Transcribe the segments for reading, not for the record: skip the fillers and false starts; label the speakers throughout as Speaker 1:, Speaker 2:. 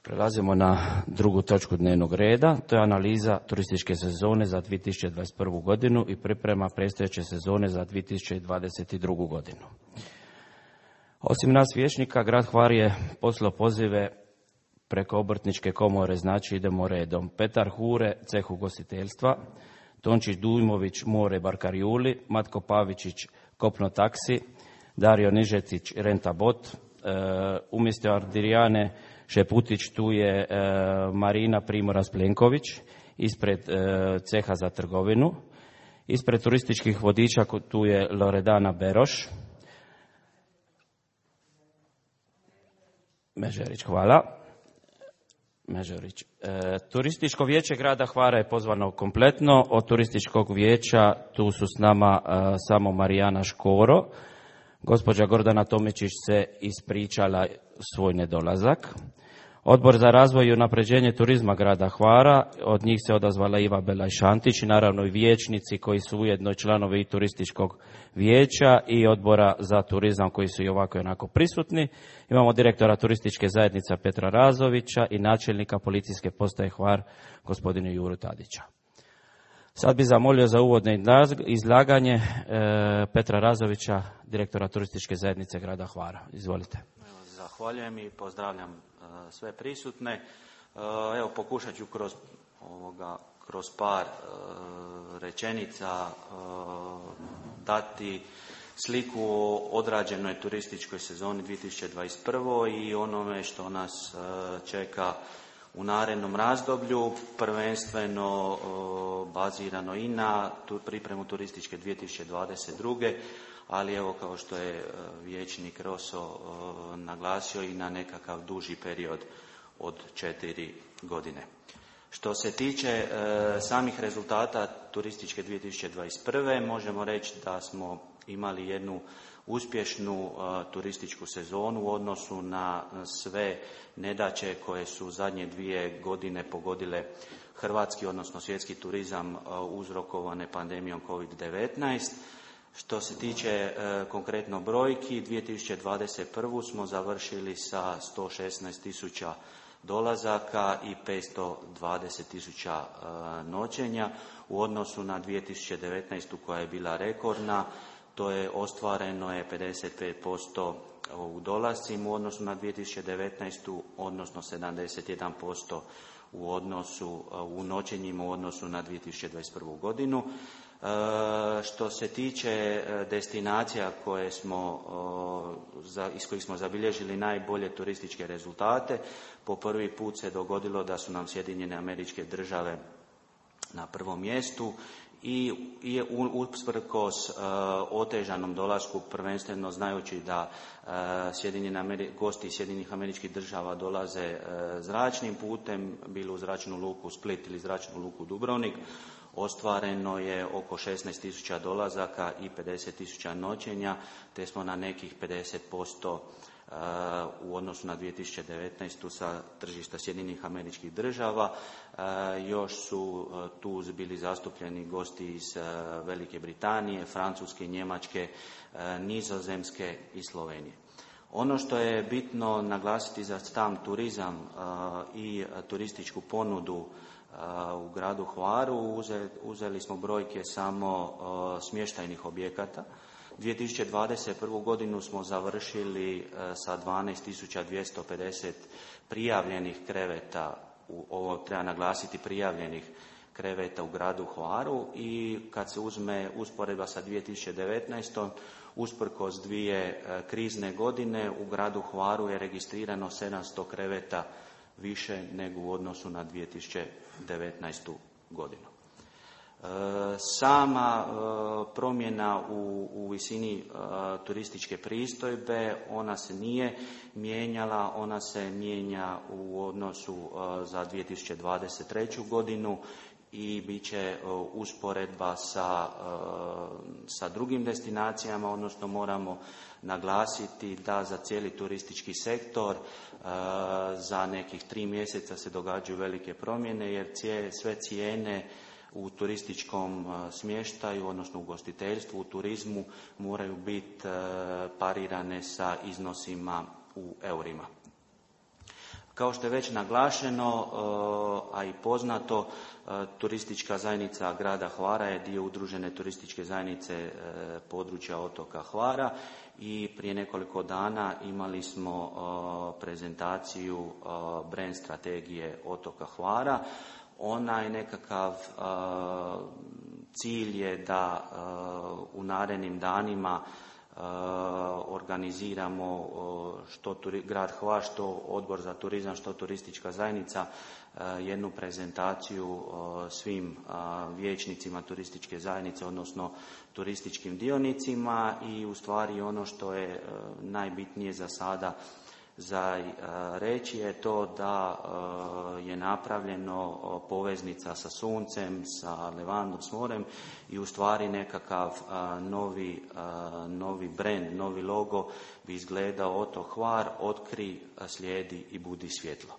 Speaker 1: Prelazimo na drugu točku dnevnog reda, to je analiza turističke sezone za 2021. godinu i priprema predstojeće sezone za 2022. godinu. Osim nas vijećnika, grad Hvar je poslao pozive preko obrtničke komore, znači idemo redom. Petar Hure, ceh ugostiteljstva, Tončić Dujmović, more Barkarjuli, Matko Pavičić, kopno taksi, Dario Nižetić, renta bot, umjesto Ardirijane Šeputić tu je Marina Primorac Plenković, ispred ceha za trgovinu, ispred turističkih vodiča tu je Loredana Beroš, Mežerić, hvala. Mežerić. Turističko vijeće grada Hvara je pozvano kompletno. Od turističkog vijeća tu su s nama samo Marijana Škoro. Gospođa Gordana Tomičić se ispričala svoj nedolazak. Odbor za razvoj i unapređenje turizma grada Hvara, od njih se odazvala Iva Belaj-Šantić i naravno i vijećnici koji su ujedno članovi i turističkog vijeća i odbora za turizam koji su i ovako i onako prisutni. Imamo direktora turističke zajednice Petra Razovića i načelnika policijske postaje Hvar gospodina Juru Tadića. Sad bi zamolio za uvodno izlaganje Petra Razovića, direktora turističke zajednice grada Hvara. Izvolite.
Speaker 2: Zahvaljujem i pozdravljam sve prisutne. Evo, pokušat ću kroz par rečenica dati sliku o odrađenoj turističkoj sezoni 2021. i onome što nas čeka u narednom razdoblju, prvenstveno bazirano i na pripremu turističke 2022. ali evo, kao što je vijećnik Roso naglasio, i na nekakav duži period od 4 godine. Što se tiče samih rezultata turističke 2021. možemo reći da smo imali jednu uspješnu turističku sezonu u odnosu na sve nedaće koje su zadnje 2 godine pogodile hrvatski, odnosno svjetski turizam uzrokovane pandemijom COVID-19. Što se tiče konkretno brojki, 2021. smo završili sa 116.000 dolazaka i 520.000 noćenja u odnosu na 2019. koja je bila rekordna. To je ostvareno je 55% u dolascima u odnosu na 2019. odnosno 71% u noćenjima u odnosu na 2021. godinu. Što se tiče destinacija iz kojih smo zabilježili najbolje turističke rezultate, po prvi put se dogodilo da su nam Sjedinjene Američke Države na prvom mjestu i usprkos otežanom dolasku, prvenstveno znajući da gosti iz Sjedinjenih Američkih Država dolaze zračnim putem, bilo u zračnu luku Split ili zračnu luku Dubrovnik, ostvareno je oko 16.000 dolazaka i 50.000 noćenja, te smo na nekih 50% u odnosu na 2019. sa tržišta Sjedinjenih Američkih Država. Još su tu bili zastupljeni gosti iz Velike Britanije, Francuske, Njemačke, Nizozemske i Slovenije. Ono što je bitno naglasiti za sam turizam i turističku ponudu u gradu Hvaru, uzeli smo brojke samo smještajnih objekata. 2021. godinu smo završili sa 12.250 prijavljenih kreveta, ovo treba naglasiti, prijavljenih kreveta u gradu Hvaru, i kad se uzme usporedba sa 2019. usprkos 2 krizne godine u gradu Hvaru je registrirano 700 kreveta više nego u odnosu na 2019. godinu. Sama promjena u visini turističke pristojbe, ona se nije mijenjala, ona se mijenja u odnosu za 2023. godinu i bit će usporedba sa drugim destinacijama, odnosno moramo naglasiti da za cijeli turistički sektor za nekih 3 mjeseca se događaju velike promjene, jer sve cijene u turističkom smještaju, odnosno u ugostiteljstvu, u turizmu, moraju biti parirane sa iznosima u eurima. Kao što je već naglašeno, a i poznato, turistička zajednica grada Hvara je dio udružene turističke zajednice područja otoka Hvara i prije nekoliko dana imali smo prezentaciju brand strategije otoka Hvara. Onaj nekakav cilj je da u narednim danima organiziramo što grad Hvar, što Odbor za turizam, što turistička zajednica jednu prezentaciju svim vijećnicima turističke zajednice, odnosno turističkim dionicima i u stvari ono što je najbitnije za sada za reći je to da je napravljeno poveznica sa suncem, sa Levandom, s morem i u stvari nekakav novi brand, novi logo bi izgledao otok Hvar, otkri, slijedi i budi svjetlo.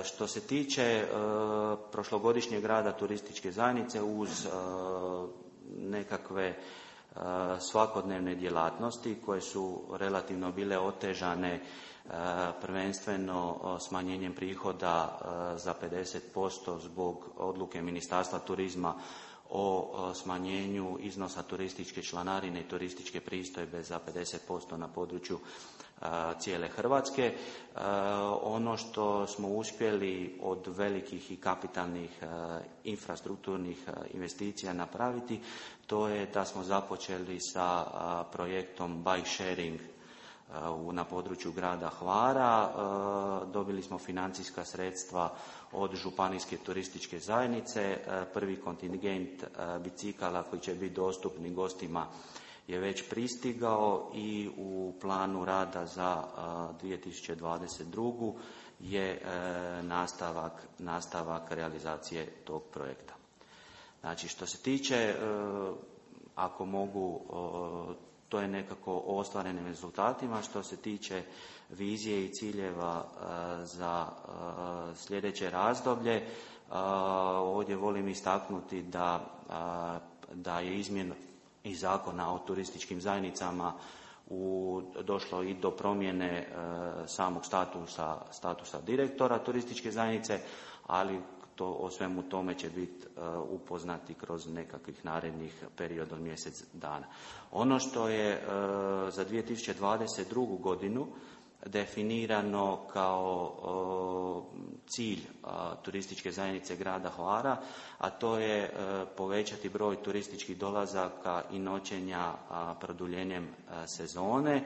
Speaker 2: Što se tiče prošlogodišnjeg rada turističke zajednice uz nekakve svakodnevne djelatnosti koje su relativno bile otežane prvenstveno smanjenjem prihoda za 50% zbog odluke Ministarstva turizma o smanjenju iznosa turističke članarine i turističke pristojbe za 50% na području cijele Hrvatske. Ono što smo uspjeli od velikih i kapitalnih infrastrukturnih investicija napraviti, to je da smo započeli sa projektom bike sharing na području grada Hvara. Dobili smo financijska sredstva od županijske turističke zajednice. Prvi kontingent bicikala koji će biti dostupni gostima je već pristigao i u planu rada za 2022. je nastavak realizacije tog projekta. Znači, što se tiče, ako mogu, to je nekako o ostvarenim rezultatima. Što se tiče vizije i ciljeva za sljedeće razdoblje, ovdje volim istaknuti da je izmjena i Zakona o turističkim zajednicama došlo i do promjene samog statusa direktora turističke zajednice, ali o svemu tome će biti upoznati kroz nekakvih narednih period od mjesec dana. Ono što je za 2022. godinu definirano kao cilj turističke zajednice grada Hvara, a to je povećati broj turističkih dolazaka i noćenja produljenjem sezone,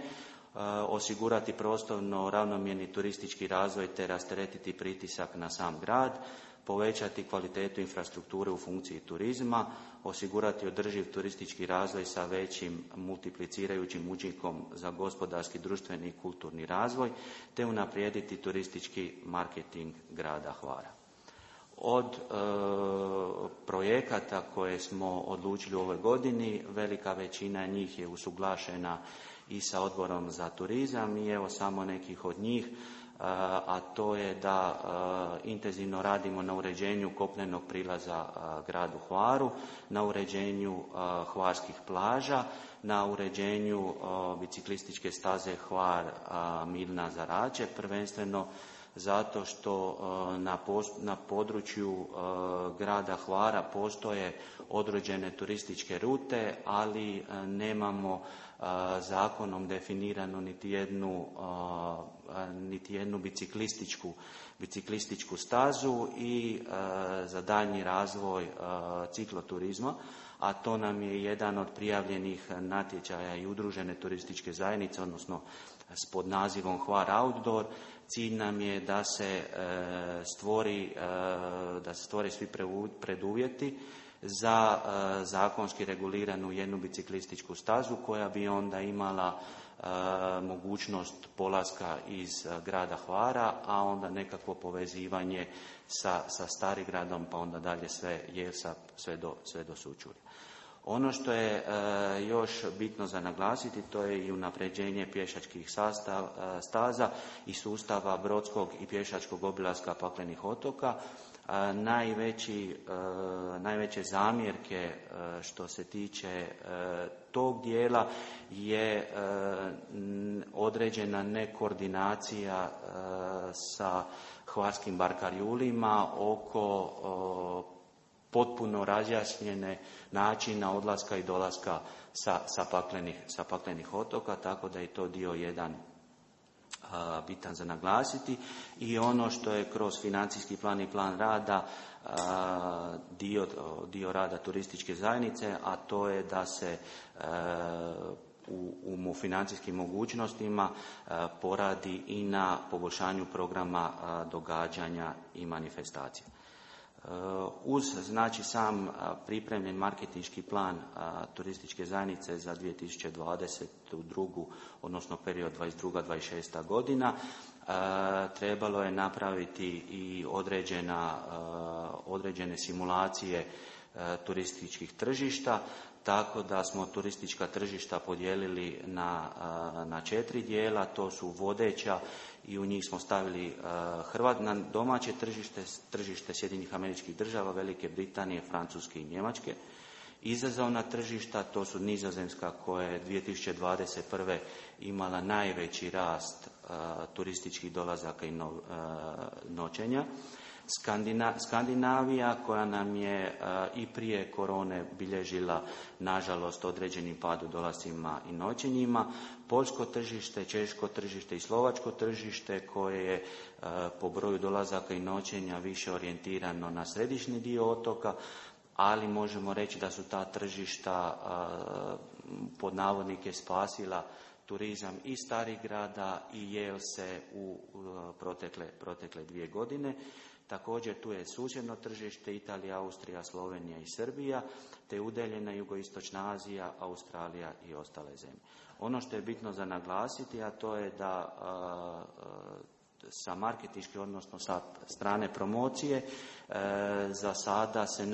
Speaker 2: osigurati prostorno ravnomjerni turistički razvoj te rasteretiti pritisak na sam grad, povećati kvalitetu infrastrukture u funkciji turizma, osigurati održiv turistički razvoj sa većim multiplicirajućim učinkom za gospodarski, društveni i kulturni razvoj, te unaprijediti turistički marketing grada Hvara. Od projekata koje smo odlučili u ovoj godini, velika većina njih je usuglašena i sa Odborom za turizam i evo samo nekih od njih, a to je da intenzivno radimo na uređenju kopnenog prilaza gradu Hvaru, na uređenju hvarskih plaža, na uređenju biciklističke staze Hvar Milna Zarače, prvenstveno zato što na području grada Hvara postoje određene turističke rute, ali nemamo zakonom definiranu niti jednu biciklističku stazu i za daljnji razvoj cikloturizma, a to nam je jedan od prijavljenih natječaja i udružene turističke zajednice, odnosno pod nazivom Hvar Outdoor. Cilj nam je da se stvore svi preduvjeti za zakonski reguliranu jednu biciklističku stazu koja bi onda imala mogućnost polaska iz grada Hvara, a onda nekakvo povezivanje sa Starigradom, pa onda dalje sve Jelsa, sve do Sućurja. Ono što je još bitno za naglasiti, to je i unapređenje pješačkih staza i sustava brodskog i pješačkog obilaska paklenih otoka. Najveće zamjerke što se tiče tog dijela je određena nekoordinacija sa hvarskim barkarjulima oko potpuno razjašnjene načina odlaska i dolaska sa paklenih otoka, tako da je to dio jedan bitan za naglasiti. I ono što je kroz financijski plan i plan rada dio rada turističke zajednice, a to je da se u financijskim mogućnostima poradi i na poboljšanju programa događanja i manifestacija. Uz znači sam pripremljen marketinški plan turističke zajednice za 2022. odnosno period 22-26. godina, trebalo je napraviti i određene simulacije turističkih tržišta, tako da smo turistička tržišta podijelili na 4 dijela. To su vodeća i u njih smo stavili na domaće tržište Sjedinjenih Američkih Država, Velike Britanije, Francuske i Njemačke. Izazovna tržišta, to su Nizozemska koja je 2021. imala najveći rast turističkih dolazaka i noćenja. Skandinavija koja nam je i prije korone bilježila nažalost određeni pad u dolascima i noćenjima. Poljsko tržište, češko tržište i slovačko tržište koje je po broju dolazaka i noćenja više orijentirano na središnji dio otoka, ali možemo reći da su ta tržišta pod navodnike spasila turizam i Starih grada i Jelse u protekle 2 godine. Također tu je susjedno tržište Italija, Austrija, Slovenija i Srbija, te udaljena jugoistočna Azija, Australija i ostale zemlje. Ono što je bitno za naglasiti, a to je da sa marketinške, odnosno sa strane promocije, za sada se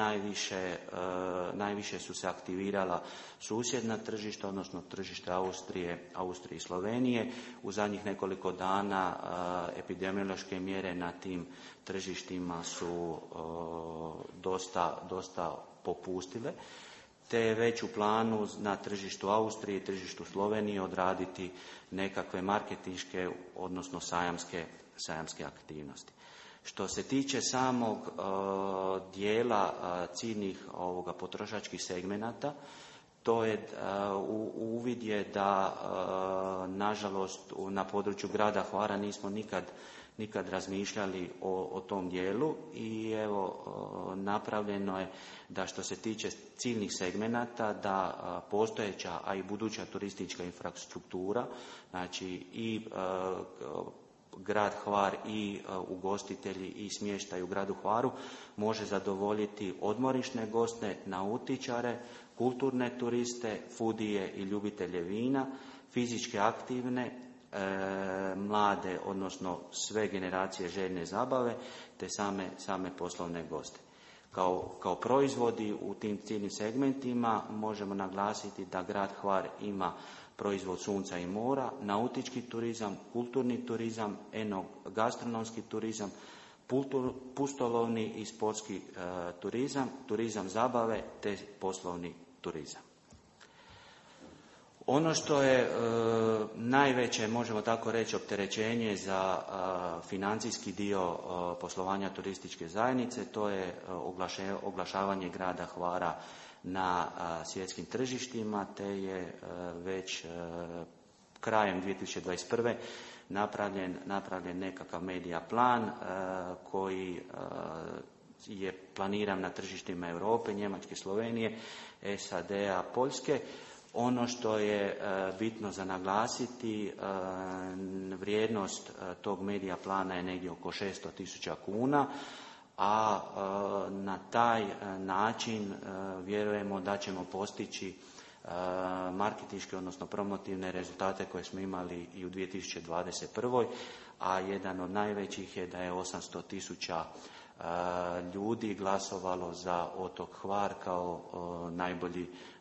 Speaker 2: najviše su se aktivirala susjedna tržišta, odnosno tržište Austrije i Slovenije. U zadnjih nekoliko dana epidemiološke mjere na tim tržištima su dosta popustile, te je već u planu na tržištu Austrije i tržištu Slovenije odraditi nekakve marketinške, odnosno sajamske aktivnosti. Što se tiče samog dijela ciljnih potrošačkih segmenata, to je uvid je da nažalost na području grada Hvara nismo nikad razmišljali o tom dijelu i evo napravljeno je da što se tiče ciljnih segmenata da postojeća, a i buduća turistička infrastruktura, znači i grad Hvar i ugostitelji i smještaj u gradu Hvaru može zadovoljiti odmorišne goste, nautičare, kulturne turiste, foodije i ljubitelje vina, fizički aktivne, mlade, odnosno sve generacije željne zabave, te same poslovne goste. Kao proizvodi u tim ciljnim segmentima možemo naglasiti da grad Hvar ima proizvod sunca i mora, nautički turizam, kulturni turizam, gastronomski turizam, pustolovni i sportski turizam, turizam zabave te poslovni turizam. Ono što je najveće, možemo tako reći, opterećenje za financijski dio poslovanja turističke zajednice, to je oglašavanje grada Hvara na svjetskim tržištima, te je već krajem 2021. napravljen nekakav medija plan koji je planiran na tržištima Europe, Njemačke, Slovenije, SAD-a, Poljske. Ono što je bitno za naglasiti, vrijednost tog medija plana je negdje oko 600.000 kuna, a na taj način vjerujemo da ćemo postići marketinške, odnosno promotivne rezultate koje smo imali i u 2021. A jedan od najvećih je da je 800.000 ljudi glasovalo za otok Hvar kao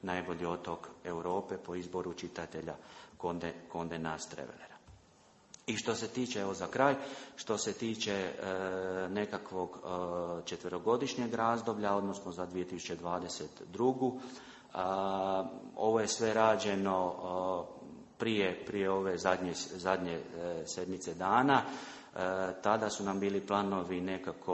Speaker 2: najbolji otok Europe po izboru čitatelja Condé Nast Travelera. I što se tiče, evo za kraj, što se tiče nekakvog četverogodišnjeg razdoblja, odnosno za 2022. Ovo je sve rađeno prije ove zadnje sedmice dana. Tada su nam bili planovi nekako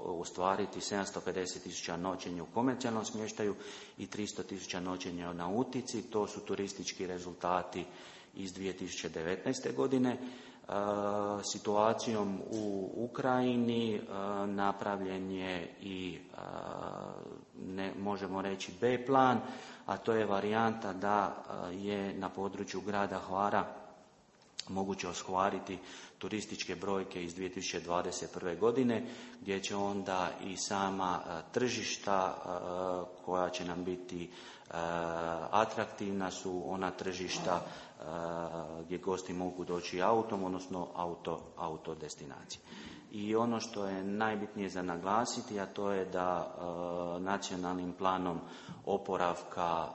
Speaker 2: ostvariti 750.000 noćenja u komercijalnom smještaju i 300.000 noćenja na Utici. To su turistički rezultati iz 2019. godine. Situacijom u Ukrajini napravljen je i možemo reći B plan, a to je varijanta da je na području grada Hvara moguće ostvariti turističke brojke iz 2021. godine, gdje će onda i sama tržišta koja će nam biti atraktivna su ona tržišta gdje gosti mogu doći autom, odnosno auto destinacije. I ono što je najbitnije za naglasiti, a to je da nacionalnim planom oporavka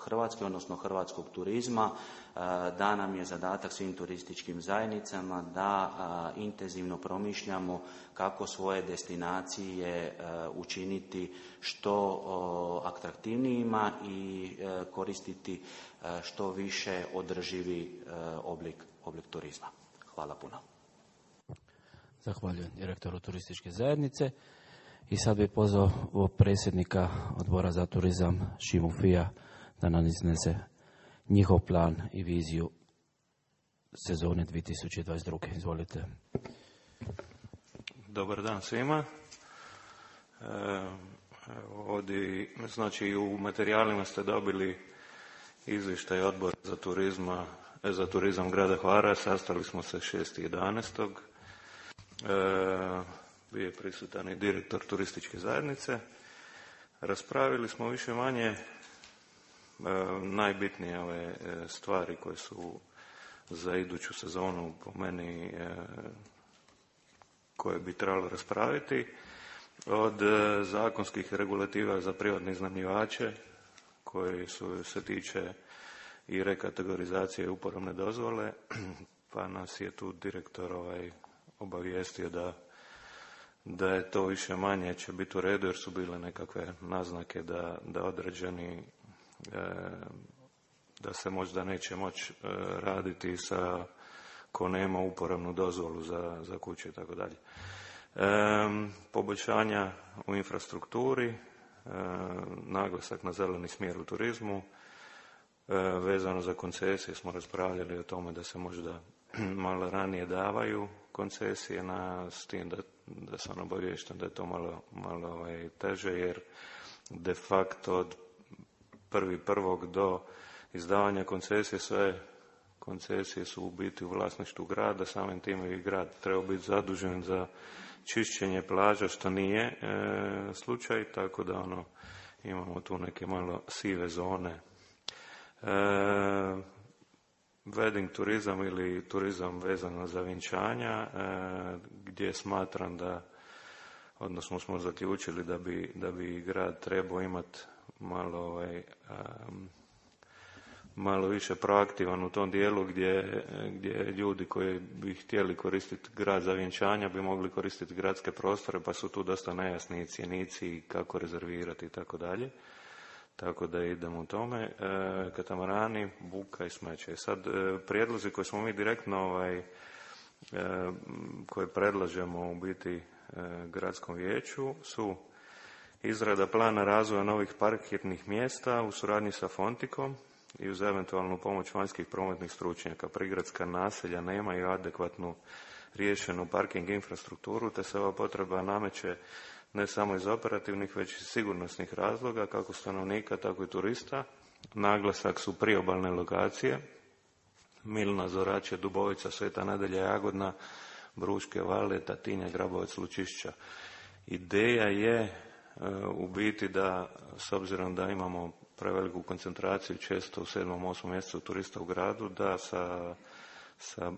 Speaker 2: Hrvatske, odnosno hrvatskog turizma, da nam je zadatak svim turističkim zajednicama da intenzivno promišljamo kako svoje destinacije učiniti što atraktivnijima i koristiti što više održivi oblik turizma. Hvala puno.
Speaker 1: Zahvaljujem direktoru turističke zajednice. I sad bih pozvao predsjednika odbora za turizam Šimu Fija da nam iznese njihov plan i viziju sezone 2022. Izvolite.
Speaker 3: Dobar dan svima. Ovdje, znači u materijalima ste dobili izvještaj odbora za turizam grada Hvara. Sastali smo se 6.11. Bio je prisutan i direktor turističke zajednice. Raspravili smo više manje najbitnije ove stvari koje su za iduću sezonu po meni koje bi trebalo raspraviti. Od zakonskih regulativa za privatne iznajmljivače koji se tiče i rekategorizacije i uporabne dozvole, pa nas je tu direktor obavijestio da je to više manje će biti u redu, jer su bile nekakve naznake da određeni da se možda neće moći raditi ko nema uporabnu dozvolu za kuće i tako dalje. Poboljšanja u infrastrukturi, naglasak na zeleni smjer u turizmu, vezano za koncesije smo raspravljali o tome da se možda malo ranije davaju koncesije, s tim da sam obaviješten da je to malo teže, jer de facto od 1.1. do izdavanja koncesije sve koncesije su u biti u vlasništvu grada, samim time i grad treba biti zadužen za čišćenje plaža, što nije slučaj, tako da imamo tu neke malo sive zone. Wedding turizam ili turizam vezano za vjenčanja, gdje smatram odnosno smo zaključili da bi grad trebao imati malo više proaktivan u tom dijelu gdje ljudi koji bi htjeli koristiti grad za vjenčanja bi mogli koristiti gradske prostore, pa su tu dosta nejasni cjenici kako rezervirati i tako dalje. Tako da idemo u tome. Katamarani, buka i smeće. Sad, prijedlozi koje smo mi direktno koje predlažemo u biti gradskom vijeću su izrada plana razvoja novih parkirnih mjesta u suradnji sa Fontikom i uz eventualnu pomoć vanjskih prometnih stručnjaka. Prigradska naselja nemaju adekvatnu riješenu parking infrastrukturu, te se ova potreba nameće ne samo iz operativnih, već i sigurnosnih razloga, kako stanovnika, tako i turista. Naglasak su priobalne lokacije, Milna, Zorače, Dubovica, Sveta Nedelja, Jagodna, Bruške Vale, Tatinja, Grabovac, Lučišća. Ideja je u biti da, s obzirom da imamo preveliku koncentraciju često u 7. 8. mjesecu turista u gradu, da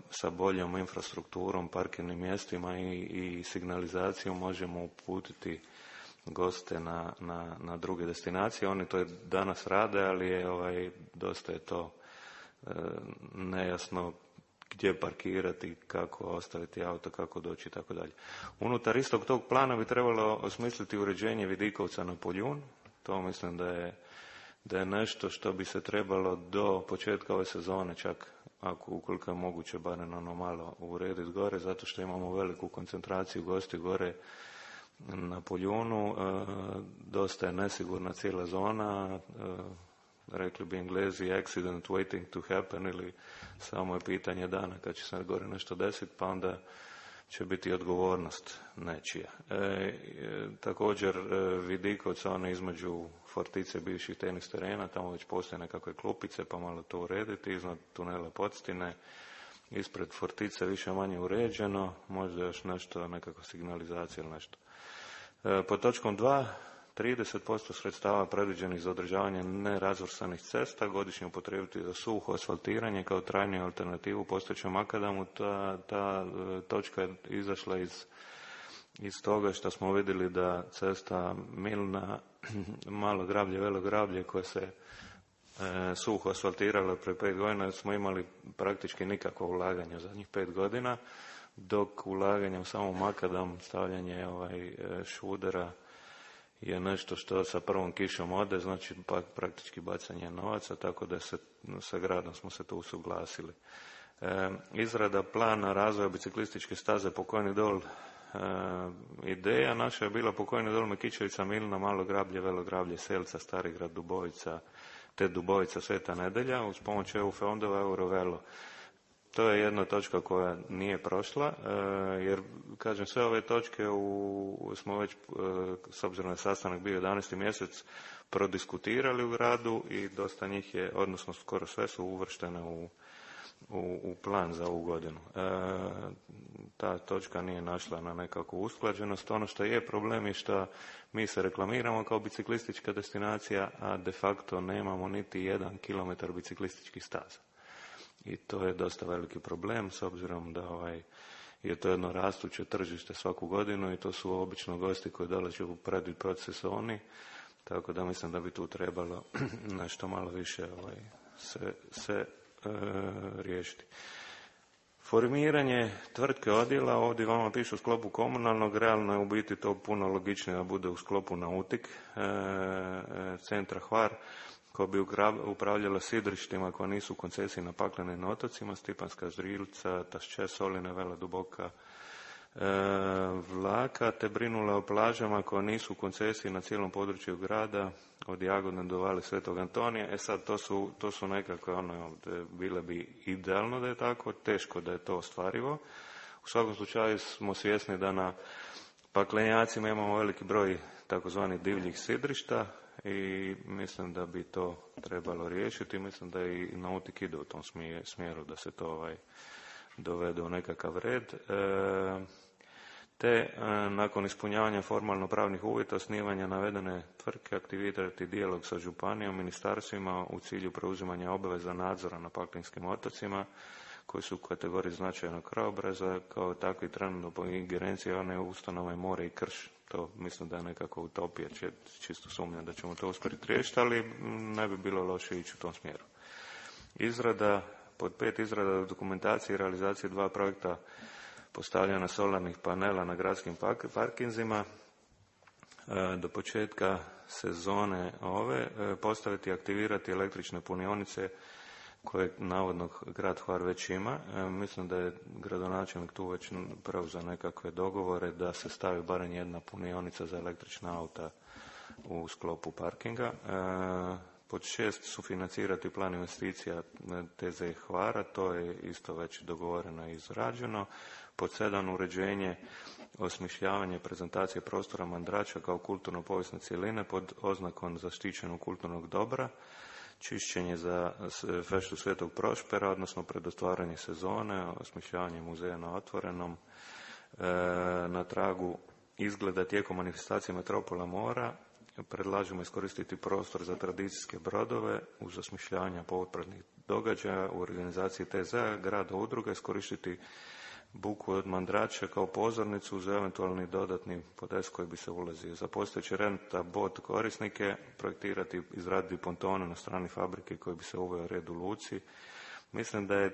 Speaker 3: sa boljom infrastrukturom, parkirnim mjestima i signalizacijom možemo uputiti goste na druge destinacije. Oni to danas rade, ali dosta je to nejasno gdje parkirati, kako ostaviti auto, kako doći i tako dalje. Unutar istog tog plana bi trebalo osmisliti uređenje Vidikovca na Poljun. To mislim da je nešto što bi se trebalo do početka ove sezone, čak ukoliko je moguće barem malo urediti gore, zato što imamo veliku koncentraciju gosti gore na Poljunu. Dosta je nesigurna cijela zona, rekli bi Englezi accident waiting to happen, ili samo je pitanje dana kad će se gore nešto desiti, pa onda će biti odgovornost nečija. Također Vidikovec, ono između Fortice bivših tenis terena, tamo već postoje nekakve klupice, pa malo to urediti, iznad tunela Podstine, ispred Fortice više manje uređeno, možda još nešto, nekakva signalizacija ili nešto. Pod točkom 2, 30% sredstava predviđenih za održavanje nerazvrstanih cesta godišnje upotrijebiti za suho asfaltiranje kao trajnu alternativu postojećem makadamu. Ta točka je izašla iz toga što smo vidjeli da cesta Milna, Malo Grablje, Velo Grablje, koje se suho asfaltirala pre 5 godina, smo imali praktički nikakvo ulaganje u zadnjih 5 godina, dok ulaganje u samo makadam, stavljanje šudera je nešto što sa prvom kišom ode, znači praktički bacanje novaca, tako da sa gradom smo se tu usuglasili. Izrada plana razvoja biciklističke staze Pokojni dol, ideja naša je bila Pokojni dol, Mekićevica, Milna, Malo Grablje, Velo Grablje, Selca, Starigrad, Dubovica, te Dubovica, Sveta Nedelja, uz pomoć EU fondova Eurovelo. To je jedna točka koja nije prošla, jer, kažem, sve ove točke smo već, s obzirom na sastanak bio 11. mjesec, prodiskutirali u gradu i dosta njih je, odnosno skoro sve su uvrštene u plan za ovu godinu. Ta točka nije našla na nekakvu usklađenost. Ono što je problem je što mi se reklamiramo kao biciklistička destinacija, a de facto nemamo niti 1 kilometar biciklističkih staza. I to je dosta veliki problem, s obzirom da je to jedno rastuće tržište svaku godinu i to su obično gosti koji dolaze u predsezoni, tako da mislim da bi tu trebalo nešto malo više se riješiti. Formiranje tvrtke odjela, ovdje vama piše u sklopu komunalnog, realno je u biti to puno logičnije da bude u sklopu Nautik centra Hvar, koja bi upravljala sidrištima koja nisu u koncesiji na paklenim otocima, Stipanska, Ždrilca, Tašče, Soline, Vela Duboka, Vlaka, te brinula o plažama koje nisu u koncesiji na cijelom području grada, od Jagodne do Vale Svetog Antonija. Sad, to su nekakve, bile bi idealno da je tako, teško da je to ostvarivo. U svakom slučaju smo svjesni da na paklenjacima imamo veliki broj takozvanih divljih sidrišta, i mislim da bi to trebalo riješiti. Mislim da i Nautik ide u tom smjeru da se to dovede u nekakav red. Te nakon ispunjavanja formalno pravnih uvjeta osnivanja navedene tvrtke aktivirati dijalog sa županijom, ministarstvima u cilju preuzimanja obaveza nadzora na paklinskim otocima koji su u kategoriji značajnog krajobraza, kao takvi trenutno po ingerenciji one ustanove more i krš. To mislim da je nekako utopija, čisto sumnjam da ćemo to uspjeti riješiti, ali ne bi bilo loše ići u tom smjeru. Pod 5, izrada dokumentacije i realizacije 2 projekta postavljanja solarnih panela na gradskim parkinzima. Do početka sezone postaviti i aktivirati električne punionice koje navodno grad Hvar već ima. Mislim da je gradonačelnik tu već preuzeo nekakve dogovore da se stavi barem 1 punionica za električna auta u sklopu parkinga. Pod 6, sufinancirati plan investicija TZ Hvara, to je isto već dogovoreno i izrađeno. Pod 7, uređenje, osmišljavanje prezentacije prostora Mandrača kao kulturno-povijesne cjeline pod oznakom zaštićenog kulturnog dobra. Čišćenje za feštu Svetog Prošpera, odnosno pred otvaranje sezone, osmišljavanje muzeja na otvorenom, na tragu izgleda tijekom manifestacije Metropola mora. Predlažemo iskoristiti prostor za tradicijske brodove uz osmišljavanje popratnih događaja u organizaciji TZ-a, grada udruga, iskoristiti buku od Mandrača kao pozornicu uz eventualni dodatni podes koji bi se ulazio. Za postojeće renta bot korisnike projektirati, izraditi pontone na strani fabrike koji bi se uveo red u luci, Mislim da je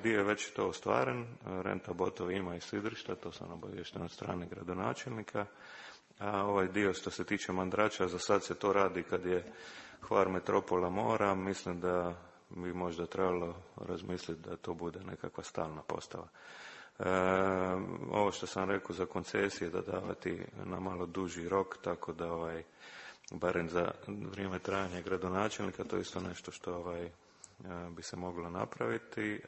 Speaker 3: dio već to ostvaren, renta botovi ima i sidrišta, to sam obaviješten od strane gradonačelnika, a ovaj dio što se tiče Mandrača, za sad se to radi kad je Hvar metropola mora, mislim da bi možda trebalo razmisliti da to bude nekakva stalna postava. Ovo što sam rekao za koncesije, da davati na malo duži rok, tako da barem za vrijeme trajanja gradonačelnika, to je isto nešto što bi se moglo napraviti.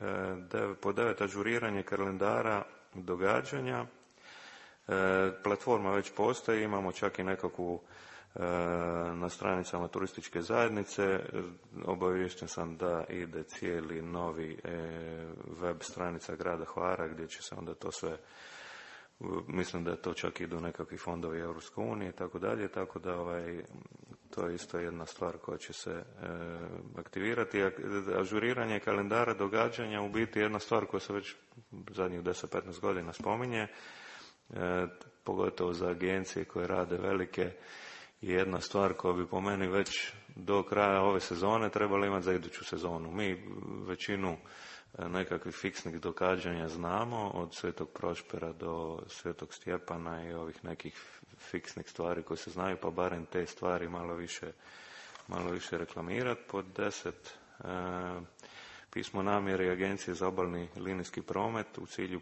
Speaker 3: Po 9. ažuriranje kalendara događanja. Platforma već postoji, imamo čak i nekakvu na stranicama turističke zajednice. Obaviješten sam da ide cijeli novi web stranica grada Hvara gdje će se onda to sve, mislim da to čak idu nekakvi fondovi Europske unije i tako dalje, tako da to je isto jedna stvar koja će se aktivirati. Ažuriranje kalendara događanja u biti jedna stvar koja se već zadnjih 10-15 godina spominje, pogotovo za agencije koje rade velike, je jedna stvar koja bi po meni već do kraja ove sezone trebala imati za iduću sezonu. Mi većinu nekakvih fiksnih događanja znamo, od Svetog Prošpera do Svetog Stjepana i ovih nekih fiksnih stvari koje se znaju, pa barem te stvari malo više reklamirati. Pod 10, pismo namjere Agencije za obalni linijski promet u cilju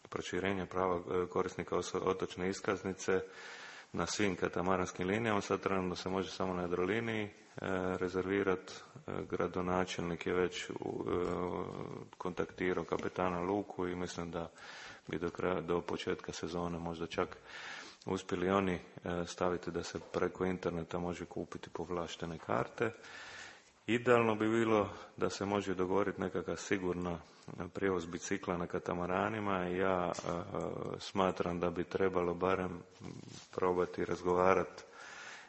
Speaker 3: proširenja prava korisnika otočne iskaznice na svim katamaranskim linijama. Sad trenutno se može samo na Jadroliniji rezervirati. Gradonačelnik je već kontaktirao kapetana luku i mislim da bi do početka sezone možda čak uspjeli oni staviti da se preko interneta može kupiti povlaštene karte. Idealno bi bilo da se može dogovoriti nekakav sigurna prijevoz bicikla na katamaranima. Ja smatram da bi trebalo barem probati razgovarati.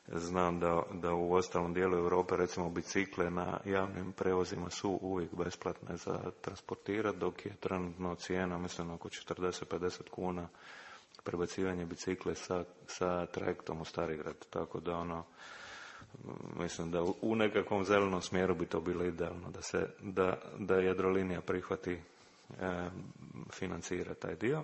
Speaker 3: Znam da u ostalom dijelu Europe recimo bicikle na javnim prevozima su uvijek besplatne za transportirati, dok je trenutno cijena mislim oko 40-50 kuna prebacivanje bicikle sa trajektom u Starigrad. Tako da mislim da u nekakvom zelenom smjeru bi to bilo idealno da Jadrolinija prihvati financira taj dio.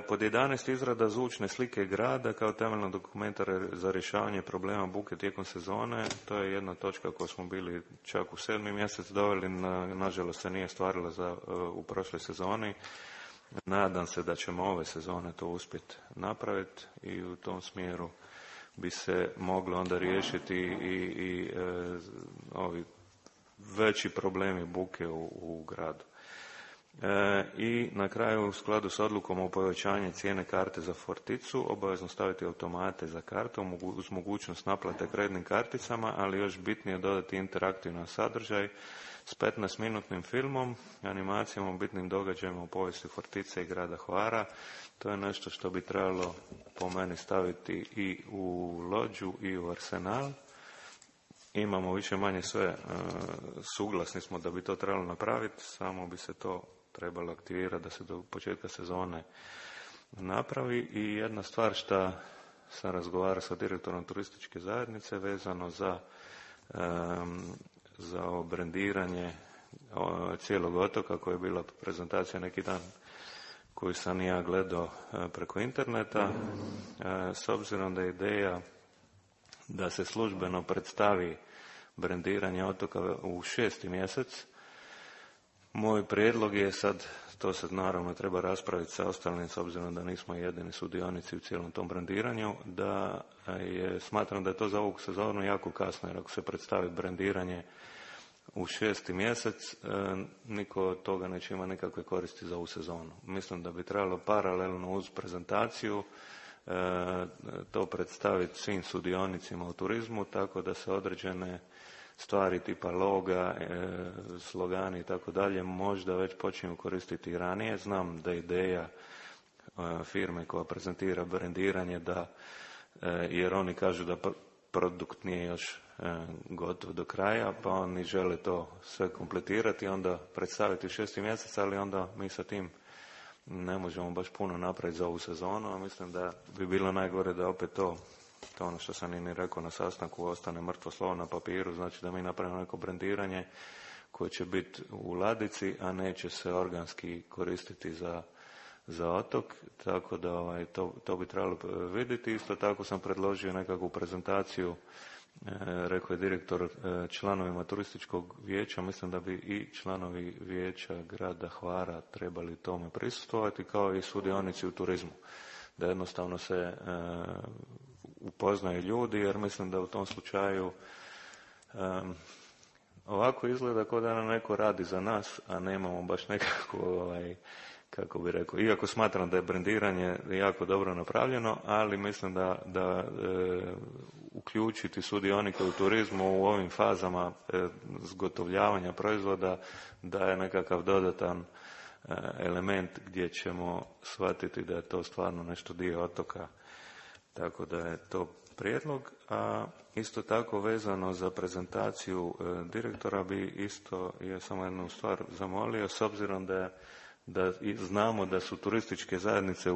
Speaker 3: Pod 11. izrada zvučne slike grada kao temeljnog dokumenta za rješavanje problema buke tijekom sezone. To je jedna točka koju smo bili čak u 7. mjesec doveli, nažalost se nije stvarila u prošloj sezoni. Nadam se da ćemo ove sezone to uspjeti napraviti i u tom smjeru bi se moglo onda riješiti i ovi veći problemi buke u gradu. I na kraju, u skladu s odlukom o povećanju cijene karte za Forticu, obavezno staviti automate za karte uz mogućnost naplate kreditnim karticama, ali još bitnije dodati interaktivan sadržaj s 15-minutnim filmom, animacijama o bitnim događajima u povijesti Fortice i grada Hvara. To je nešto što bi trebalo po meni staviti i u Lođu i u Arsenal. Imamo više manje sve, suglasni smo da bi to trebalo napraviti, samo bi se to trebalo aktivirati da se do početka sezone napravi. I jedna stvar što sam razgovarao sa direktorom turističke zajednice vezano za ovo brendiranje cijelog otoka, koja je bila prezentacija neki dan koju sam ja gledao preko interneta. S obzirom da je ideja da se službeno predstavi brendiranje otoka u 6. mjesec, moj prijedlog je sad, to se naravno treba raspraviti sa ostalim, s obzirom da nismo jedini sudionici u cijelom tom brendiranju, smatram da je to za ovu sezonu jako kasno, jer ako se predstavi brendiranje u 6. mjesec, niko od toga neće imati nikakve koristi za ovu sezonu. Mislim da bi trebalo paralelno uz prezentaciju to predstaviti svim sudionicima u turizmu, tako da se određene stvari tipa loga, slogani i tako dalje možda već počinju koristiti ranije. Znam da je ideja firme koja prezentira brendiranje jer oni kažu da produkt nije još gotov do kraja, pa oni žele to sve kompletirati i onda predstaviti u 6. mjesec, ali onda mi sa tim ne možemo baš puno napraviti za ovu sezonu, a mislim da bi bilo najgore da opet to ono što sam i rekao na sastanku, ostane mrtvo slovo na papiru, znači da mi napravimo neko brendiranje koji će biti u ladici, a neće se organski koristiti za otok, tako da to bi trebalo vidjeti. Isto tako sam predložio nekakvu prezentaciju, rekao je direktor, članovima turističkog vijeća. Mislim da bi i članovi vijeća grada Hvara trebali tome prisustvovati, kao i sudionici u turizmu, da jednostavno se upoznaju ljudi, jer mislim da u tom slučaju ovako izgleda kao da nam neko radi za nas, a nemamo baš nekako, kako bi rekao, iako smatram da je brendiranje jako dobro napravljeno, ali mislim da uključiti sudionike u turizmu u ovim fazama zgotovljavanja proizvoda daje nekakav dodatan element gdje ćemo shvatiti da je to stvarno nešto dio otoka. Tako da je to prijedlog. A isto tako vezano za prezentaciju direktora bi isto samo jednu stvar zamolio, s obzirom da znamo da su turističke zajednice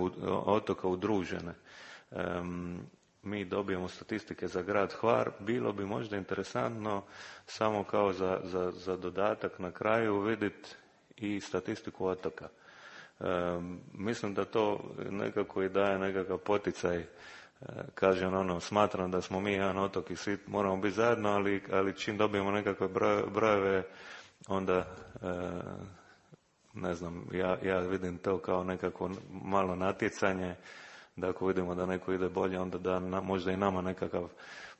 Speaker 3: otoka udružene. Mi dobijemo statistike za grad Hvar, bilo bi možda interesantno samo kao za dodatak na kraju vidjeti i statistiku otoka. Mislim da to nekako i daje nekakav poticaj. Kažem, smatram da smo mi jedan otok i svi moramo biti zajedno, ali čim dobijemo nekakve brojeve, onda ne znam, ja vidim to kao nekako malo natjecanje, da ako vidimo da neko ide bolje, onda da možda i nama nekakav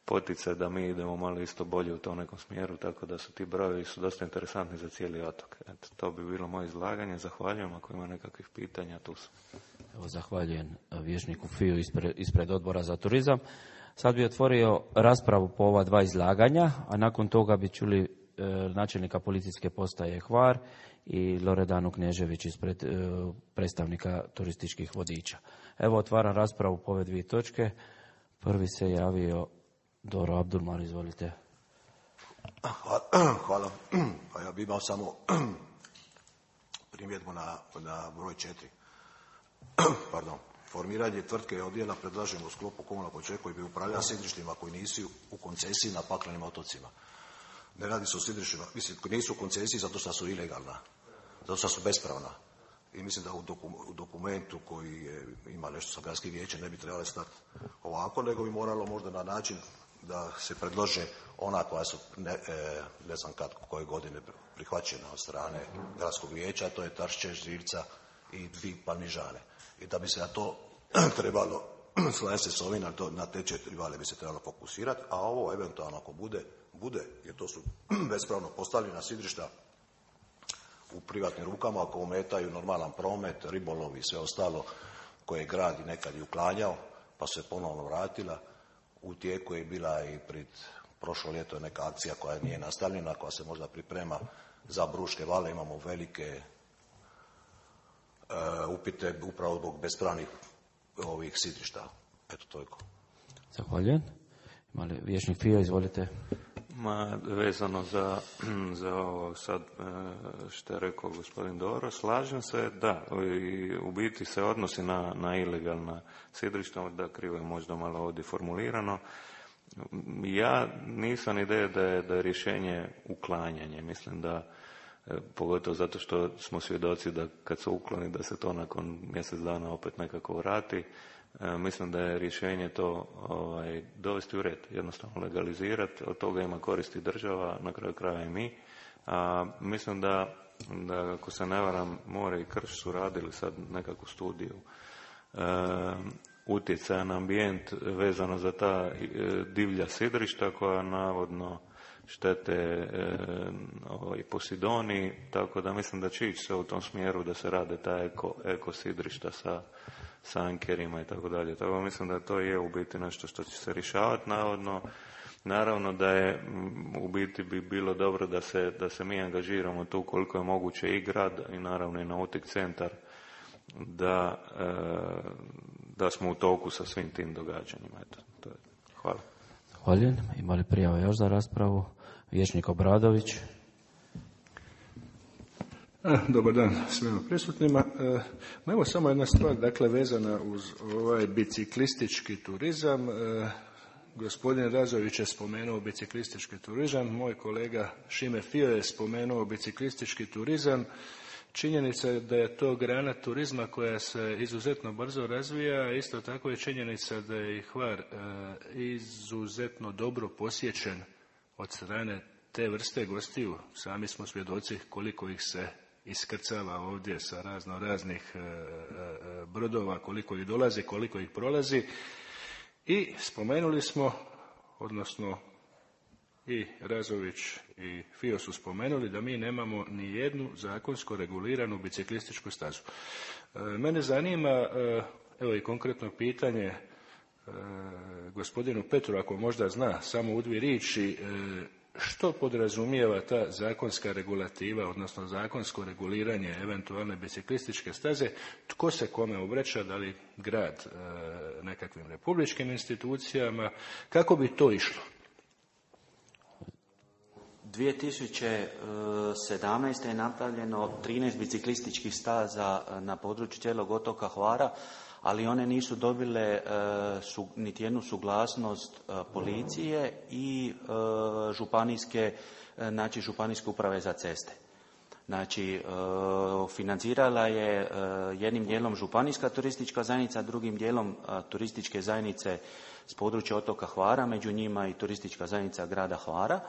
Speaker 3: poticaj da mi idemo malo isto bolje u tom nekom smjeru, tako da su ti brojevi dosta interesantni za cijeli otok. Eto, to bi bilo moje izlaganje. Zahvaljujem. Ako ima nekakvih pitanja, tu sam.
Speaker 1: Evo, zahvaljujem vijećniku Fiju ispred Odbora za turizam. Sad bi otvorio raspravu po ova dva izlaganja, a nakon toga bi čuli načelnika policijske postaje Hvar i Loredanu Knežević ispred predstavnika turističkih vodiča. Evo, otvaram raspravu po ove dvije točke. Prvi se javio Doro Abdulmar, izvolite.
Speaker 4: Hvala. A ja bih imao samo primjedbu na broj 4. Pardon. Formiranje tvrtke i odjela predlažemo u sklopu komunalnog poduzeća koji bi upravljali sidrištima koji nisu u koncesiji na paklenim otocima. Ne radi se o sidrištima, mislim, koji nisu u koncesiji zato što su ilegalna, zato što su bespravna. I mislim da u dokumentu koji ima nešto sa gradskim vijećem ne bi trebalo stati ovako, nego bi moralo možda na način da se predlože ona koja su ne znam koje godine prihvaćena od strane gradskog vijeća, to je Tršće, Živca i Dvig Palmižane. I da bi se na to trebalo, slažem se s ovim, na te 4 vale bi se trebalo fokusirati, a ovo eventualno ako bude, jer to su bespravno postavljena sidrišta u privatnim rukama, ako ometaju normalan promet, ribolov i sve ostalo koje je grad i nekad i uklanjao, pa se ponovno vratila. U tijeku je bila i pred prošlo ljeto je neka akcija koja nije nastavljena, koja se možda priprema za Bruške vale. Imamo velike upite upravo zbog bespravnih ovih sidrišta. Eto, toliko.
Speaker 1: Zahvaljujem. Imali vijećnik Fio, izvolite.
Speaker 3: Vezano za ovo sad što je rekao gospodin Doro, slažem se, da, u biti se odnosi na ilegalna sidrišta, da krivo je možda malo ovdje formulirano. Ja nisam ideja da je rješenje uklanjanje. Mislim da, pogotovo zato što smo svjedoci da kad se ukloni da se to nakon mjesec dana opet nekako vrati. Mislim da je rješenje to dovesti u red, jednostavno legalizirati, od toga ima koristi država, na kraju kraja i mi. Mislim da ako se ne varam, More i Krš su radili sad nekakvu studiju utjecaja na ambijent vezano za ta divlja sidrišta koja navodno štete Posidoniji, tako da mislim da će ići se u tom smjeru da se rade ta eko sidrišta sa ankerima i tako dalje. Tako mislim da to je u biti nešto što će se rješavati naravno da je u biti bi bilo dobro da se mi angažiramo tu koliko je moguće i grad i naravno i nautik centar da smo u toku sa svim tim događanjima. Eto, to je. Hvala.
Speaker 1: Zahvaljujem. Imali prijave još za raspravu? Vijećnik Obradović.
Speaker 5: Dobar dan svima prisutnima. Evo samo jedna stvar, dakle vezana uz ovaj biciklistički turizam. Gospodin Razović je spomenuo biciklistički turizam, moj kolega Šime Fio je spomenuo biciklistički turizam. Činjenica je da je to grana turizma koja se izuzetno brzo razvija, a isto tako je činjenica da je i Hvar izuzetno dobro posjećen od strane te vrste gostiju. Sami smo svjedoci koliko ih se iskrcava ovdje sa raznih brodova, koliko ih dolazi, koliko ih prolazi. I spomenuli smo, odnosno i Razović i Fio su spomenuli da mi nemamo ni jednu zakonsko reguliranu biciklističku stazu. Mene zanima, evo i konkretno pitanje gospodinu Petru, ako možda zna samo u dvije riječi, što podrazumijeva ta zakonska regulativa, odnosno zakonsko reguliranje eventualne biciklističke staze, tko se kome obraća, da li grad nekakvim republičkim institucijama, kako bi to išlo?
Speaker 2: 2017. je napravljeno 13 biciklističkih staza na području cijelog otoka Hvara, ali one nisu dobile niti jednu suglasnost policije i županijske uprave za ceste. Znači, financirala je jednim dijelom županijska turistička zajednica, drugim dijelom turističke zajednice s područja otoka Hvara, među njima i turistička zajednica grada Hvara.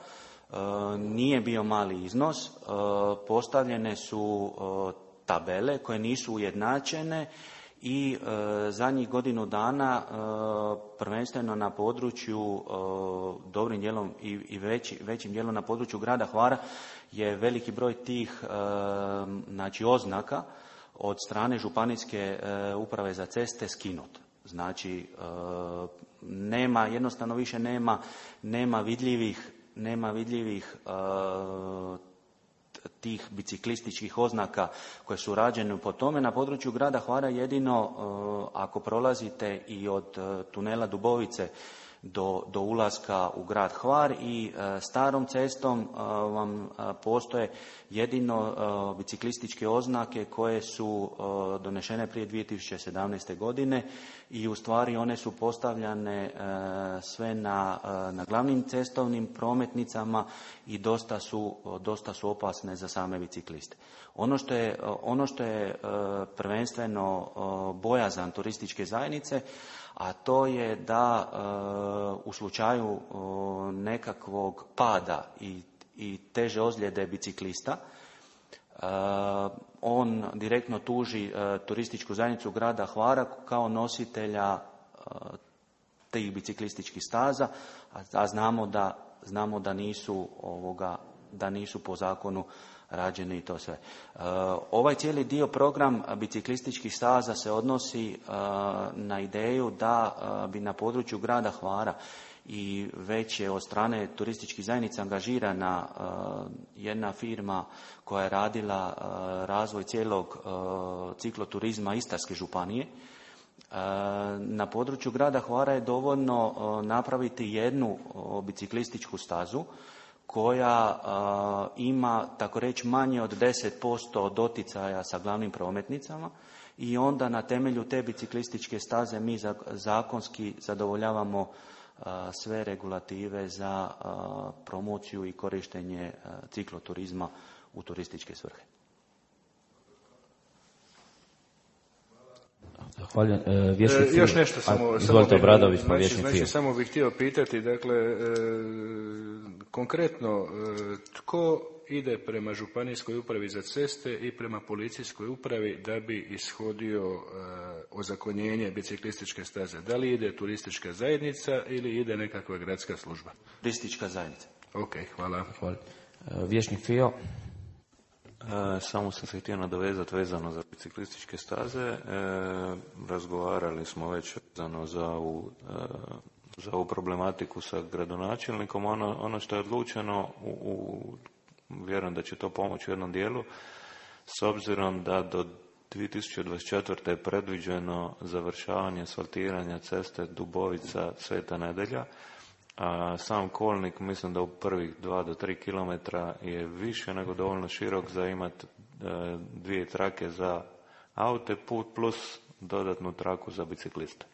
Speaker 2: Nije bio mali iznos, postavljene su tabele koje nisu ujednačene i zadnjih godinu dana prvenstveno na području dobrim dijelom i većim dijelom na području grada Hvara je veliki broj tih oznaka od strane županijske uprave za ceste skinut. Znači jednostavno više nema vidljivih tih biciklističkih oznaka koje su rađene po tome. Na području grada Hvara jedino ako prolazite i od tunela Dubovice do ulaska u grad Hvar i starom cestom vam postoje jedino biciklističke oznake koje su donešene prije 2017. godine i u stvari one su postavljane sve na glavnim cestovnim prometnicama i dosta su opasne za same bicikliste. Ono što je prvenstveno bojazan turističke zajednice, a to je da u slučaju nekakvog pada i teže ozljede biciklista, on direktno tuži turističku zajednicu grada Hvara kao nositelja tih biciklističkih staza, a znamo da nisu po zakonu rađeni i to sve. Ovaj cijeli dio program biciklističkih staza se odnosi na ideju da bi na području grada Hvara i već je od strane turističkih zajednica angažirana jedna firma koja je radila razvoj cijelog cikloturizma Istarske županije. Na području grada Hvara je dovoljno napraviti jednu biciklističku stazu koja ima, tako reći, manje od 10% doticaja sa glavnim prometnicama i onda na temelju te biciklističke staze mi zakonski zadovoljavamo sve regulative za promociju i korištenje cikloturizma u turističke svrhe.
Speaker 1: Zahvaljujem.
Speaker 5: Još nešto samo bih htio pitati, dakle, konkretno, tko ide prema županijskoj upravi za ceste i prema policijskoj upravi da bi ishodio ozakonjenje biciklističke staze? Da li ide turistička zajednica ili ide nekakva gradska služba?
Speaker 2: Turistička zajednica.
Speaker 5: Ok, hvala.
Speaker 1: Vječnik Fio.
Speaker 3: Samo sam se htio nadovezati vezano za biciklističke staze. Razgovarali smo već vezano za ovu problematiku sa gradonačelnikom. Ono što je odlučeno, vjerujem da će to pomoći u jednom dijelu, s obzirom da do 2024. je predviđeno završavanje asfaltiranja ceste Dubovica Sveta Nedelja, a sam kolnik mislim da u prvih 2 do 3 km je više nego dovoljno širok za imati 2 trake za aute put plus dodatnu traku za bicikliste.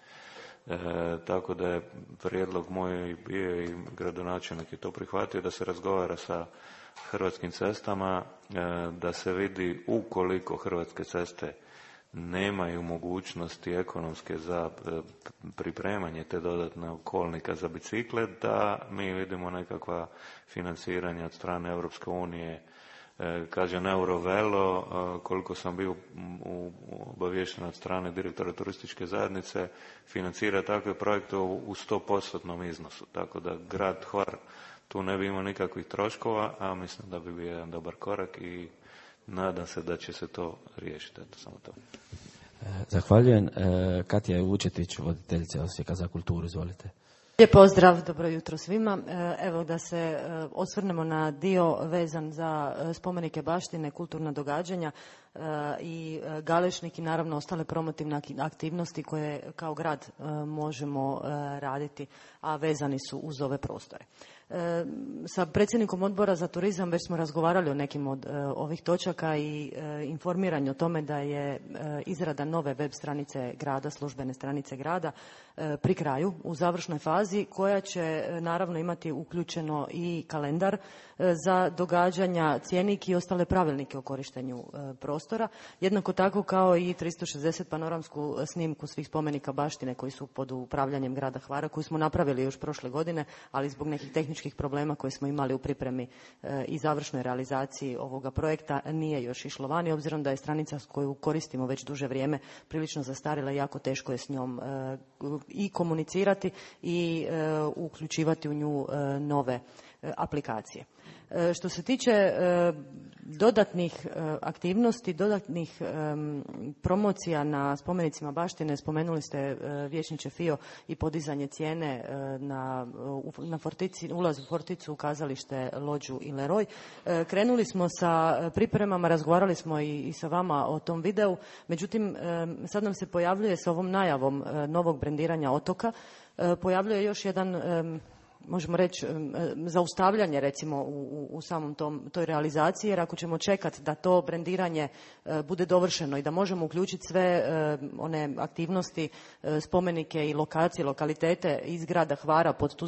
Speaker 3: Tako da je prijedlog moj bio i gradonačelnik je to prihvatio da se razgovara sa Hrvatskim cestama, da se vidi ukoliko Hrvatske ceste nemaju mogućnosti ekonomske za pripremanje te dodatne kolnika za bicikle, da mi vidimo nekakva financiranja od strane Europske unije. Kažem, Eurovelo, koliko sam bio obaviješten od strane direktora turističke zajednice, financira takve projekte u 100% iznosu. Tako da grad Hvar tu ne bi imao nikakvih troškova, a mislim da bi bio jedan dobar korak i nadam se da će se to riješiti. Eto, samo to.
Speaker 1: Zahvaljujem. Katja Vučetić, voditeljica Osijeka za kulturu, izvolite.
Speaker 6: Lijep pozdrav, dobro jutro svima. Evo da se osvrnemo na dio vezan za spomenike baštine, kulturna događanja i Galešnik i naravno ostale promotivne aktivnosti koje kao grad možemo raditi, a vezani su uz ove prostore. Sa predsjednikom odbora za turizam već smo razgovarali o nekim od ovih točaka i informiranje o tome da je izrada nove web stranice grada, službene stranice grada pri kraju, u završnoj fazi, koja će naravno imati uključeno i kalendar za događanja, cjenik i ostale pravilnike o korištenju prostora. Jednako tako kao i 360 panoramsku snimku svih spomenika baštine koji su pod upravljanjem grada Hvara, koju smo napravili još prošle godine, ali zbog nekih tehničkih problema koje smo imali u pripremi i završnoj realizaciji ovoga projekta nije još išlo vani, obzirom da je stranica koju koristimo već duže vrijeme prilično zastarjela i jako teško je s njom i komunicirati i uključivati u nju nove aplikacije. Što se tiče dodatnih aktivnosti, dodatnih promocija na spomenicima baštine, spomenuli ste, vijećniče Fio, i podizanje cijene na Fortici, ulaz u Forticu, kazalište, lođu i Leroy. Krenuli smo sa pripremama, razgovarali smo i sa vama o tom videu, međutim sad nam se pojavljuje s ovom najavom novog brendiranja otoka, pojavljuje još jedan, možemo reći, zaustavljanje recimo u samom toj realizaciji, jer ako ćemo čekati da to brendiranje bude dovršeno i da možemo uključiti sve one aktivnosti, spomenike i lokacije, lokalitete iz grada Hvara pod tu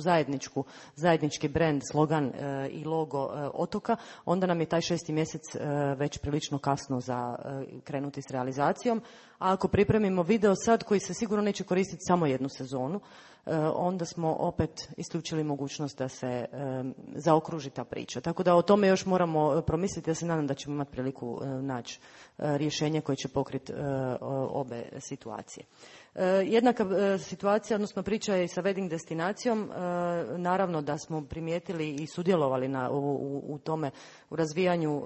Speaker 6: zajednički brend, slogan i logo otoka, onda nam je taj 6. mjesec već prilično kasno za krenuti s realizacijom. A ako pripremimo video sad koji se sigurno neće koristiti samo jednu sezonu, onda smo opet isključili mogućnost da se zaokruži ta priča. Tako da o tome još moramo promisliti. Ja se nadam da ćemo imati priliku naći rješenje koje će pokriti obe situacije. Jednaka situacija, odnosno priča je i sa wedding destinacijom. Naravno da smo primijetili i sudjelovali u tome, u razvijanju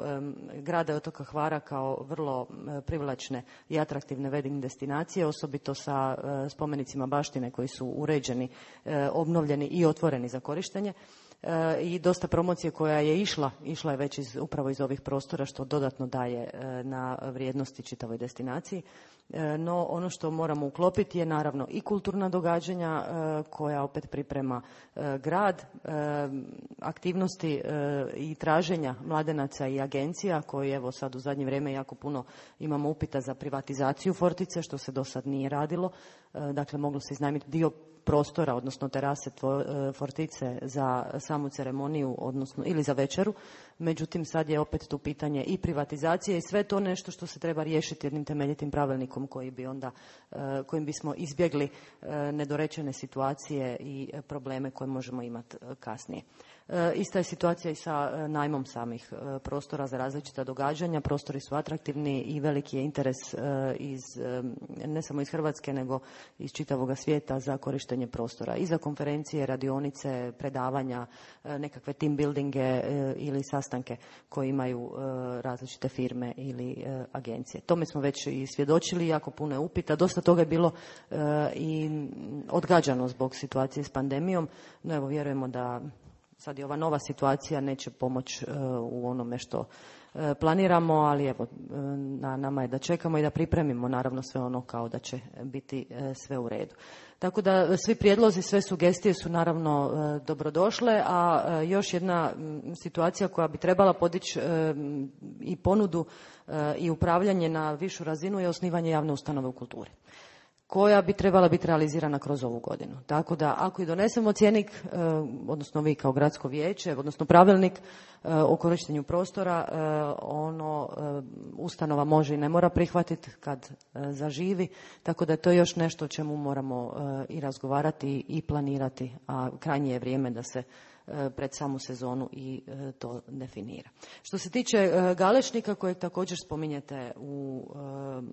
Speaker 6: grada i otoka Hvara kao vrlo privlačne i atraktivne wedding destinacije, osobito sa spomenicima baštine koji su uređeni, obnovljeni i otvoreni za korištenje. I dosta promocije koja je išla je već upravo iz ovih prostora, što dodatno daje na vrijednosti čitavoj destinaciji. No ono što moramo uklopiti je naravno i kulturna događanja koja opet priprema grad, aktivnosti i traženja mladenaca i agencija koji evo sad u zadnje vrijeme jako puno imamo upita za privatizaciju Fortice, što se do sad nije radilo. Dakle, moglo se iznajmiti dio prostora, odnosno terase Fortice za samu ceremoniju, odnosno ili za večeru. Međutim, sad je opet tu pitanje i privatizacije i sve to nešto što se treba riješiti jednim temeljitim pravilnikom kojim bismo izbjegli nedorečene situacije i probleme koje možemo imati kasnije. Ista je situacija i sa najmom samih prostora za različita događanja. Prostori su atraktivni i veliki je interes ne samo iz Hrvatske, nego iz čitavoga svijeta za korištenje prostora i za konferencije, radionice, predavanja, nekakve team buildinge ili sastanke koje imaju različite firme ili agencije. Tome smo već i svjedočili, jako puno je upita. Dosta toga je bilo i odgađano zbog situacije s pandemijom, no evo vjerujemo da sad i ova nova situacija neće pomoći u onome što planiramo, ali evo, na nama je da čekamo i da pripremimo naravno sve ono kao da će biti sve u redu. Tako da svi prijedlozi, sve sugestije su naravno dobrodošle, a još jedna situacija koja bi trebala podići i ponudu i upravljanje na višu razinu je osnivanje javne ustanove u kulturi. koja bi trebala biti realizirana kroz ovu godinu. Tako da ako i donesemo cjenik, odnosno vi kao gradsko vijeće, odnosno pravilnik o korištenju prostora, ustanova može i ne mora prihvatiti kad zaživi, tako da je to još nešto o čemu moramo i razgovarati i planirati, a krajnje je vrijeme da se pred samu sezonu i to definira. Što se tiče Galešnika, kojeg također spominjete u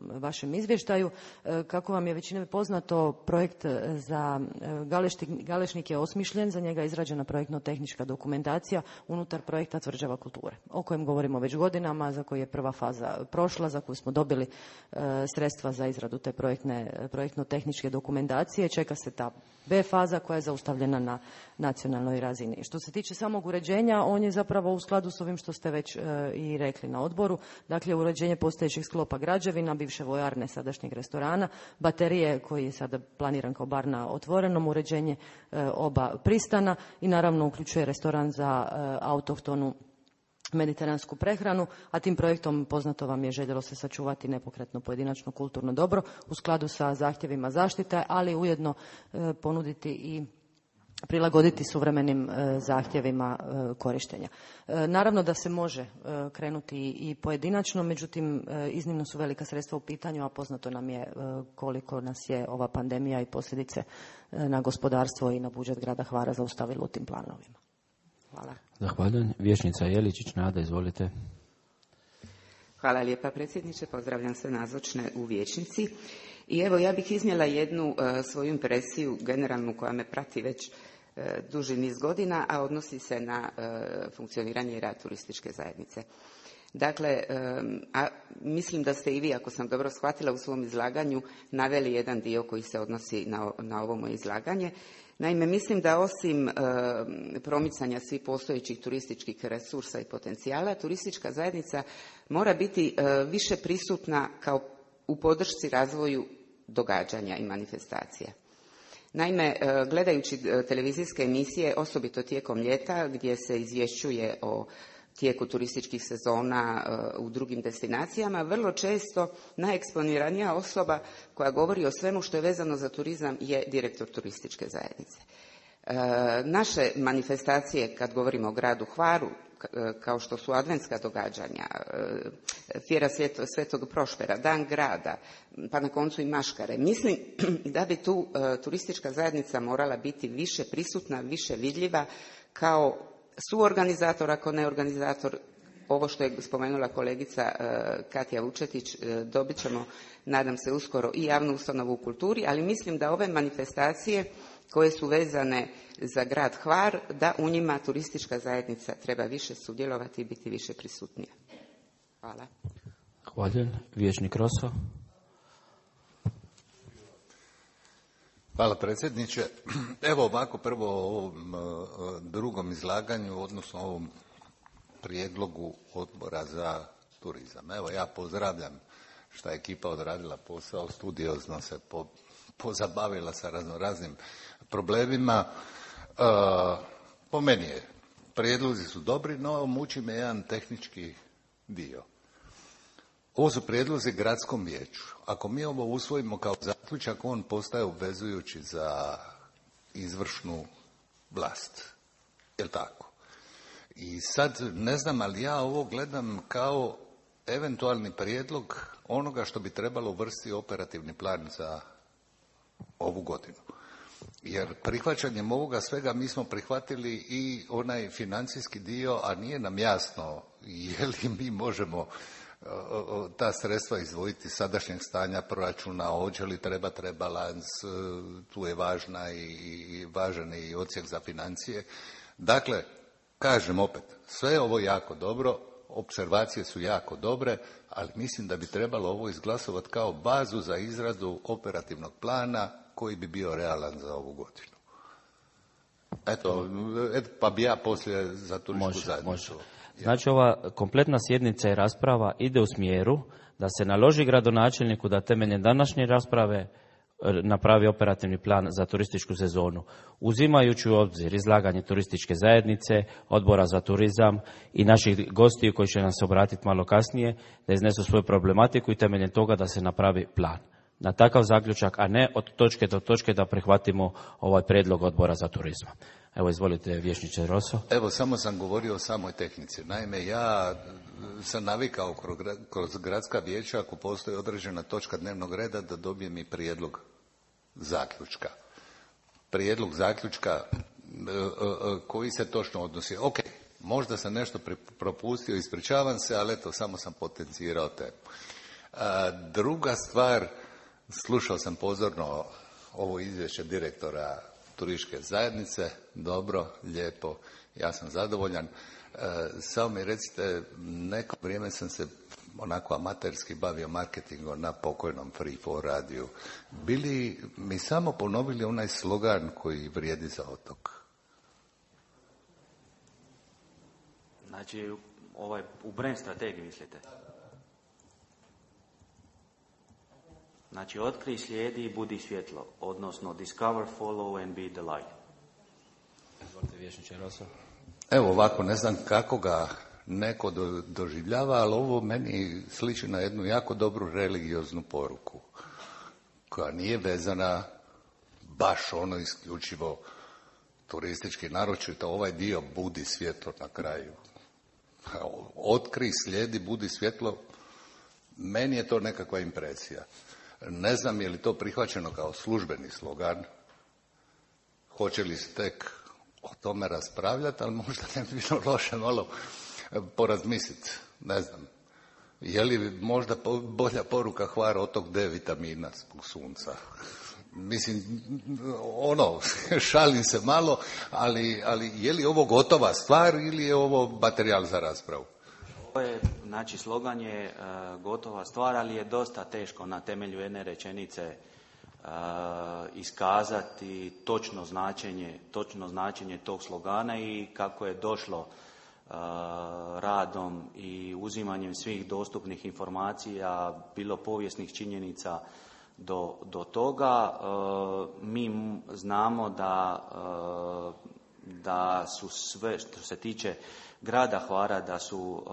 Speaker 6: vašem izvještaju, kako vam je većina poznato, projekt za Galešnik je osmišljen, za njega je izrađena projektno-tehnička dokumentacija unutar projekta Tvrđava kulture, o kojem govorimo već godinama, za koji je prva faza prošla, za koju smo dobili sredstva za izradu te projektno-tehničke dokumentacije. Čeka se ta B faza koja je zaustavljena na nacionalnoj razini. Što se tiče samog uređenja, on je zapravo u skladu s ovim što ste već i rekli na odboru. Dakle, uređenje postojećih sklopa građevina, bivše vojarne, sadašnjeg restorana, baterije koji je sada planiran kao bar na otvorenom, uređenje oba pristana i naravno uključuje restoran za autohtonu mediteransku prehranu, a tim projektom, poznato vam je, željelo se sačuvati nepokretno pojedinačno kulturno dobro u skladu sa zahtjevima zaštite, ali ujedno ponuditi i prilagoditi suvremenim zahtjevima korištenja. Naravno da se može krenuti i pojedinačno, međutim iznimno su velika sredstva u pitanju, a poznato nam je koliko nas je ova pandemija i posljedice na gospodarstvo i na budžet grada Hvara zaustavilo u tim planovima. Hvala.
Speaker 1: Zahvaljujem. Vijećnica Jeličić, Nada, izvolite.
Speaker 7: Hvala lijepa predsjedniče, pozdravljam sve nazočne u vijećnici. I evo, ja bih iznijela jednu svoju impresiju generalnu koja me prati već duži niz godina, a odnosi se na funkcioniranje i rad turističke zajednice. Dakle, mislim da ste i vi, ako sam dobro shvatila, u svom izlaganju naveli jedan dio koji se odnosi na ovo moje izlaganje. Naime, mislim da osim promicanja svih postojećih turističkih resursa i potencijala, turistička zajednica mora biti više prisutna kao u podršci razvoju događanja i manifestacija. Naime, gledajući televizijske emisije, osobito tijekom ljeta, gdje se izvješćuje o tijeku turističkih sezona u drugim destinacijama, vrlo često najeksponiranija osoba koja govori o svemu što je vezano za turizam je direktor turističke zajednice. Naše manifestacije, kad govorimo o gradu Hvaru, kao što su adventska događanja, Fjera Svetog Prošpera, Dan grada, pa na koncu i Maškare. Mislim da bi tu turistička zajednica morala biti više prisutna, više vidljiva kao suorganizator, ako ne organizator. Ovo što je spomenula kolegica Katja Vučetić, dobit ćemo, nadam se, uskoro i javnu ustanovu u kulturi, ali mislim da ove manifestacije koje su vezane za grad Hvar, da u njima turistička zajednica treba više sudjelovati i biti više prisutnija. Hvala.
Speaker 1: Hvala. Vijećnik Roso.
Speaker 8: Hvala predsjedniče. Evo ovako, prvo o ovom drugom izlaganju, odnosno ovom prijedlogu odbora za turizam. Evo, ja pozdravljam što je ekipa odradila posao, studiozno se pozabavila sa raznim problemima. Po meni je, prijedlozi su dobri, no muči me jedan tehnički dio. Ovo su prijedlozi gradskom vijeću. Ako mi ovo usvojimo kao zaključak, on postaje obvezujući za izvršnu vlast. Jel' tako? I sad, ne znam, ali ja ovo gledam kao eventualni prijedlog onoga što bi trebalo uvrstiti operativni plan za ovu godinu. Jer prihvaćanjem ovoga svega mi smo prihvatili i onaj financijski dio, a nije nam jasno je li mi možemo ta sredstva izdvojiti sadašnjeg stanja proračuna, hoće li trebati rebalans, tu je važan i odsjek za financije. Dakle, kažem opet, sve je ovo jako dobro, opservacije su jako dobre, ali mislim da bi trebalo ovo izglasovati kao bazu za izradu operativnog plana koji bi bio realan za ovu godinu. Eto, pa bi ja poslije za turističku zajednicu.
Speaker 1: Znači, ova kompletna sjednica i rasprava ide u smjeru da se naloži gradonačelniku da temeljem današnje rasprave napravi operativni plan za turističku sezonu, uzimajući u obzir izlaganje turističke zajednice, odbora za turizam i naših gostiju koji će nam se obratiti malo kasnije, da iznesu svoju problematiku i temeljem toga da se napravi plan. na takav zaključak, a ne od točke do točke da prihvatimo ovaj prijedlog odbora za turizam. Evo, izvolite, vijećniče Rosso.
Speaker 8: Evo, samo sam govorio o samoj tehnici. Naime, ja sam navikao kroz gradska vijeća, ako postoji određena točka dnevnog reda, da dobijem i prijedlog zaključka. Prijedlog zaključka koji se točno odnosi. Ok, možda sam nešto propustio, ispričavam se, ali eto, samo sam potencirao temu. Druga stvar, slušao sam pozorno ovo izvješće direktora turističke zajednice, dobro, lijepo, ja sam zadovoljan. Samo mi recite, neko vrijeme sam se onako amaterski bavio marketingom na pokojnom Free 4 radiju. Bili mi samo ponovili onaj slogan koji vrijedi za otok?
Speaker 2: Znači, u brand strategiji mislite? Znači, otkrij, slijedi i budi svjetlo, odnosno discover, follow and be the light.
Speaker 1: Izvolite, vijećniče Rosso.
Speaker 8: Evo ovako, ne znam kako ga neko doživljava, ali ovo meni sliči na jednu jako dobru religioznu poruku, koja nije vezana baš ono isključivo turistički, naročito ovaj dio budi svjetlo na kraju. Otkri, slijedi, budi svjetlo, meni je to nekakva impresija. Ne znam je li to prihvaćeno kao službeni slogan, hoće li se tek o tome raspravljati, ali možda ne bi bilo loše malo porazmisliti. Ne znam, je li možda bolja poruka Hvar otok D vitamina zbog sunca? Mislim, šalim se malo, ali je li ovo gotova stvar ili je ovo materijal za raspravu?
Speaker 2: Znači, slogan je gotova stvar, ali je dosta teško na temelju jedne rečenice iskazati točno značenje tog slogana i kako je došlo radom i uzimanjem svih dostupnih informacija, bilo povijesnih činjenica do toga. Mi znamo da su sve, što se tiče grada Hvara, da su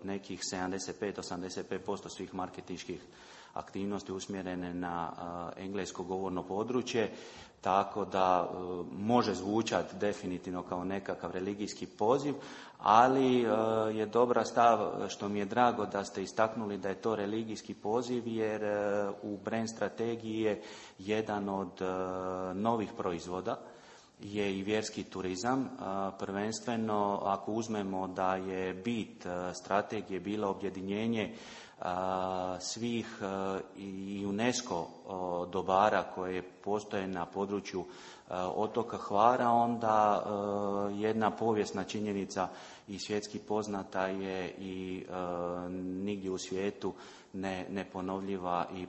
Speaker 2: nekih 75-85% svih marketinških aktivnosti usmjerene na englesko govorno područje, tako da može zvučati definitivno kao nekakav religijski poziv, ali je dobra stav, što mi je drago da ste istaknuli da je to religijski poziv, jer u brand strategiji je jedan od novih proizvoda je i vjerski turizam. Prvenstveno, ako uzmemo da je bit strategije bila objedinjenje svih i UNESCO dobara koje postoje na području otoka Hvara, onda jedna povijesna činjenica i svjetski poznata je i nigdje u svijetu neponovljiva i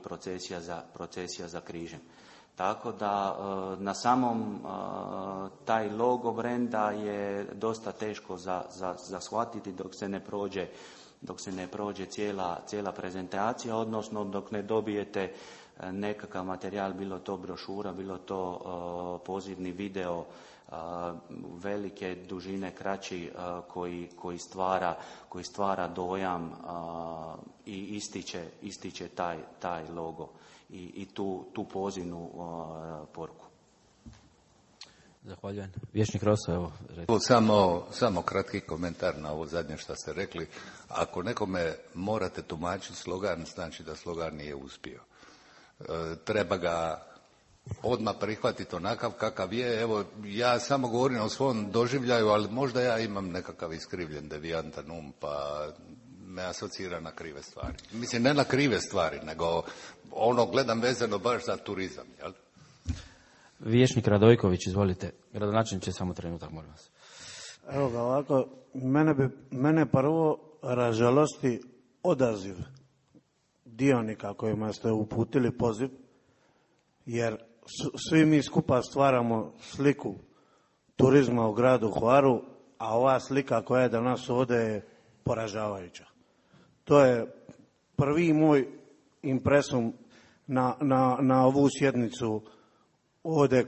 Speaker 2: procesija za križem. Tako da na samom taj logo brenda je dosta teško za shvatiti dok se ne prođe cijela prezentacija, odnosno dok ne dobijete nekakav materijal, bilo to brošura, bilo to pozivni video velike dužine, kraći, koji stvara dojam i ističe taj logo i tu pozivnu poruku.
Speaker 1: Zahvaljujem. Vijećnik Rosso, evo.
Speaker 8: Samo kratki komentar na ovo zadnje što ste rekli. Ako nekome morate tumačiti slogan, znači da slogan nije uspio. Treba ga odmah prihvatiti onakav kakav je. Evo, ja samo govorim o svom doživljaju, ali možda ja imam nekakav iskrivljen devijantan pa me asocira na krive stvari. Mislim, ne na krive stvari, nego gledam vezano baš za turizam, jel?
Speaker 1: Vijećnik Radojković, izvolite. Gradonačelniče, samo trenutak, molim vas.
Speaker 9: Evo ga ovako, mene prvo ražalosti odaziv dionika kojima ste uputili poziv, jer svi mi skupa stvaramo sliku turizma u gradu Hvaru, a ova slika koja je danas ovdje je poražavajuća. To je prvi moj impresum na ovu sjednicu ovdje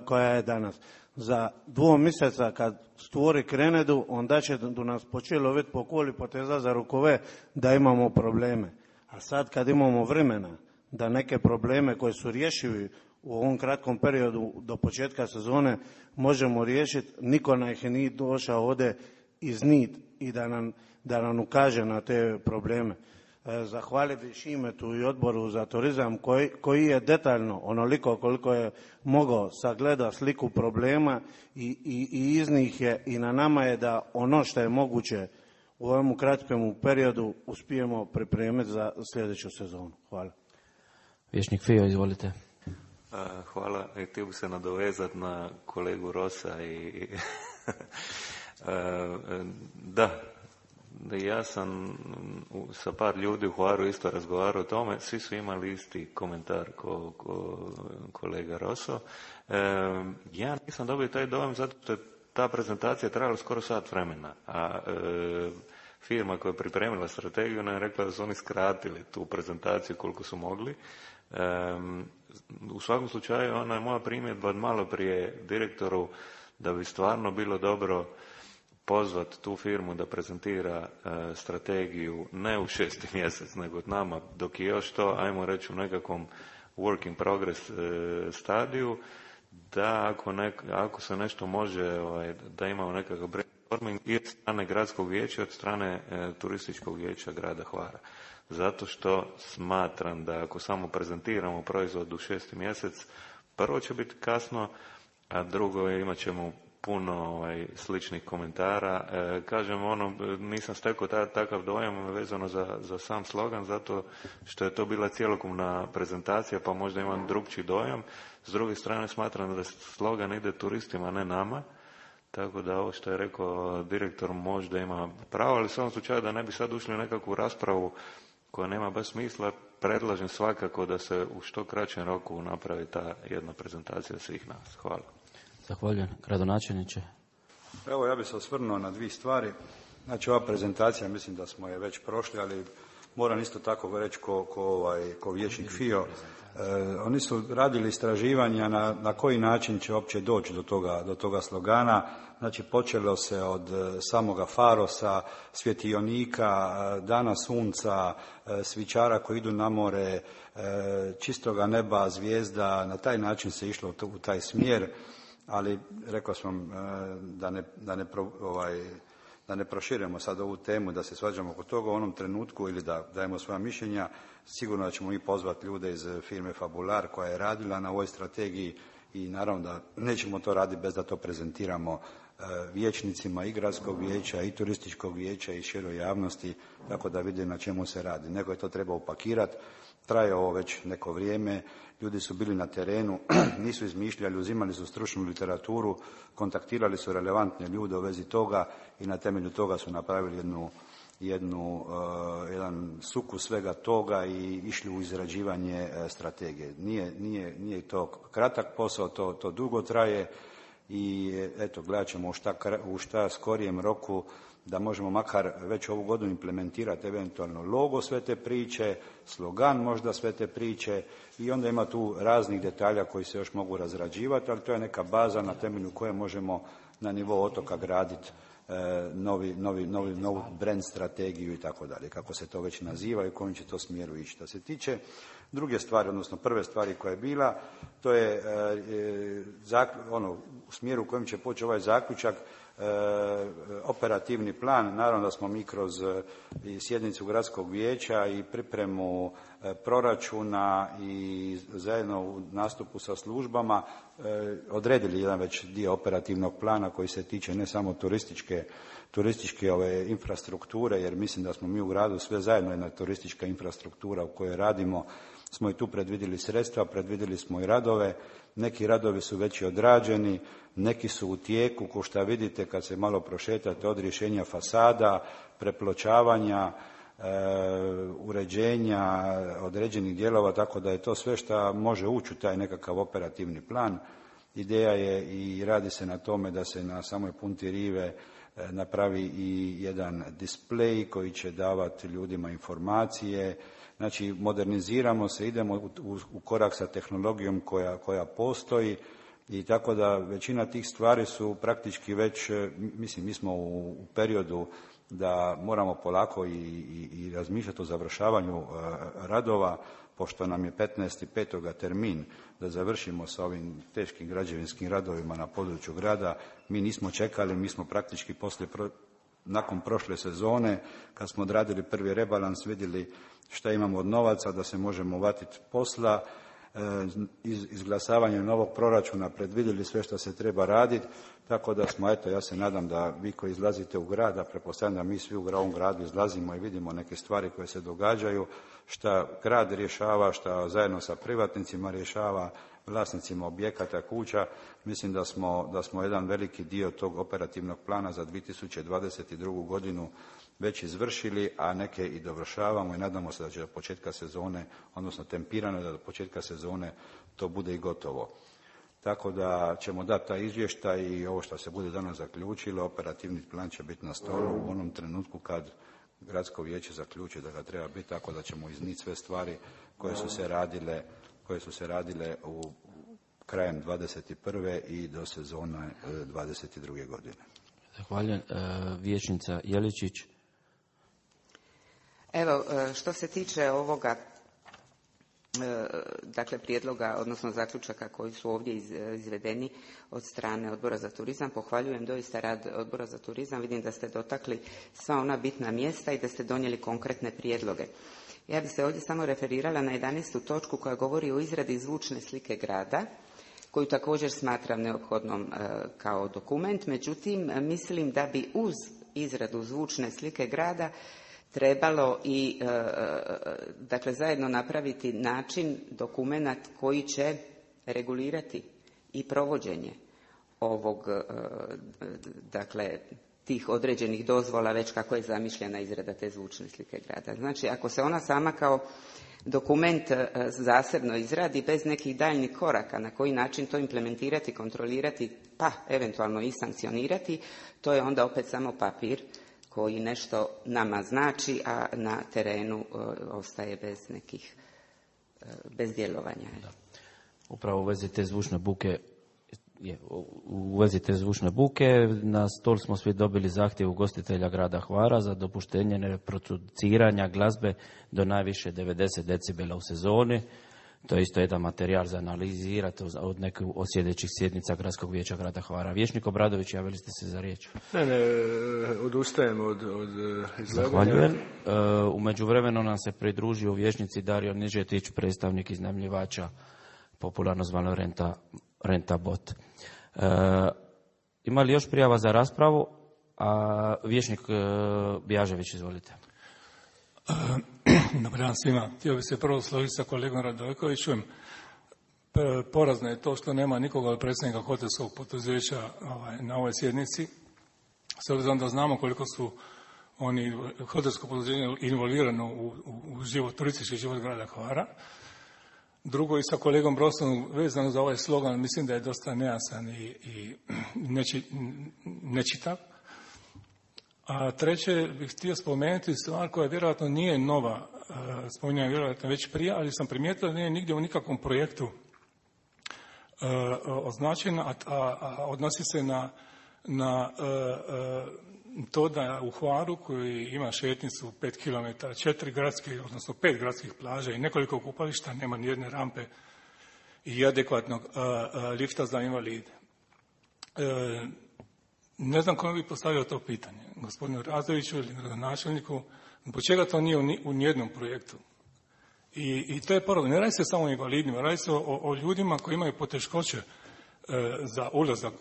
Speaker 9: koja je danas. Za 2 mjeseca kad stvori krenedu, onda će do nas početi loviti po koli poteza za rukove da imamo probleme. A sad kad imamo vremena da neke probleme koji su rješivi u ovom kratkom periodu do početka sezone možemo riješiti. Niko nam ih nije došao ovdje iznit i da nam ukaže na te probleme. Zahvalio bih Šimetu i Odboru za turizam koji je detaljno, onoliko koliko je mogao, sagleda sliku problema i iz njih je i na nama je da ono što je moguće u ovom kratkom periodu uspijemo pripremiti za sljedeću sezonu. Hvala.
Speaker 1: Vječnik Fio, izvolite.
Speaker 3: Hvala. Htio bih se nadovezati na kolegu Rosa i da, ja sam sa par ljudi u Hvaru isto razgovarao o tome, svi su imali isti komentar ko kolega Roso. Ja nisam dobio taj dojam zato što je ta prezentacija trajala skoro sat vremena, a firma koja je pripremila strategiju nam je rekla da su oni skratili tu prezentaciju koliko su mogli. U svakom slučaju ona je moja primjedba od malo prije direktoru da bi stvarno bilo dobro pozvati tu firmu da prezentira strategiju ne u 6. mjesec, nego od nama, dok je još to, ajmo reći, u nekakvom work in progress stadiju, da ako se nešto može, da imamo nekakav brainstorming i od strane gradskog vijeća, od strane turističkog vijeća grada Hvara. Zato što smatram da ako samo prezentiramo proizvod u 6. mjesec, prvo će biti kasno, a drugo imat ćemo puno sličnih komentara. Kažem, nisam stekao takav dojam vezano za sam slogan, zato što je to bila cjelokupna prezentacija, pa možda imam drugčiji dojam. S druge strane, smatram da slogan ide turistima, ne nama, tako da ovo što je rekao direktor možda ima pravo, ali u svom slučaju da ne bi sad ušli u nekakvu raspravu koja nema baš smisla, predlažem svakako da se u što kraćem roku napravi ta jedna prezentacija svih nas. Hvala.
Speaker 1: Zahvaljujem. Gradonačelniče.
Speaker 10: Evo, ja bih se osvrnuo na dvije stvari. Znači, ova prezentacija, mislim da smo je već prošli, ali moram isto tako reći ko vijećnik Fio. Oni su radili istraživanja na koji način će uopće doći do toga slogana. Znači, počelo se od samoga farosa, svjetionika, dana sunca, svičara koji idu na more, čistoga neba, zvijezda. Na taj način se išlo u taj smjer. Ali rekao sam da ne proširujemo sad ovu temu, da se svađamo oko toga u onom trenutku ili da dajemo svoja mišljenja. Sigurno da ćemo i pozvati ljude iz firme Fabular koja je radila na ovoj strategiji i naravno da nećemo to raditi bez da to prezentiramo vijećnicima i gradskog vijeća i turističkog vijeća i široj javnosti, tako da vide na čemu se radi. Neko je to trebao upakirati. Traje ovo već neko vrijeme, ljudi su bili na terenu, nisu izmišljali, uzimali su stručnu literaturu, kontaktirali su relevantne ljude u vezi toga i na temelju toga su napravili jedan sukus svega toga i išli u izrađivanje strategije. Nije to kratak posao, to dugo traje i eto, gledat ćemo u šta skorijem roku da možemo makar već ovu godinu implementirati eventualno logo sve te priče, slogan možda sve te priče i onda ima tu raznih detalja koji se još mogu razrađivati, ali to je neka baza na temelju koje možemo na nivou otoka graditi novu brand strategiju i tako dalje, kako se to već naziva i u kojem će to smjeru ići. Što se tiče druge stvari, odnosno prve stvari koja je bila, to je u smjeru u kojem će poći ovaj zaključak, operativni plan. Naravno da smo mi kroz sjednicu gradskog vijeća i pripremu proračuna i zajedno u nastupu sa službama odredili jedan već dio operativnog plana koji se tiče ne samo turističke infrastrukture, jer mislim da smo mi u gradu sve zajedno jedna turistička infrastruktura u kojoj radimo, smo i tu predvidjeli sredstva, predvidjeli smo i radove. Neki radovi su već i odrađeni, neki su u tijeku, ko što vidite kad se malo prošetate, od rješenja fasada, prepločavanja, uređenja određenih dijelova, tako da je to sve što može ući u taj nekakav operativni plan. Ideja je i radi se na tome da se na samoj punti rive napravi i jedan displej koji će davati ljudima informacije. Znači, moderniziramo se, idemo u korak sa tehnologijom koja postoji i tako da većina tih stvari su praktički već, mislim, mi smo u periodu da moramo polako i razmišljati o završavanju radova, pošto nam je 15.5. termin da završimo sa ovim teškim građevinskim radovima na području grada, mi nismo čekali, mi smo praktički nakon prošle sezone, kad smo odradili prvi rebalans, vidjeli šta imamo od novaca, da se možemo uvatiti posla, izglasavanjem novog proračuna predvidjeli sve što se treba raditi, tako da smo, eto, ja se nadam da vi koji izlazite u grad, a pretpostavljam da mi svi u ovom gradu izlazimo i vidimo neke stvari koje se događaju, šta grad rješava, šta zajedno sa privatnicima rješava, vlasnicima objekata, kuća. Mislim da smo jedan veliki dio tog operativnog plana za 2022. godinu već izvršili, a neke i dovršavamo i nadamo se da će do početka sezone, odnosno tempirano da do početka sezone to bude i gotovo. Tako da ćemo dati taj izvještaj i ovo što se bude danas zaključilo, operativni plan će biti na stolu u onom trenutku kad gradsko vijeće zaključi da ga treba biti, tako da ćemo iznijeti sve stvari koje su se radile u krajem 21. i do sezone 22. godine.
Speaker 1: Zahvaljujem. Vijećnica Jeličić.
Speaker 7: Evo, što se tiče ovoga, dakle, prijedloga, odnosno zaključaka koji su ovdje izvedeni od strane Odbora za turizam, pohvaljujem doista rad Odbora za turizam. Vidim da ste dotakli sva ona bitna mjesta i da ste donijeli konkretne prijedloge. Ja bih se ovdje samo referirala na 11. točku koja govori o izradi zvučne slike grada, koju također smatram neophodnom kao dokument. Međutim, mislim da bi uz izradu zvučne slike grada trebalo i dakle zajedno napraviti način, dokumenat koji će regulirati i provođenje ovog, dakle, tih određenih dozvola, već kako je zamišljena izrada te zvučne slike grada. Znači, ako se ona sama kao dokument zasebno izradi bez nekih daljnjih koraka na koji način to implementirati, kontrolirati, pa eventualno i sankcionirati, to je onda opet samo papir koji nešto nama znači, a na terenu ostaje bez djelovanja.
Speaker 1: Da. Upravo u vezi te zvučne buke na stol smo svi dobili zahtjev ugostitelja grada Hvara za dopuštenje reproduciranja glazbe do najviše 90 decibela u sezoni. To je isto jedan materijal za analizirati od nekih od sljedećih sjednica Gradskog vijeća grada Hvara. Vijećnik Obradović, javili ste se za riječ.
Speaker 5: Ne, odustajem od izlaganja.
Speaker 1: Zahvaljujem. U međuvremenu nam se pridružio u vijećnici Dario Nižetić, predstavnik iznajmljivača, popularno zvano Renta Bot. Ima li još prijava za raspravu? Vijećnik Bjažević, izvolite.
Speaker 11: Dobar dan svima. Htio bih se prvo složiti sa kolegom Radojkovićem. Porazno je to što nema nikoga od predsjednika hotelskog poduzeća na ovoj sjednici. S obzirom da znamo koliko su oni hotelsko poduzeće involvirano u život, turistički život grada Hvara. Drugo, i sa kolegom Brosom vezano za ovaj slogan, mislim da je dosta nejasan i nečitav. A treće bih htio spomenuti stvar koja vjerojatno nije nova, spominjam vjerojatno već prije, ali sam primijetio da nije nigdje u nikakvom projektu označena, a odnosi se na to da u Hvaru, koji ima šetnicu 5 km, 4 gradske, odnosno 5 gradskih plaža i nekoliko kupališta, nema ni jedne rampe i adekvatnog lifta za invalide. Ne znam kome bi postavio to pitanje, gospodinu Radoviću ili gradonačelniku, zbog čega to nije u nijednom projektu. I to je problem. Ne radi se samo o invalidima, radi se o ljudima koji imaju poteškoće za ulazak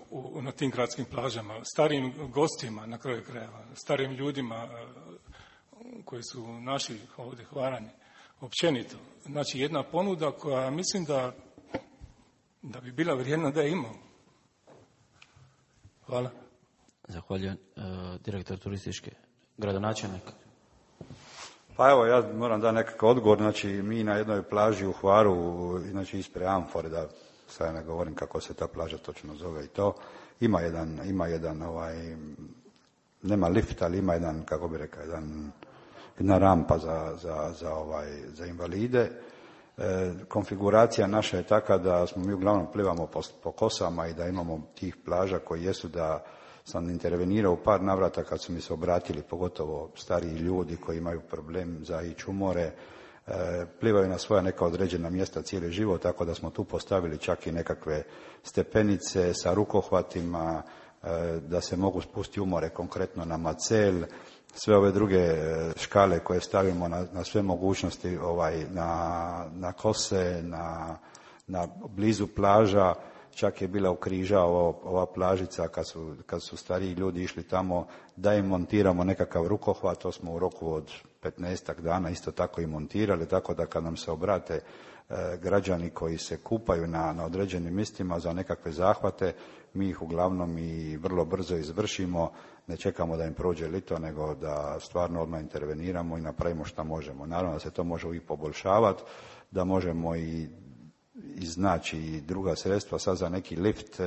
Speaker 11: na tim gradskim plažama, starijim gostima na kraju krajeva, starijim ljudima koji su naši ovdje Hvarani, općenito. Znači jedna ponuda koja mislim da bi bila vrijedna da je imamo. Hvala.
Speaker 1: Zahvaljujem. Direktor turističke, gradonačelnik.
Speaker 10: Pa evo, ja moram dati nekakav odgovor. Znači, mi na jednoj plaži u Hvaru, znači ispred Amfore, da sad ne govorim kako se ta plaža točno zove i to, ima jedan nema lift, ali ima jedan, kako bi rekao, jedna rampa za invalide. Konfiguracija naša je taka da smo mi uglavnom plivamo po kosama i da imamo tih plaža koji jesu, da sam intervenirao u par navrata kad su mi se obratili, pogotovo stariji ljudi koji imaju problem za ići u more, plivaju na svoja neka određena mjesta cijeli život, tako da smo tu postavili čak i nekakve stepenice sa rukohvatima, da se mogu spustiti u more, konkretno na Macel, sve ove druge škale koje stavimo na sve mogućnosti, na kose, na blizu plaža. Čak je bila u Križa ova plažica kad su stariji ljudi išli tamo, da im montiramo nekakav rukohvat. To smo u roku od 15 dana isto tako i montirali, tako da kad nam se obrate građani koji se kupaju na određenim mjestima za nekakve zahvate, mi ih uglavnom i vrlo brzo izvršimo, ne čekamo da im prođe lito, nego da stvarno odmah interveniramo i napravimo šta možemo. Naravno da se to može uvijek poboljšavati, da možemo i iznaći i druga sredstva. Sad za neki lift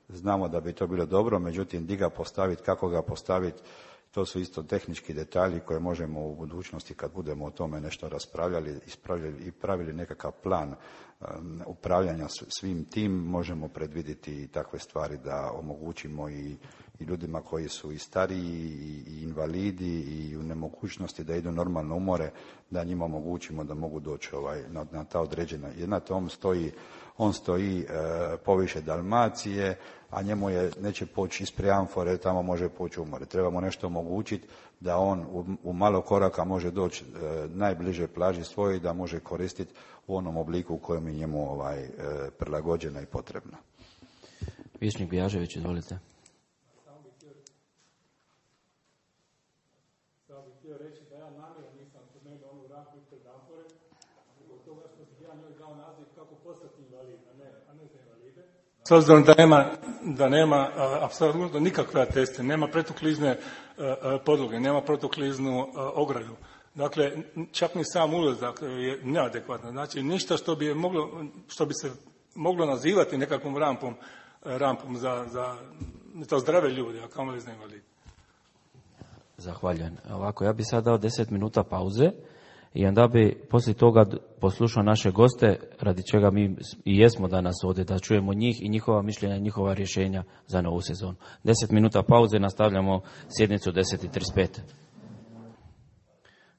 Speaker 10: znamo da bi to bilo dobro, međutim gdje ga postaviti, kako ga postaviti, to su isto tehnički detalji koje možemo u budućnosti, kad budemo o tome nešto raspravljali, ispravljali i pravili nekakav plan upravljanja svim tim, možemo predvidjeti i takve stvari da omogućimo i ljudima koji su i stariji i invalidi i u nemogućnosti da idu normalno u more, da njima omogućimo da mogu doći na ta određena. Znate, on stoji poviše Dalmacije, a njemu neće poći ispred Amfore, tamo može poći u more. Trebamo nešto omogućiti da on u malo koraka može doći najbliže plaži svojoj, da može koristiti u onom obliku u kojem je njemu prilagođena i potrebna.
Speaker 1: Vijećnik Bijažević, izvolite.
Speaker 11: Samo bih htio reći da ja namjerno nisam spomenuo onu rampu ispred Amfore, zbog toga što bih ja njoj dao naziv kako postati invalid, a ne za invalide. S obzirom da nema apsolutno nikakve ateste, nema protuklizne podloge, nema protukliznu ogradu. Dakle, čak ni sam ulazak je neadekvatno. Znači, ništa što bi se moglo nazivati nekakvom rampom za zdrave ljude, a kamoli za invalide.
Speaker 1: Zahvaljujem. Ovako, ja bi sad dao 10 minuta pauze i onda bi poslije toga poslušao naše goste, radi čega mi i jesmo danas ovdje, da čujemo njih i njihova mišljenja i njihova rješenja za novu sezonu. 10 minuta pauze, nastavljamo sjednicu 10:35.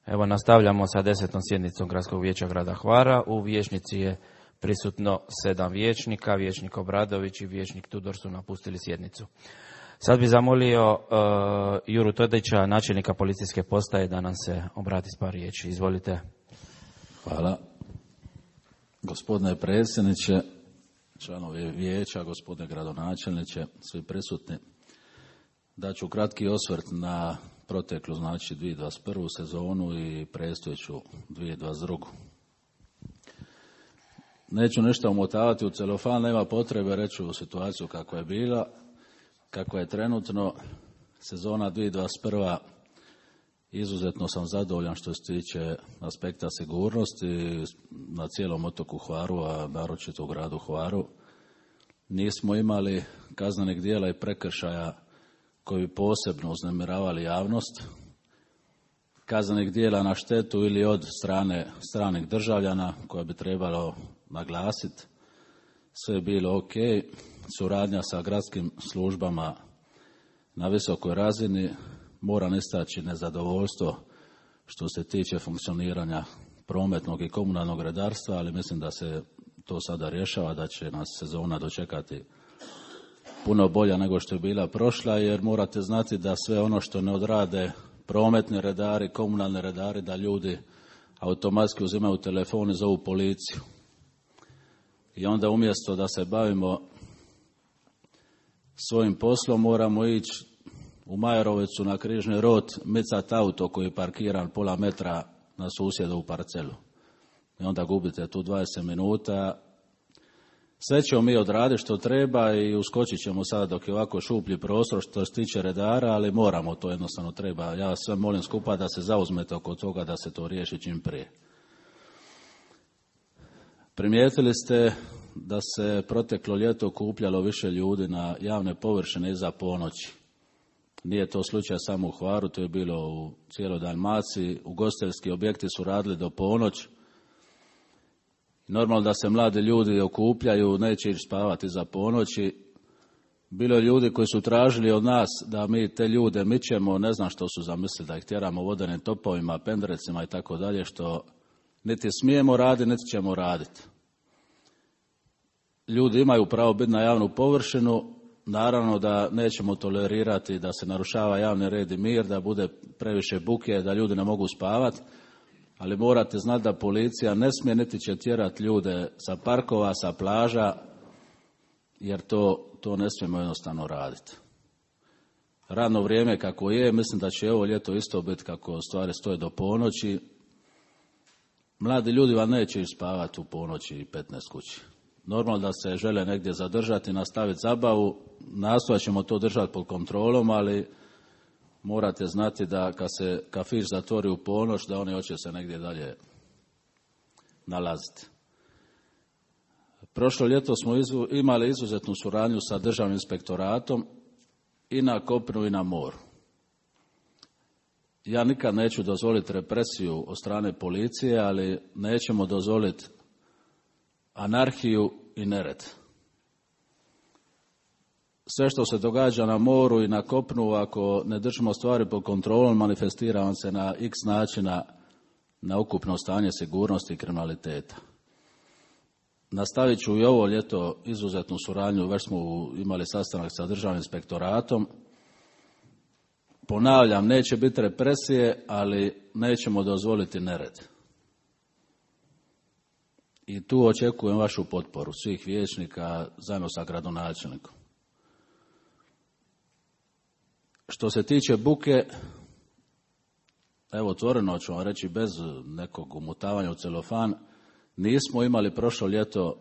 Speaker 1: Evo, nastavljamo sa 10. sjednicom Gradskog vijeća grada Hvara. U vijećnici je prisutno 7 vijećnika, vijećnik Obradović i vijećnik Tudor su napustili sjednicu. Sad bi zamolio Juru Todića, načelnika policijske postaje, da nam se obrati s par riječi. Izvolite.
Speaker 12: Hvala. Gospodine predsjedniče, članovi vijeća, gospodine gradonačelniče, svi prisutni. Daću kratki osvrt na proteklu, znači 2021. sezonu i predstojeću 2022. Neću nešto omotavati u celofan, nema potrebe reći u situaciju kakva je bila, kakva je trenutno. Sezona 2021. izuzetno sam zadovoljan što se tiče aspekta sigurnosti na cijelom otoku Hvaru, a naročito u gradu Hvaru. Nismo imali kaznenih djela i prekršaja koji bi posebno uznemiravali javnost, kaznenih djela na štetu ili od strane stranih državljana koja bi trebalo naglasiti. Sve je bilo ok, suradnja sa gradskim službama na visokoj razini. Moram istaći nezadovoljstvo što se tiče funkcioniranja prometnog i komunalnog redarstva, ali mislim da se to sada rješava, da će nas sezona dočekati puno bolja nego što je bila prošla, jer morate znati da sve ono što ne odrade prometni redari, komunalni redari, da ljudi automatski uzimaju telefon i zovu policiju. I onda umjesto da se bavimo svojim poslom, moramo ići u Majerovicu na Križni rod, micati auto koji je parkiran pola metra na susjedovu parcelu. I onda gubite tu 20 minuta. Sve ćemo mi odraditi što treba i uskočit ćemo sada dok je ovako šuplji prostor što se tiče redara, ali moramo, to jednostavno treba. Ja sve molim skupa da se zauzmete oko toga da se to riješi čim prije. Primijetili ste da se proteklo ljeto okupljalo više ljudi na javne površine iza ponoći. Nije to slučaj samo u Hvaru, to je bilo u cijeloj Dalmaciji. Ugostiteljski objekti su radili do ponoć. Normalno da se mladi ljudi okupljaju, neće ići spavati iza ponoći. Bilo je ljudi koji su tražili od nas da mi te ljude mičemo, ne znam što su zamislili, da ih tjeramo vodenim topovima, pendrecima i tako dalje, što Niti smijemo raditi, niti ćemo raditi. Ljudi imaju pravo biti na javnu površinu, naravno da nećemo tolerirati da se narušava javni red i mir, da bude previše buke, da ljudi ne mogu spavati, ali morate znati da policija ne smije niti će tjerati ljude sa parkova, sa plaža, jer to ne smijemo jednostavno raditi. Radno vrijeme kako je, mislim da će ovo ljeto isto biti kako stvari stoje do ponoći. Mladi ljudi vam neće spavati u ponoći i 15 kući. Normalno da se žele negdje zadržati, nastaviti zabavu, nastojat ćemo to držati pod kontrolom, ali morate znati da kad se kafić zatvori u ponoć, da oni hoće se negdje dalje nalaziti. Prošlo ljeto smo imali izuzetnu suradnju sa Državnim inspektoratom i na kopnu i na moru. Ja nikad neću dozvoliti represiju od strane policije, ali nećemo dozvoliti anarhiju i nered. Sve što se događa na moru i na kopnu, ako ne držimo stvari pod kontrolom, manifestira vam se na x načina na ukupno stanje sigurnosti i kriminaliteta. Nastavit ću i ovo ljeto izuzetnu suradnju, već smo imali sastanak sa Državnim inspektoratom. Ponavljam, neće biti represije, ali nećemo dozvoliti nered. I tu očekujem vašu potporu svih vijećnika zajedno sa gradonačelnikom. Što se tiče buke, evo otvoreno ću vam reći bez nekog umutavanja u celofan, nismo imali prošlo ljeto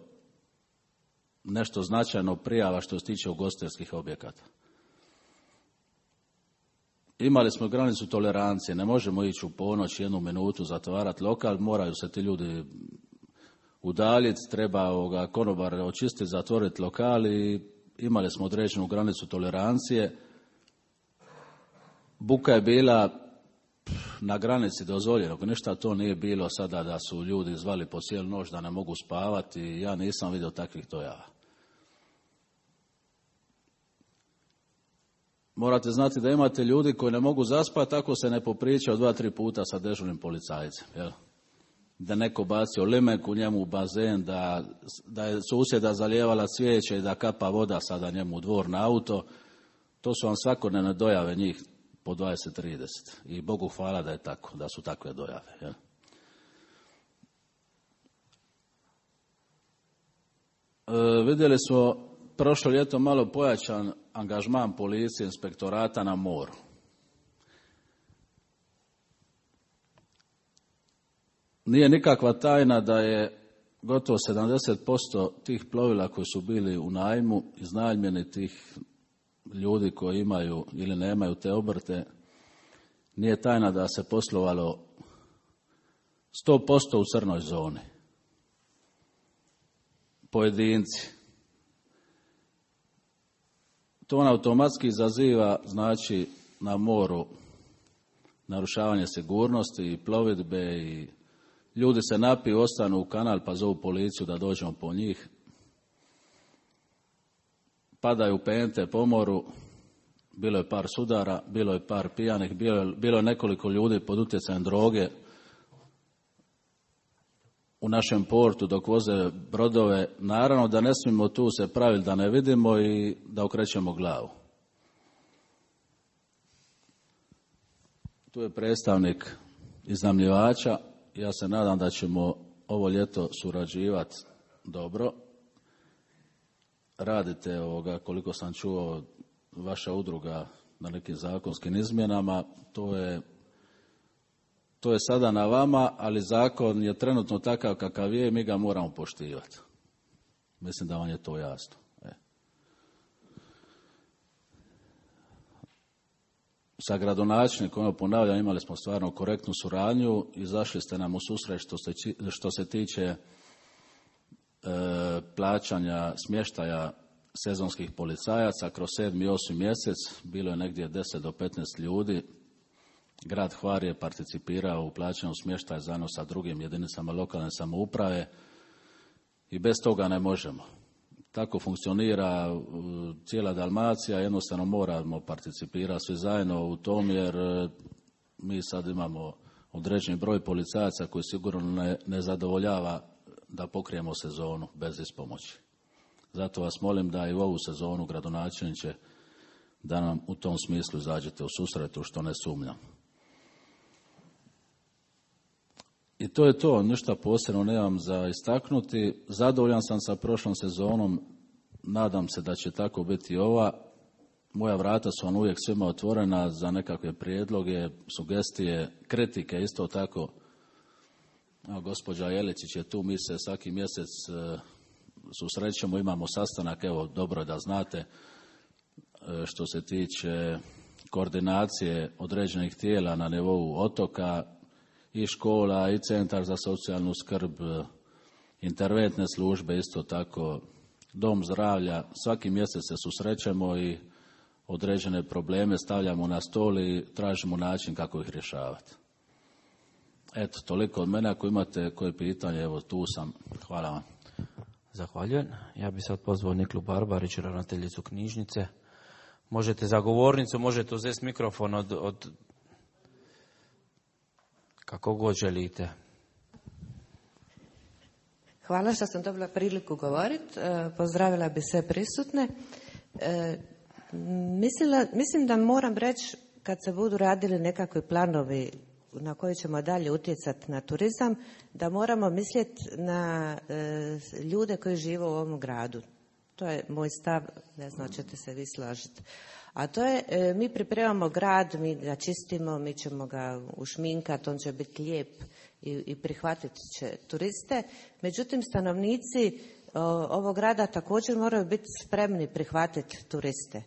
Speaker 12: nešto značajno prijava što se tiče ugostiteljskih objekata. Imali smo granicu tolerancije, ne možemo ići u ponoć 1 minutu zatvarati lokal, moraju se ti ljudi udaljiti, treba konobar očistiti, zatvoriti lokal i imali smo određenu granicu tolerancije. Buka je bila na granici dozvoljenog, ništa to nije bilo sada da su ljudi zvali po cijelu noć da ne mogu spavati, ja nisam vidio takvih dojava. Morate znati da imate ljudi koji ne mogu zaspati ako se ne popričaju 2-3 puta sa dežurnim policajcem. Jel? Da neko bacio limek u njemu u bazen, da je susjeda zalijevala cvijeće i da kapa voda sada njemu u dvor na auto. To su vam svakodnevne dojave njih po 20-30. I Bogu hvala da je tako, da su takve dojave. Jel? Vidjeli smo prošlo ljeto malo pojačan angažman policije, inspektorata na moru. Nije nikakva tajna da je gotovo 70% tih plovila koji su bili u najmu, iznajmljeni tih ljudi koji imaju ili nemaju te obrte, nije tajna da se poslovalo 100% u crnoj zoni. Pojedinci. To on automatski izaziva, znači, na moru narušavanje sigurnosti i plovidbe i ljudi se napiju, ostanu u kanal pa zovu policiju da dođemo po njih. Padaju pente po moru, bilo je par sudara, bilo je par pijanih, bilo je nekoliko ljudi pod utjecajem droge u našem portu dok voze brodove. Naravno da ne smijemo tu se praviti da ne vidimo i da okrećemo glavu. Tu je predstavnik iznajmljivača. Ja se nadam da ćemo ovo ljeto surađivati dobro. Radite koliko sam čuo, vaša udruga na nekim zakonskim izmjenama. To je sada na vama, ali zakon je trenutno takav kakav je i mi ga moramo poštivati. Mislim da vam je to jasno. Sa gradonačelnikom, ponavljam, imali smo stvarno korektnu suradnju, izašli ste nam u susret što se tiče plaćanja smještaja sezonskih policajaca kroz 7. i 8. mjesec. Bilo je negdje 10 do 15 ljudi. Grad Hvar je participirao u plaćanju smještaja zajedno sa drugim jedinicama lokalne samouprave i bez toga ne možemo. Tako funkcionira cijela Dalmacija, jednostavno moramo participirati svi zajedno u tom jer mi sad imamo određeni broj policajaca koji sigurno ne zadovoljava da pokrijemo sezonu bez ispomoći. Zato vas molim da i u ovu sezonu, gradonačelniče, da nam u tom smislu izađete u susret, u što ne sumnjam. I to je to, ništa posebno nemam za istaknuti. Zadovoljan sam sa prošlom sezonom, nadam se da će tako biti i ova. Moja vrata su vam uvijek svima otvorena za nekakve prijedloge, sugestije, kritike isto tako. Gospođa Jeličić je tu, mi se svaki mjesec susrećemo, imamo sastanak, evo dobro da znate, što se tiče koordinacije određenih tijela na nivou otoka i škola i centar za socijalnu skrb, interventne službe, isto tako dom zdravlja. Svaki mjesec se susrećemo i određene probleme stavljamo na stol i tražimo način kako ih rješavati. Eto, toliko od mene. Ako imate koje pitanje, evo tu sam. Hvala vam.
Speaker 1: Zahvaljujem. Ja bih sad pozvao Niklu Barbarić, ravnateljicu knjižnice. Možete za govornicu, možete uzeti mikrofon od kako god želite.
Speaker 13: Hvala što sam dobila priliku govoriti. Pozdravila bi sve prisutne. Mislim da moram reći, kad se budu radili nekakvi planovi na koji ćemo dalje utjecati na turizam, da moramo misliti na ljude koji žive u ovom gradu. To je moj stav, ne znam, ćete se vi složiti. A to je, mi pripremamo grad, mi ga čistimo, mi ćemo ga ušminkati, on će biti lijep i prihvatit će turiste. Međutim, stanovnici ovog grada također moraju biti spremni prihvatiti turiste.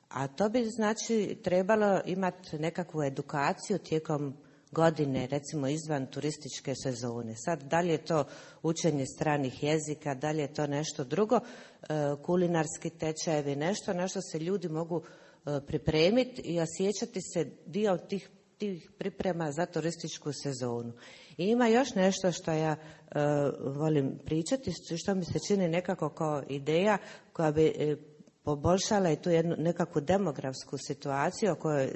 Speaker 13: A to bi znači trebalo imati nekakvu edukaciju tijekom godine, recimo izvan turističke sezone. Sad, da li je to učenje stranih jezika, da li je to nešto drugo, kulinarski tečajevi, nešto na što se ljudi mogu pripremiti i osjećati se dio tih priprema za turističku sezonu. I ima još nešto što ja volim pričati, što mi se čini nekako kao ideja koja bi poboljšala i tu jednu nekakvu demografsku situaciju o kojoj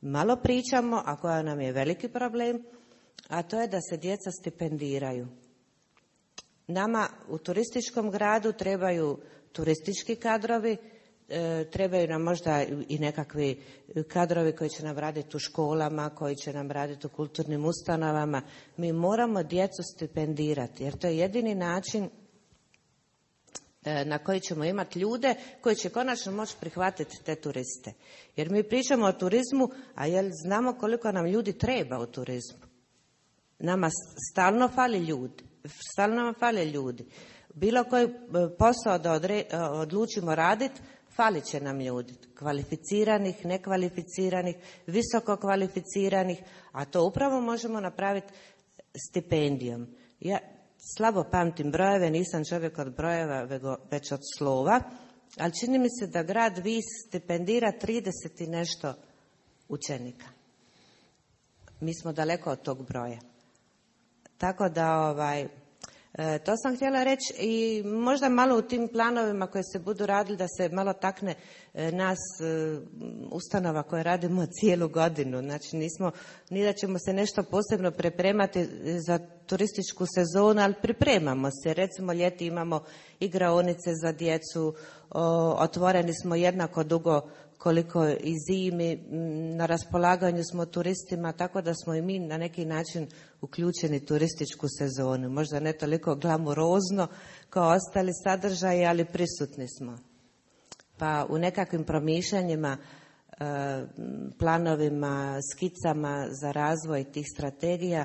Speaker 13: malo pričamo, a koja nam je veliki problem, a to je da se djeca stipendiraju. Nama u turističkom gradu trebaju turistički kadrovi, trebaju nam možda i nekakvi kadrovi koji će nam raditi u školama, koji će nam raditi u kulturnim ustanovama. Mi moramo djecu stipendirati, jer to je jedini način na koji ćemo imati ljude koji će konačno moći prihvatiti te turiste. Jer mi pričamo o turizmu, a jel znamo koliko nam ljudi treba u turizmu? Nama stalno fali ljudi. Bilo koji posao da odlučimo raditi, falit će nam ljudi. Kvalificiranih, nekvalificiranih, visoko kvalificiranih, a to upravo možemo napraviti stipendijom. Ja slabo pamtim brojeve, nisam čovjek od brojeva, već od slova, ali čini mi se da grad Vis stipendira 30 i nešto učenika. Mi smo daleko od tog broja. Tako da, to sam htjela reći i možda malo u tim planovima koje se budu radili da se malo takne nas ustanova koje radimo cijelu godinu. Znači nismo, ni da ćemo se nešto posebno pripremati za turističku sezonu, ali pripremamo se. Recimo ljeti imamo igraonice za djecu, otvoreni smo jednako dugo koliko i zimi, na raspolaganju smo turistima, tako da smo i mi na neki način uključeni turističku sezonu. Možda ne toliko glamurozno kao ostali sadržaji, ali prisutni smo. Pa u nekakvim promišljanjima, planovima, skicama za razvoj tih strategija,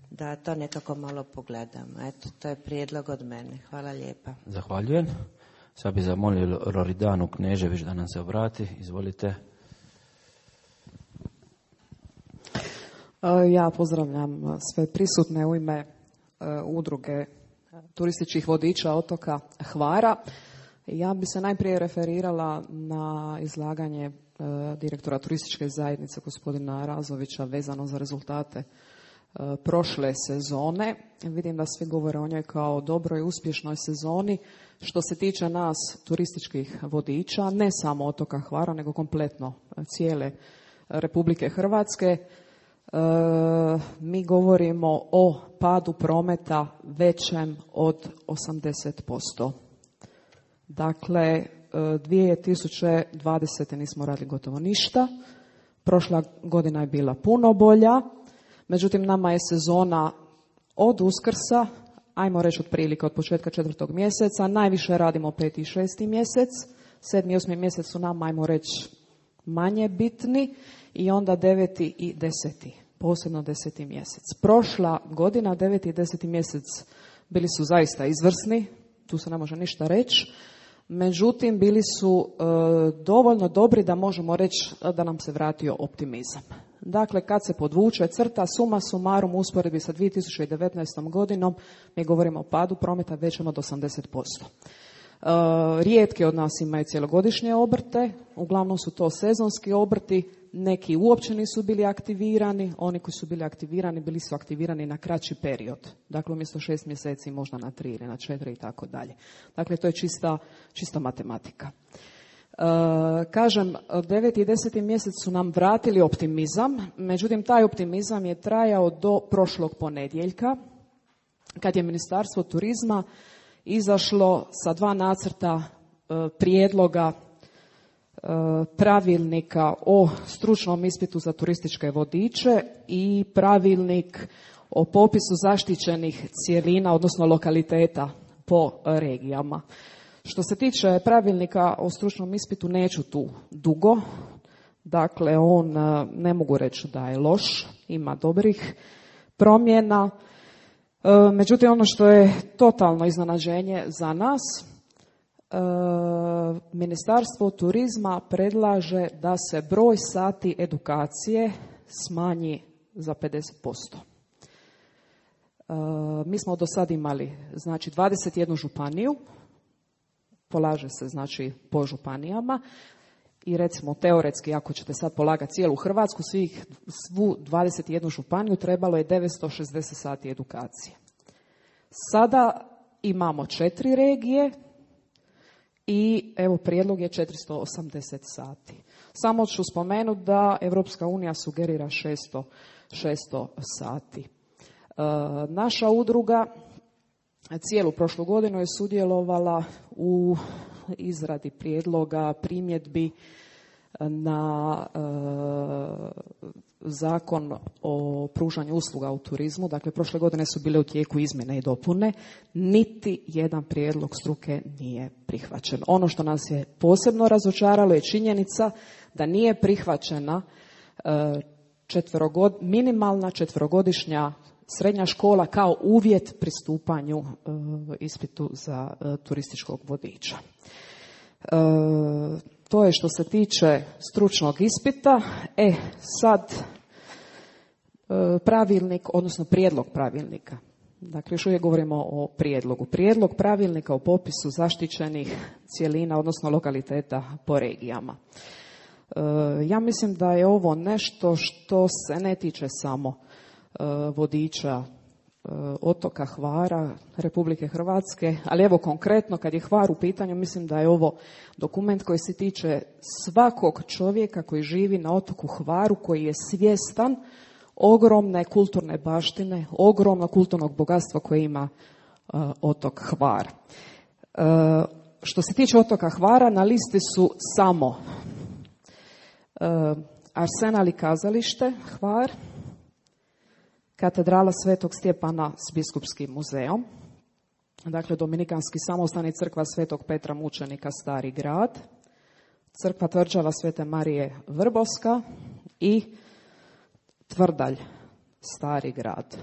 Speaker 13: da to nekako malo pogledamo. Eto, to je prijedlog od mene. Hvala lijepa.
Speaker 1: Zahvaljujem. Sad bi zamolio Loridanu Knežević da nam se obrati. Izvolite.
Speaker 14: Ja pozdravljam sve prisutne u ime udruge turističkih vodiča otoka Hvara. Ja bi se najprije referirala na izlaganje direktora turističke zajednice gospodina Razovića vezano za rezultate prošle sezone. Vidim da svi govore o njoj kao o dobroj i uspješnoj sezoni. Što se tiče nas turističkih vodiča, ne samo otoka Hvara, nego kompletno cijele Republike Hrvatske, mi govorimo o padu prometa većem od 80%. Dakle, 2020. nismo radili gotovo ništa. Prošla godina je bila puno bolja. Međutim, nama je sezona od Uskrsa, ajmo reći otprilike od početka 4. mjeseca, najviše radimo 5. i 6. mjesec, 7. i 8. mjesec su nam, ajmo reći, manje bitni i onda 9. i 10. posebno 10. mjesec. Prošla godina, 9. i 10. mjesec bili su zaista izvrsni, tu se ne može ništa reći, međutim bili su dovoljno dobri da možemo reći da nam se vratio optimizam. Dakle, kad se podvuče crta, suma sumarum usporedbi sa 2019. godinom, mi govorimo o padu prometa većem od 80%. Rijetki od nas imaju cjelogodišnje obrte, uglavnom su to sezonski obrti, neki uopće nisu bili aktivirani, oni koji su bili aktivirani, bili su aktivirani na kraći period. Dakle, umjesto 6 mjeseci možda na 3 ili na 4 i tako dalje. Dakle, to je čista matematika. Kažem, 9. i 10. mjesec su nam vratili optimizam, međutim taj optimizam je trajao do prošlog ponedjeljka, kad je Ministarstvo turizma izašlo sa 2 nacrta prijedloga pravilnika o stručnom ispitu za turističke vodiče i pravilnik o popisu zaštićenih cjelina, odnosno lokaliteta po regijama. Što se tiče pravilnika o stručnom ispitu, neću tu dugo. Dakle, on ne mogu reći da je loš, ima dobrih promjena. Međutim, ono što je totalno iznenađenje za nas, Ministarstvo turizma predlaže da se broj sati edukacije smanji za 50%. Mi smo do sad imali, znači, 21 županiju, polaže se, znači, po županijama i recimo teoretski, ako ćete sad polagati cijelu Hrvatsku, svu 21 županiju trebalo je 960 sati edukacije. Sada imamo 4 regije i evo prijedlog je 480 sati. Samo ću spomenuti da Europska unija sugerira 600 sati. Naša udruga cijelu prošlu godinu je sudjelovala u izradi prijedloga, primjedbi na zakon o pružanju usluga u turizmu. Dakle, prošle godine su bile u tijeku izmjene i dopune. Niti jedan prijedlog struke nije prihvaćen. Ono što nas je posebno razočaralo je činjenica da nije prihvaćena minimalna 4-godišnja srednja škola kao uvjet pristupanju ispitu za turističkog vodiča. To je što se tiče stručnog ispita. Sad pravilnik, odnosno prijedlog pravilnika. Dakle, još uvijek govorimo o prijedlogu. Prijedlog pravilnika o popisu zaštićenih cjelina, odnosno lokaliteta po regijama. Ja mislim da je ovo nešto što se ne tiče samo vodiča otoka Hvara, Republike Hrvatske, ali evo konkretno kad je Hvar u pitanju, mislim da je ovo dokument koji se tiče svakog čovjeka koji živi na otoku Hvaru, koji je svjestan ogromne kulturne baštine, ogromnog kulturnog bogatstva koje ima otok Hvar. Što se tiče otoka Hvara, na listi su samo Arsenal i kazalište Hvar, Katedrala Svetog Stjepana s biskupskim muzeom, dakle Dominikanski samostani, crkva Svetog Petra Mučenika Stari grad, crkva tvrđava Svete Marije Vrbovska i Tvrdalj Stari grad.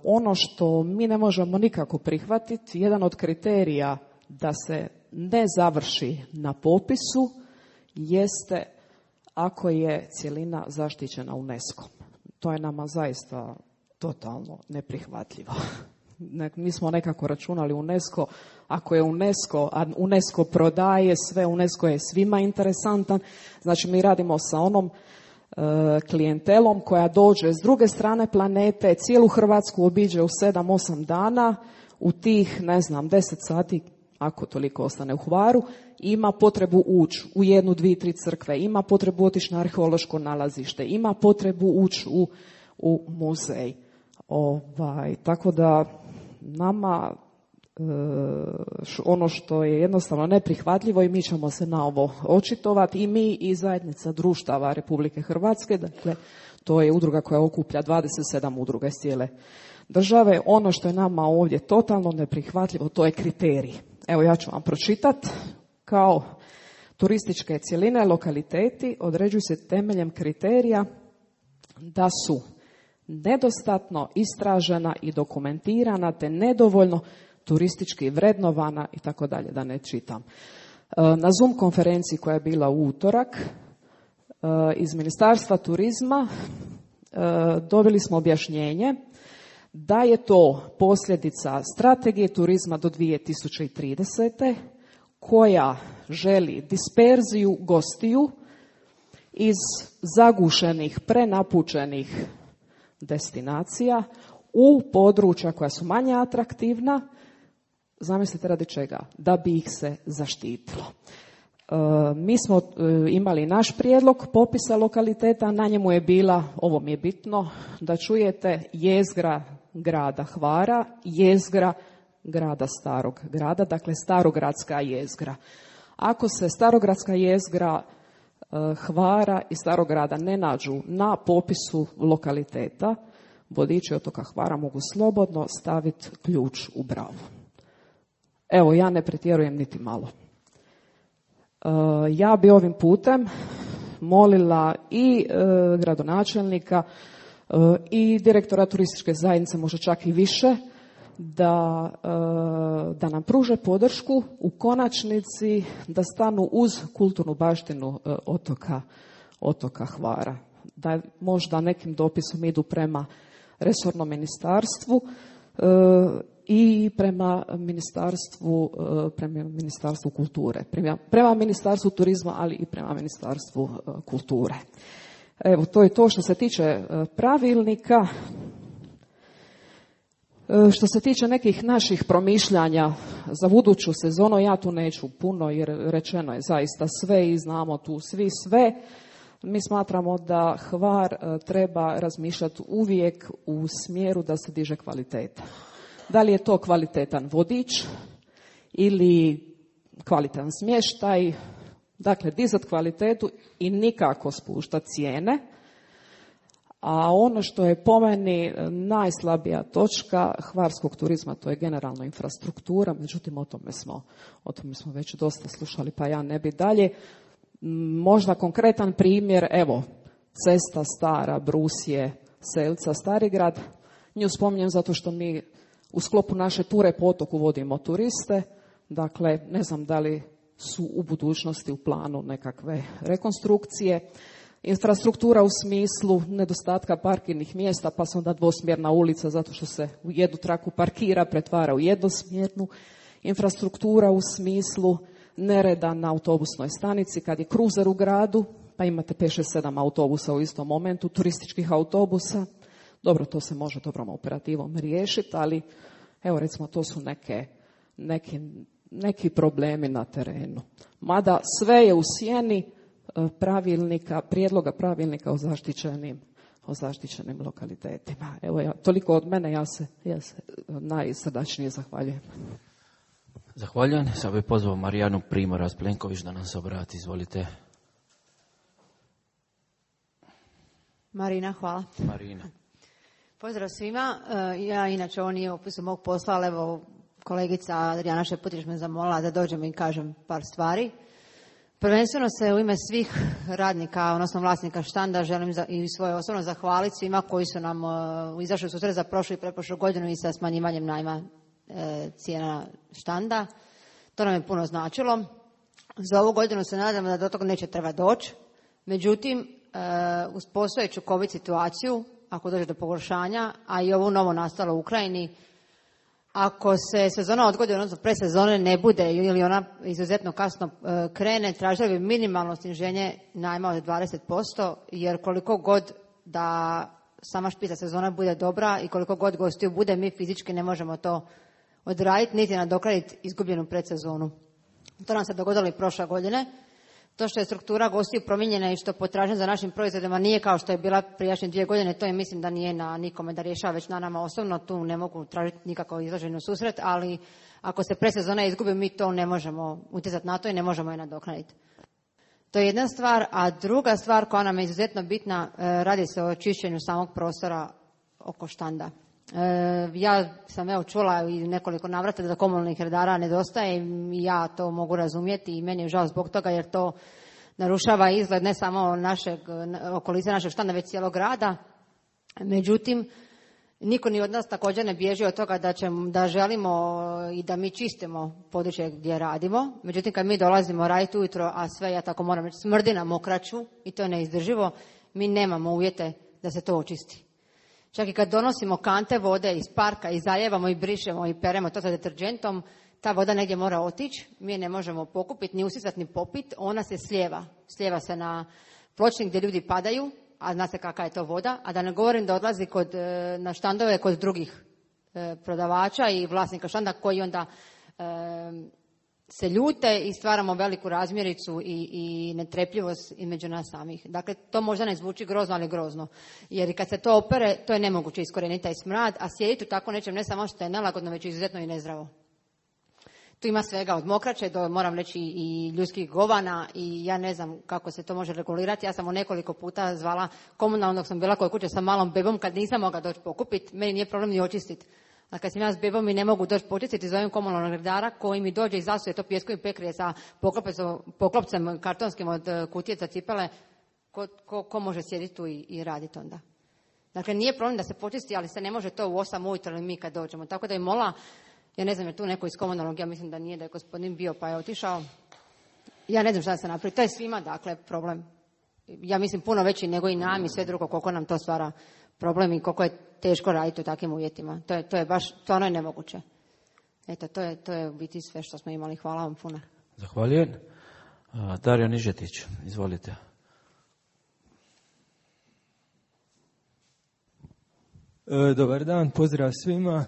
Speaker 14: Ono što mi ne možemo nikako prihvatiti, jedan od kriterija da se ne završi na popisu jeste ako je cjelina zaštićena UNESCO-om. To je nama zaista totalno neprihvatljivo. Mi smo nekako računali UNESCO, ako je UNESCO, a UNESCO prodaje sve, UNESCO je svima interesantan, znači mi radimo sa onom klijentelom koja dođe s druge strane planete, cijelu Hrvatsku obiđe u 7-8 dana, u tih, 10 sati ako toliko ostane u Hvaru, ima potrebu ući u 1, 2, 3 crkve, ima potrebu otići na arheološko nalazište, ima potrebu ući u muzej. Tako da nama ono što je jednostavno neprihvatljivo i mi ćemo se na ovo očitovati i mi i zajednica društava Republike Hrvatske, dakle to je udruga koja okuplja 27 udruga iz cijele države. Ono što je nama ovdje totalno neprihvatljivo, to je kriterij. Evo ja ću vam pročitati. Kao turističke cjeline, lokaliteti određuju se temeljem kriterija da su nedostatno istražena i dokumentirana te nedovoljno turistički vrednovana i tako dalje, da ne čitam. Na Zoom konferenciji koja je bila u utorak iz Ministarstva turizma dobili smo objašnjenje da je to posljedica strategije turizma do 2030. koja želi disperziju gostiju iz zagušenih, prenapučenih destinacija u područja koja su manje atraktivna. Zamislite radi čega? Da bi ih se zaštitilo. Mi smo imali naš prijedlog popisa lokaliteta, na njemu je bila, ovo mi je bitno, da čujete, jezgra grada Hvara, jezgra grada Starog grada, dakle starogradska jezgra. Ako se starogradska jezgra Hvara i Starog grada ne nađu na popisu lokaliteta, vodiči otoka Hvara mogu slobodno staviti ključ u bravu. Evo, ja ne pretjerujem niti malo. Ja bi ovim putem molila i gradonačelnika i direktora turističke zajednice, možda čak i više, da nam pruže podršku, u konačnici da stanu uz kulturnu baštinu otoka Hvara. Da možda nekim dopisom idu prema resornom ministarstvu i prema ministarstvu kulture, prema ministarstvu turizma, ali i prema ministarstvu kulture. Evo, to je to što se tiče pravilnika. Što se tiče nekih naših promišljanja za buduću sezonu, ja tu neću puno jer rečeno je zaista sve i znamo tu svi sve. Mi smatramo da Hvar treba razmišljati uvijek u smjeru da se diže kvaliteta. Da li je to kvalitetan vodič ili kvalitetan smještaj, dakle dizati kvalitetu i nikako spuštati cijene. A ono što je po meni najslabija točka hvarskog turizma, to je generalno infrastruktura, međutim o tome smo već dosta slušali, pa ja ne bi dalje. Možda konkretan primjer, evo, cesta stara, Brusije, Selca, Starigrad. Nju spominjem zato što mi u sklopu naše ture po otoku vodimo turiste, dakle ne znam da li su u budućnosti u planu nekakve rekonstrukcije. Infrastruktura u smislu nedostatka parkirnih mjesta, pa se onda dvosmjerna ulica zato što se u jednu traku parkira, pretvara u jednosmjernu. Infrastruktura u smislu nereda na autobusnoj stanici kad je kruzer u gradu, pa imate 5-6-7 autobusa u istom momentu, turističkih autobusa. Dobro, to se može dobrom operativom riješiti, ali evo recimo to su neki problemi na terenu. Mada sve je u sjeni prijedloga pravilnika o zaštićenim lokalitetima. Evo, toliko od mene, ja se najsrdačnije zahvaljujem.
Speaker 1: Zahvaljujem. Sad bih pozvao Marijanu Primorac-Plenković da nam se obrati. Izvolite.
Speaker 15: Marina, hvala.
Speaker 1: Marina.
Speaker 15: Pozdrav svima. Ja inače ovo nije opis mog posla, ali evo kolegica Adriana Šeputić me zamolila da dođem i kažem par stvari. Prvenstveno se u ime svih radnika, odnosno vlasnika štanda, želim i svoje osobno zahvaliti svima koji su nam izašli u susret za prošlu i pretprošlu godinu i sa smanjivanjem najma cijena štanda. To nam je puno značilo. Za ovu godinu se nadamo da do toga neće treba doći. Međutim, uz postojeću COVID situaciju, ako dođe do pogoršanja, a i ovo novo nastalo u Ukrajini, ako se sezona odgodi, odnosno predsezone ne bude ili ona izuzetno kasno krene, tražili bi minimalno sniženje najma od 20%, jer koliko god da sama špica sezona bude dobra i koliko god gostiju bude, mi fizički ne možemo to odraditi niti nadoknaditi izgubljenu predsezonu. To nam se dogodilo i prošle godine. To što je struktura gostiju promijenjena i što potražnja za našim proizvodima nije kao što je bila prijašnje 2 godine, to je mislim da nije na nikome da rješava, već na nama osobno. Tu ne mogu tražiti nikako izlaženju susret, ali ako se predsezona izgubi, mi to ne možemo utjecati na to i ne možemo je nadoknaditi. To je jedna stvar, a druga stvar koja nam je izuzetno bitna, radi se o čišćenju samog prostora oko štanda. Ja sam čula i nekoliko navrata da komunalnih redara nedostaje i ja to mogu razumjeti i meni je žao zbog toga jer to narušava izgled ne samo okolice našeg štanda, već cijelog grada. Međutim, niko ni od nas također ne bježi od toga da želimo i da mi čistimo područje gdje radimo. Međutim, kad mi dolazimo raditi ujutro, a sve, ja tako moram reći, smrdi na mokraću i to je neizdrživo, mi nemamo uvjete da se to očisti. Čak i kad donosimo kante vode iz parka i zalijevamo i brišemo i peremo to sa deterđentom, ta voda negdje mora otići, mi je ne možemo pokupiti, ni usisati, ni popiti, ona se slijeva. Slijeva se na pločnik gdje ljudi padaju, a zna se kakva je to voda, a da ne govorim da odlazi na štandove kod drugih prodavača i vlasnika štanda koji onda se ljute i stvaramo veliku razmjericu i netrpljivost između nas samih. Dakle, to možda ne zvuči grozno, ali grozno. Jer kad se to opere, to je nemoguće iskorijeniti taj smrad, a sjediti u tako nečem ne samo što je nelagodno, već izuzetno i nezdravo. Tu ima svega od mokraće do, moram reći, i ljudskih govana i ja ne znam kako se to može regulirati. Ja sam nekoliko puta zvala komunalno dok sam bila kod kuće sa malom bebom kad nisam mogla doći pokupiti. Meni nije problem ni očistiti. A kad sam ja s bebom i ne mogu doći počistiti, zovem komunalnog redara koji mi dođe i zasuje to pijesku i pekrije sa poklopcem kartonskim od kutije za cipele. Ko može sjediti tu i raditi onda? Dakle, nije problem da se počisti, ali se ne može to u 8 ujutro ili mi kad dođemo. Tako da je mola, ja ne znam je tu neko iz komunalnog, ja mislim da nije, da je gospodin bio pa je otišao. Ja ne znam šta da se napravi. To je svima, dakle, problem. Ja mislim puno veći nego i nam i sve drugo koliko nam to stvara problem i koliko je teško raditi u takvim uvjetima. To je baš, stvarno je nemoguće. Eto, to je u biti sve što smo imali. Hvala vam puno.
Speaker 1: Zahvaljujem. Dario Nižetić, izvolite.
Speaker 16: Dobar dan, pozdrav svima.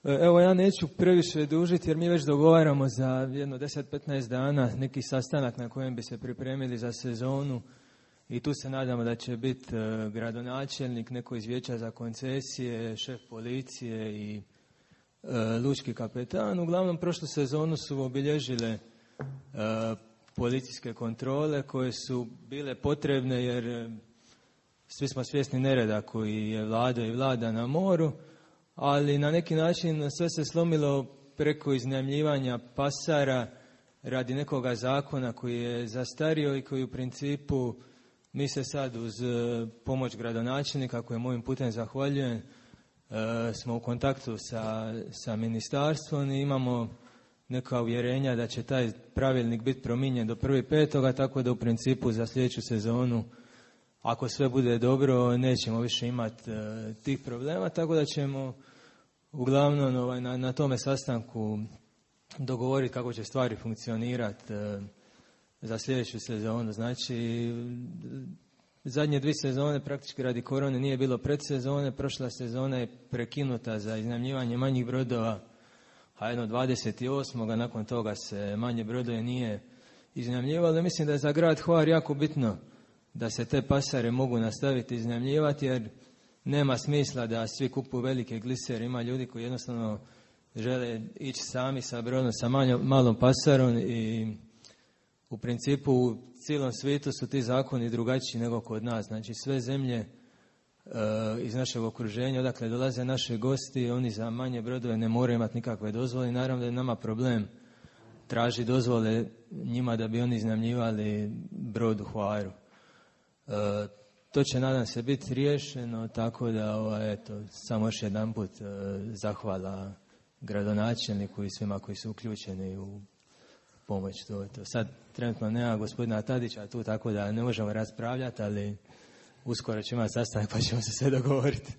Speaker 16: Evo, ja neću previše dužiti jer mi već dogovaramo za jedno 10-15 dana neki sastanak na kojem bi se pripremili za sezonu i tu se nadamo da će biti gradonačelnik, neko iz vijeća za koncesije, šef policije i lučki kapetan. Uglavnom, prošlu sezonu su obilježile policijske kontrole koje su bile potrebne jer svi smo svjesni nereda koji je vladao i vlada na moru, ali na neki način sve se slomilo preko iznajmljivanja pasara radi nekoga zakona koji je zastario i koji u principu mi se sad uz pomoć gradonačelnika, kojem ovim putem zahvaljujem, smo u kontaktu sa ministarstvom i imamo neka uvjerenja da će taj pravilnik biti promijenjen do 1.5. tako da u principu za sljedeću sezonu, ako sve bude dobro, nećemo više imati tih problema, tako da ćemo uglavnom na tome sastanku dogovoriti kako će stvari funkcionirati za sljedeću sezonu. Znači, zadnje 2 sezone praktički radi korone nije bilo predsezone, prošla sezona je prekinuta za iznajmljivanje manjih brodova, a jedno 28. nakon toga se manje brodove nije iznajmljivalo. Mislim da je za grad Hvar jako bitno da se te pasare mogu nastaviti iznajmljivati jer nema smisla da svi kupuju velike glisere. Ima ljudi koji jednostavno žele ići sami sa brodom, sa malom pasarom i u principu u cijelom svijetu su ti zakoni drugačiji nego kod nas. Znači sve zemlje iz našeg okruženja, odakle dolaze naši gosti, oni za manje brodove ne moraju imati nikakve dozvole. Naravno da je nama problem traži dozvole njima da bi oni iznajmljivali brod u Hvaru. To će, nadam se, biti riješeno, tako da samo još jedanput zahvala gradonačelniku i svima koji su uključeni u pomoć. To. Sad trenutno nema gospodina Tadića tu, tako da ne možemo raspravljati, ali uskoro ćemo imati sastanak pa ćemo se sve dogovoriti.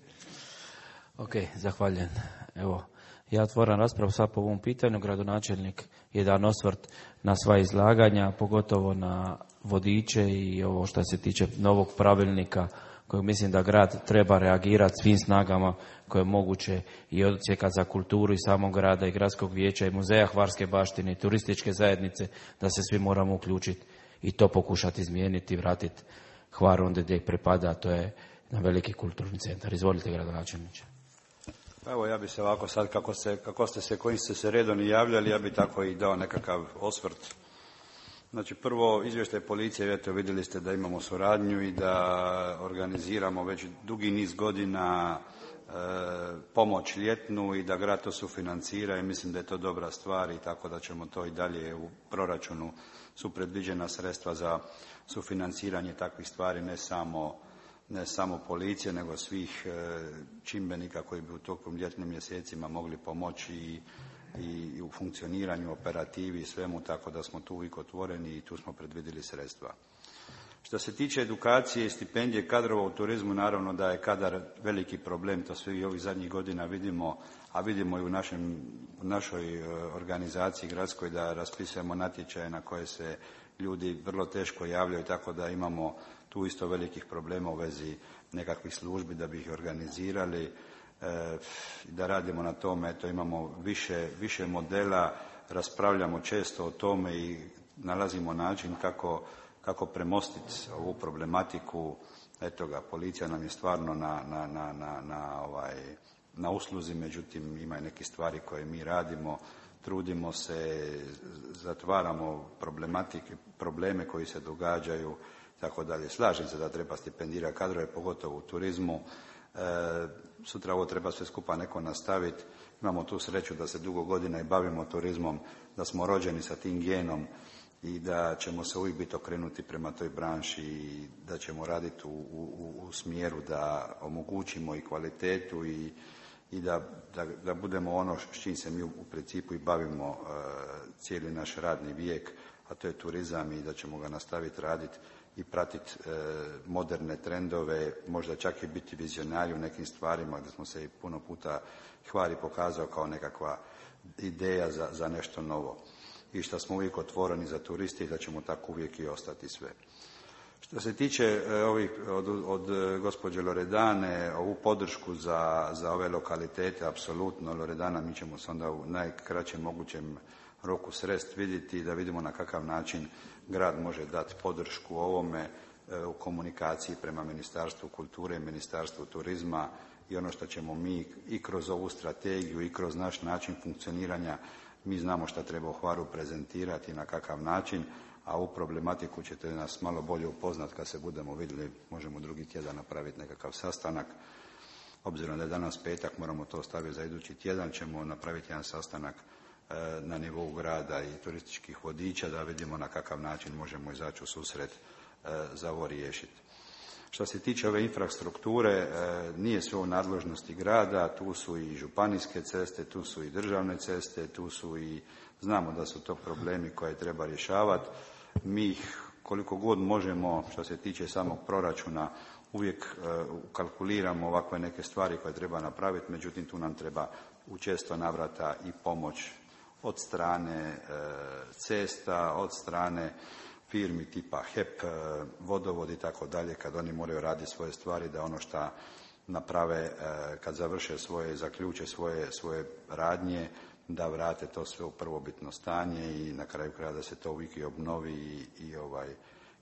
Speaker 1: Ok, zahvaljujem. Evo, ja otvoram raspravu sad po ovom pitanju. Gradonačelnik je dan osvrt na sva izlaganja, pogotovo na vodiče i ovo što se tiče novog pravilnika kojeg mislim da grad treba reagirati svim snagama koje je moguće i odsjeka za kulturu i samog grada i gradskog vijeća i muzeja Hvarske baštine i turističke zajednice, da se svi moramo uključiti i to pokušati izmijeniti i vratiti Hvar onda gdje pripada, a to je na veliki kulturni centar. Izvolite, gradonačelniče.
Speaker 10: Evo, ja bi se ovako sad, kojim ste se redom i javljali, ja bi tako i dao nekakav osvrt. Znači, prvo, izvještaj policije, eto, vidjeli ste da imamo suradnju i da organiziramo već dugi niz godina pomoć ljetnu i da grad to sufinancira i mislim da je to dobra stvar i tako da ćemo to i dalje u proračunu su predviđena sredstva za sufinanciranje takvih stvari, ne samo policije, nego svih čimbenika koji bi u tokom ljetnim mjesecima mogli pomoći i u funkcioniranju, operativi i svemu, tako da smo tu uvijek otvoreni i tu smo predvidjeli sredstva. Što se tiče edukacije i stipendije kadrova u turizmu, naravno da je kadar veliki problem, to svi ovih zadnjih godina vidimo, a vidimo i u našoj organizaciji gradskoj da raspisujemo natječaje na koje se ljudi vrlo teško javljaju, tako da imamo tu isto velikih problema u vezi nekakvih službi da bi ih organizirali, da radimo na tome, eto imamo više modela, raspravljamo često o tome i nalazimo način kako premostiti ovu problematiku. Eto ga, policija nam je stvarno na usluzi, međutim ima i neke stvari koje mi radimo, trudimo se, zatvaramo probleme koji se događaju, tako dalje. Slažem se da treba stipendirati kadrove, pogotovo u turizmu. Sutra ovo treba sve skupa neko nastaviti. Imamo tu sreću da se dugo godina i bavimo turizmom, da smo rođeni sa tim genom i da ćemo se uvijek biti okrenuti prema toj branši i da ćemo raditi u smjeru da omogućimo i kvalitetu i da budemo ono s čim se mi u principu i bavimo cijeli naš radni vijek, a to je turizam i da ćemo ga nastaviti raditi i pratiti moderne trendove, možda čak i biti vizionari u nekim stvarima gdje smo se i puno puta Hvar i pokazao kao nekakva ideja za nešto novo. I što smo uvijek otvoreni za turiste i da ćemo tako uvijek i ostati sve. Što se tiče od gospođe Loredane, ovu podršku za ove lokalitete, apsolutno, Loredana, mi ćemo se onda u najkraćem mogućem roku srest vidjeti da vidimo na kakav način grad može dati podršku ovome u komunikaciji prema Ministarstvu kulture i Ministarstvu turizma i ono što ćemo mi i kroz ovu strategiju i kroz naš način funkcioniranja, mi znamo šta treba u Hvaru prezentirati i na kakav način, a ovu problematiku ćete nas malo bolje upoznat kad se budemo vidjeli, možemo drugi tjedan napraviti nekakav sastanak. Obzirom da je danas petak, moramo to ostaviti za idući tjedan, ćemo napraviti jedan sastanak na nivou grada i turističkih vodiča da vidimo na kakav način možemo izaći u susret za ovo riješiti. Što se tiče ove infrastrukture, nije sve u nadležnosti grada, tu su i županijske ceste, tu su i državne ceste, tu su i, znamo da su to problemi koje treba rješavati. Mi ih koliko god možemo, što se tiče samog proračuna, uvijek kalkuliramo ovakve neke stvari koje treba napraviti, međutim tu nam treba u često navrata i pomoć od strane cesta, od strane firmi tipa HEP, vodovod i tako dalje, kad oni moraju raditi svoje stvari, da ono što naprave kad završe zaključe svoje radnje, da vrate to sve u prvobitno stanje i na kraju kraja da se to uvijek i obnovi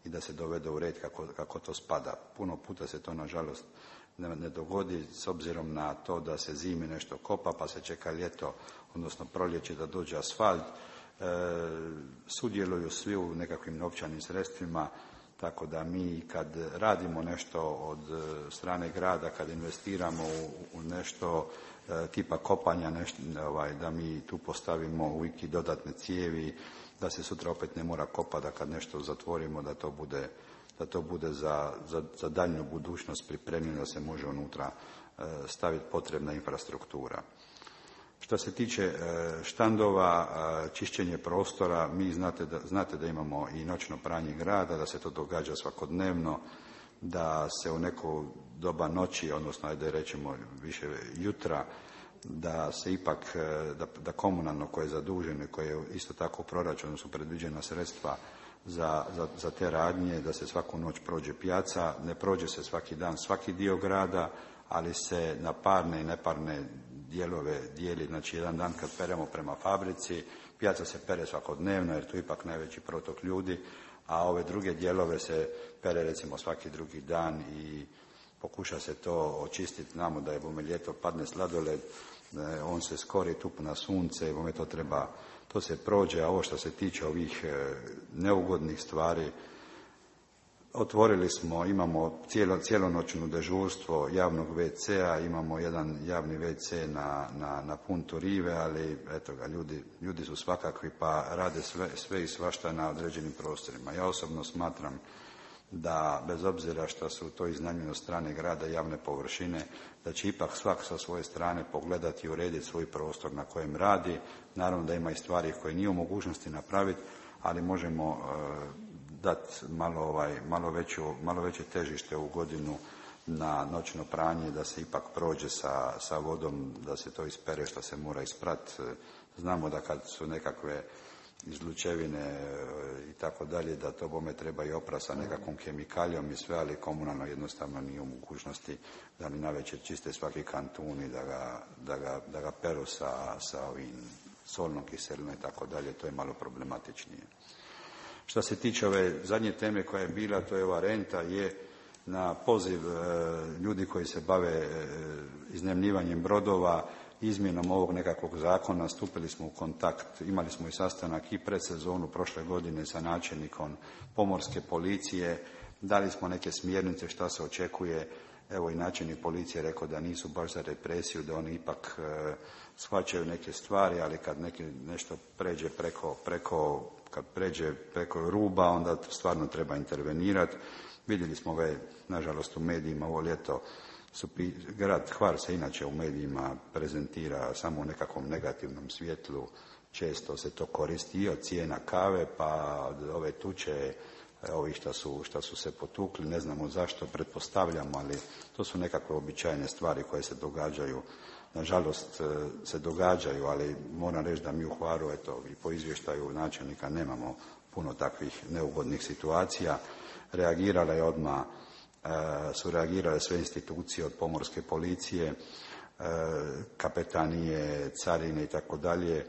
Speaker 10: i da se dovede u red kako to spada. Puno puta se to nažalost ne dogodi s obzirom na to da se zimi nešto kopa pa se čeka ljeto, odnosno proljeće da dođe asfalt. Sudjeluju svi u nekakvim novčanim sredstvima, tako da mi kad radimo nešto od strane grada, kad investiramo u nešto tipa kopanja, da mi tu postavimo uvijek i dodatne cijevi, da se sutra opet ne mora kopati, da kad nešto zatvorimo da to bude za daljnju budućnost pripremljeno, da se može unutra staviti potrebna infrastruktura. Što se tiče štandova, čišćenje prostora, mi znate da imamo i noćno pranje grada, da se to događa svakodnevno, da se u neko doba noći, odnosno ajde rećemo više jutra, da se ipak, da komunalno koje je zaduženo i koje je isto tako u proračunu su predviđena sredstva, za te radnje, da se svaku noć prođe pijaca. Ne prođe se svaki dan svaki dio grada, ali se na parne i neparne dijelove dijeli. Znači, jedan dan kad peremo prema fabrici, pijaca se pere svakodnevno jer tu ipak najveći protok ljudi, a ove druge dijelove se pere recimo svaki drugi dan i pokuša se to očistiti. Znamo da je bome ljeto padne sladoled, on se skori tu na sunce i bome to se prođe, a ovo što se tiče ovih neugodnih stvari, otvorili smo, imamo cijelonoćno dežurstvo javnog WC-a, imamo jedan javni WC na Puntu Rive, ali eto ga, ljudi su svakakvi pa rade sve i svašta na određenim prostorima. Ja osobno smatram da bez obzira što su to iznajmljene od strane grada javne površine, da će ipak svak sa svoje strane pogledati i urediti svoj prostor na kojem radi. Naravno da ima i stvari koje nije u mogućnosti napraviti, ali možemo dati malo veće težište u godinu na noćno pranje, da se ipak prođe sa vodom, da se to ispere što se mora isprati. Znamo da kad su nekakve izlučevine i tako dalje, da to bome treba i opra sa nekakvom kemikalijom i sve, ali komunalno jednostavno nije u mogućnosti da mi navečer čiste svaki kantun i da ga peru sa ovim solnom kiselinom i tako dalje. To je malo problematičnije. Što se tiče ove zadnje teme koja je bila, to je ova renta, je na poziv ljudi koji se bave iznajmljivanjem brodova, izmjenom ovog nekakvog zakona stupili smo u kontakt, imali smo i sastanak i pred sezonu prošle godine sa načelnikom pomorske policije, dali smo neke smjernice šta se očekuje. Evo i načelnik policije rekao da nisu baš za represiju, da oni ipak shvaćaju neke stvari, ali kad nešto pređe preko ruba, onda stvarno treba intervenirati. Vidjeli smo nažalost u medijima ovo ljeto, grad Hvar se inače u medijima prezentira samo u nekakvom negativnom svjetlu, često se to koristi i od cijena kave pa od ove tuče, ovi što su se potukli, ne znamo zašto, pretpostavljamo, ali to su nekakve običajne stvari koje se događaju. Nažalost se događaju, ali moram reći da mi u Hvaru, eto, i po izvještaju načelnika nemamo puno takvih neugodnih situacija. Reagirala je odmah, su reagirale sve institucije od pomorske policije, kapetanije, carine i tako dalje.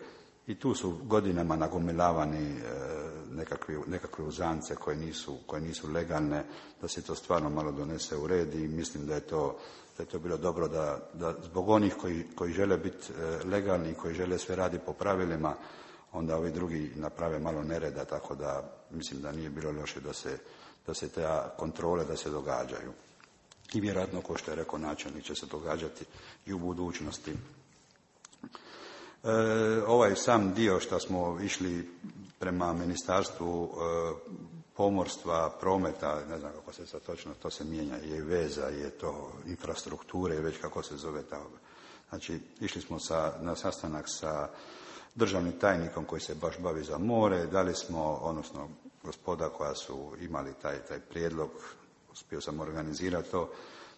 Speaker 10: I tu su godinama nagomilavani nekakve uzance koje nisu legalne, da se to stvarno malo donese u red i mislim da je to bilo dobro da zbog onih koji žele biti legalni i koji žele sve raditi po pravilima, onda ovi drugi naprave malo nereda, tako da mislim da nije bilo loše da se te kontrole da se događaju. I vjerojatno, kao što je rekao načelnik, će se događati i u budućnosti. Ovaj sam dio što smo išli prema Ministarstvu pomorstva, prometa, ne znam kako se sad točno to se mijenja, je veza, je to infrastrukture, već kako se zove ta. Znači, išli smo na sastanak sa državnim tajnikom koji se baš bavi za more, dali smo, odnosno gospoda koja su imali taj prijedlog, uspio sam organizirati to,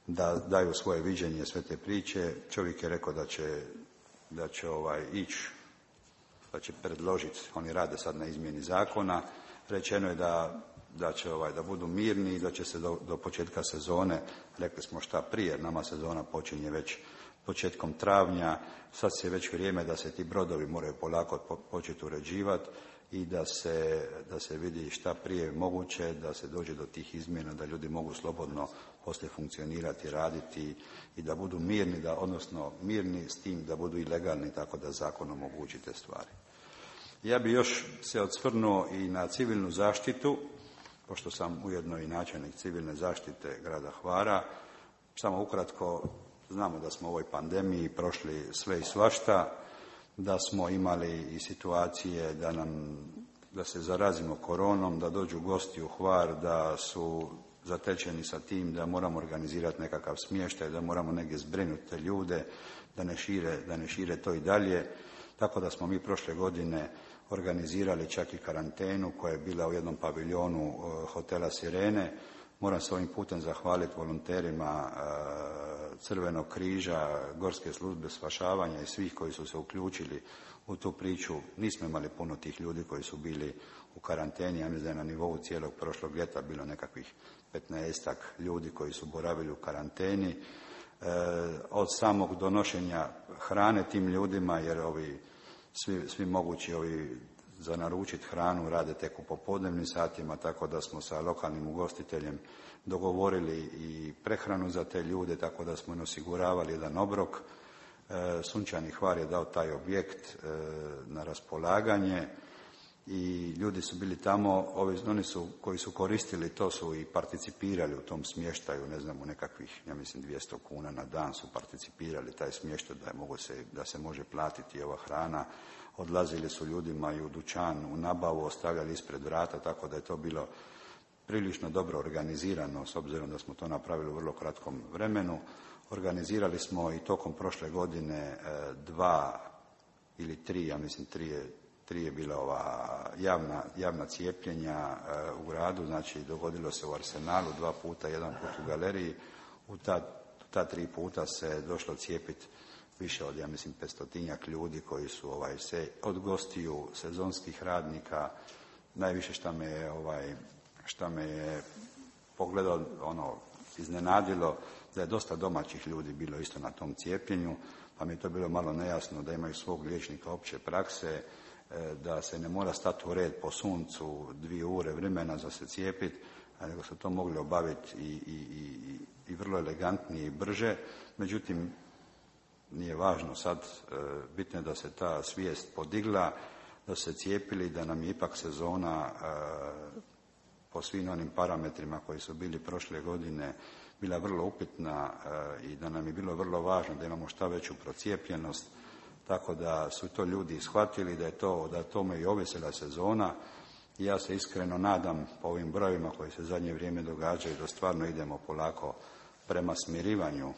Speaker 10: da daju svoje viđenje sve te priče. Čovjek je rekao da će ići, da će predložiti, oni rade sad na izmjeni zakona, rečeno je da budu mirni i da će se do početka sezone, rekli smo šta prije, nama sezona počinje već početkom travnja, sad je već vrijeme da se ti brodovi moraju polako početi uređivati i da se vidi šta prije moguće, da se dođe do tih izmjena, da ljudi mogu slobodno poslije funkcionirati, raditi i da budu mirni, odnosno mirni s tim da budu i legalni, tako da zakon omogući te stvari. Ja bi još se osvrnuo i na civilnu zaštitu, pošto sam ujedno i načelnik civilne zaštite grada Hvara. Samo ukratko, znamo da smo u ovoj pandemiji prošli sve i svašta, da smo imali i situacije da se zarazimo koronom, da dođu gosti u Hvar, da su zatečeni sa tim da moramo organizirati nekakav smještaj, da moramo negdje zbrinuti te ljude, da ne šire to i dalje. Tako da smo mi prošle godine organizirali čak i karantenu koja je bila u jednom paviljonu hotela Sirene. Moram se ovim putem zahvaliti volonterima Crvenog križa, Gorske službe spašavanja i svih koji su se uključili u tu priču. Nismo imali puno tih ljudi koji su bili u karanteni. Ja mislim da je na nivou cijelog prošlog ljeta bilo nekakvih 15-ak ljudi koji su boravili u karanteni. Od samog donošenja hrane tim ljudima, jer svi mogući za naručiti hranu rade tek u popodnevnim satima, tako da smo sa lokalnim ugostiteljem dogovorili i prehranu za te ljude, tako da smo im osiguravali jedan obrok. Sunčani Hvar je dao taj objekt na raspolaganje i ljudi su bili tamo, oni koji su koristili to su i participirali u tom smještaju, ne znam, u nekakvih, ja mislim 200 kuna na dan su participirali taj smještaj da se može platiti ova hrana. Odlazili su ljudima i u dućan, u nabavu, ostavljali ispred vrata, tako da je to bilo prilično dobro organizirano, s obzirom da smo to napravili u vrlo kratkom vremenu. Organizirali smo i tokom prošle godine 2 ili 3, ja mislim 3 je bila javna cijepljenja u gradu, znači dogodilo se u Arsenalu 2 puta, 1 put u galeriji. U ta 3 puta se došlo cijepiti više od, ja mislim, 500-tinjak ljudi koji su se od gostiju, sezonskih radnika. Najviše šta me je pogledao, iznenadilo, da je dosta domaćih ljudi bilo isto na tom cijepljenju, pa mi je to bilo malo nejasno da imaju svog liječnika opće prakse, da se ne mora stati u red po suncu 2 ure vremena za se cijepiti, nego su to mogli obaviti i vrlo elegantnije i brže. Međutim, nije važno sad, bitno je da se ta svijest podigla, da se cijepili, da nam je ipak sezona po svim onim parametrima koji su bili prošle godine bila vrlo upitna i da nam je bilo vrlo važno da imamo šta veću procijepljenost, tako da su to ljudi shvatili da tome i ovisila sezona. I ja se iskreno nadam po ovim brojevima koji se zadnje vrijeme događaju da stvarno idemo polako prema smirivanju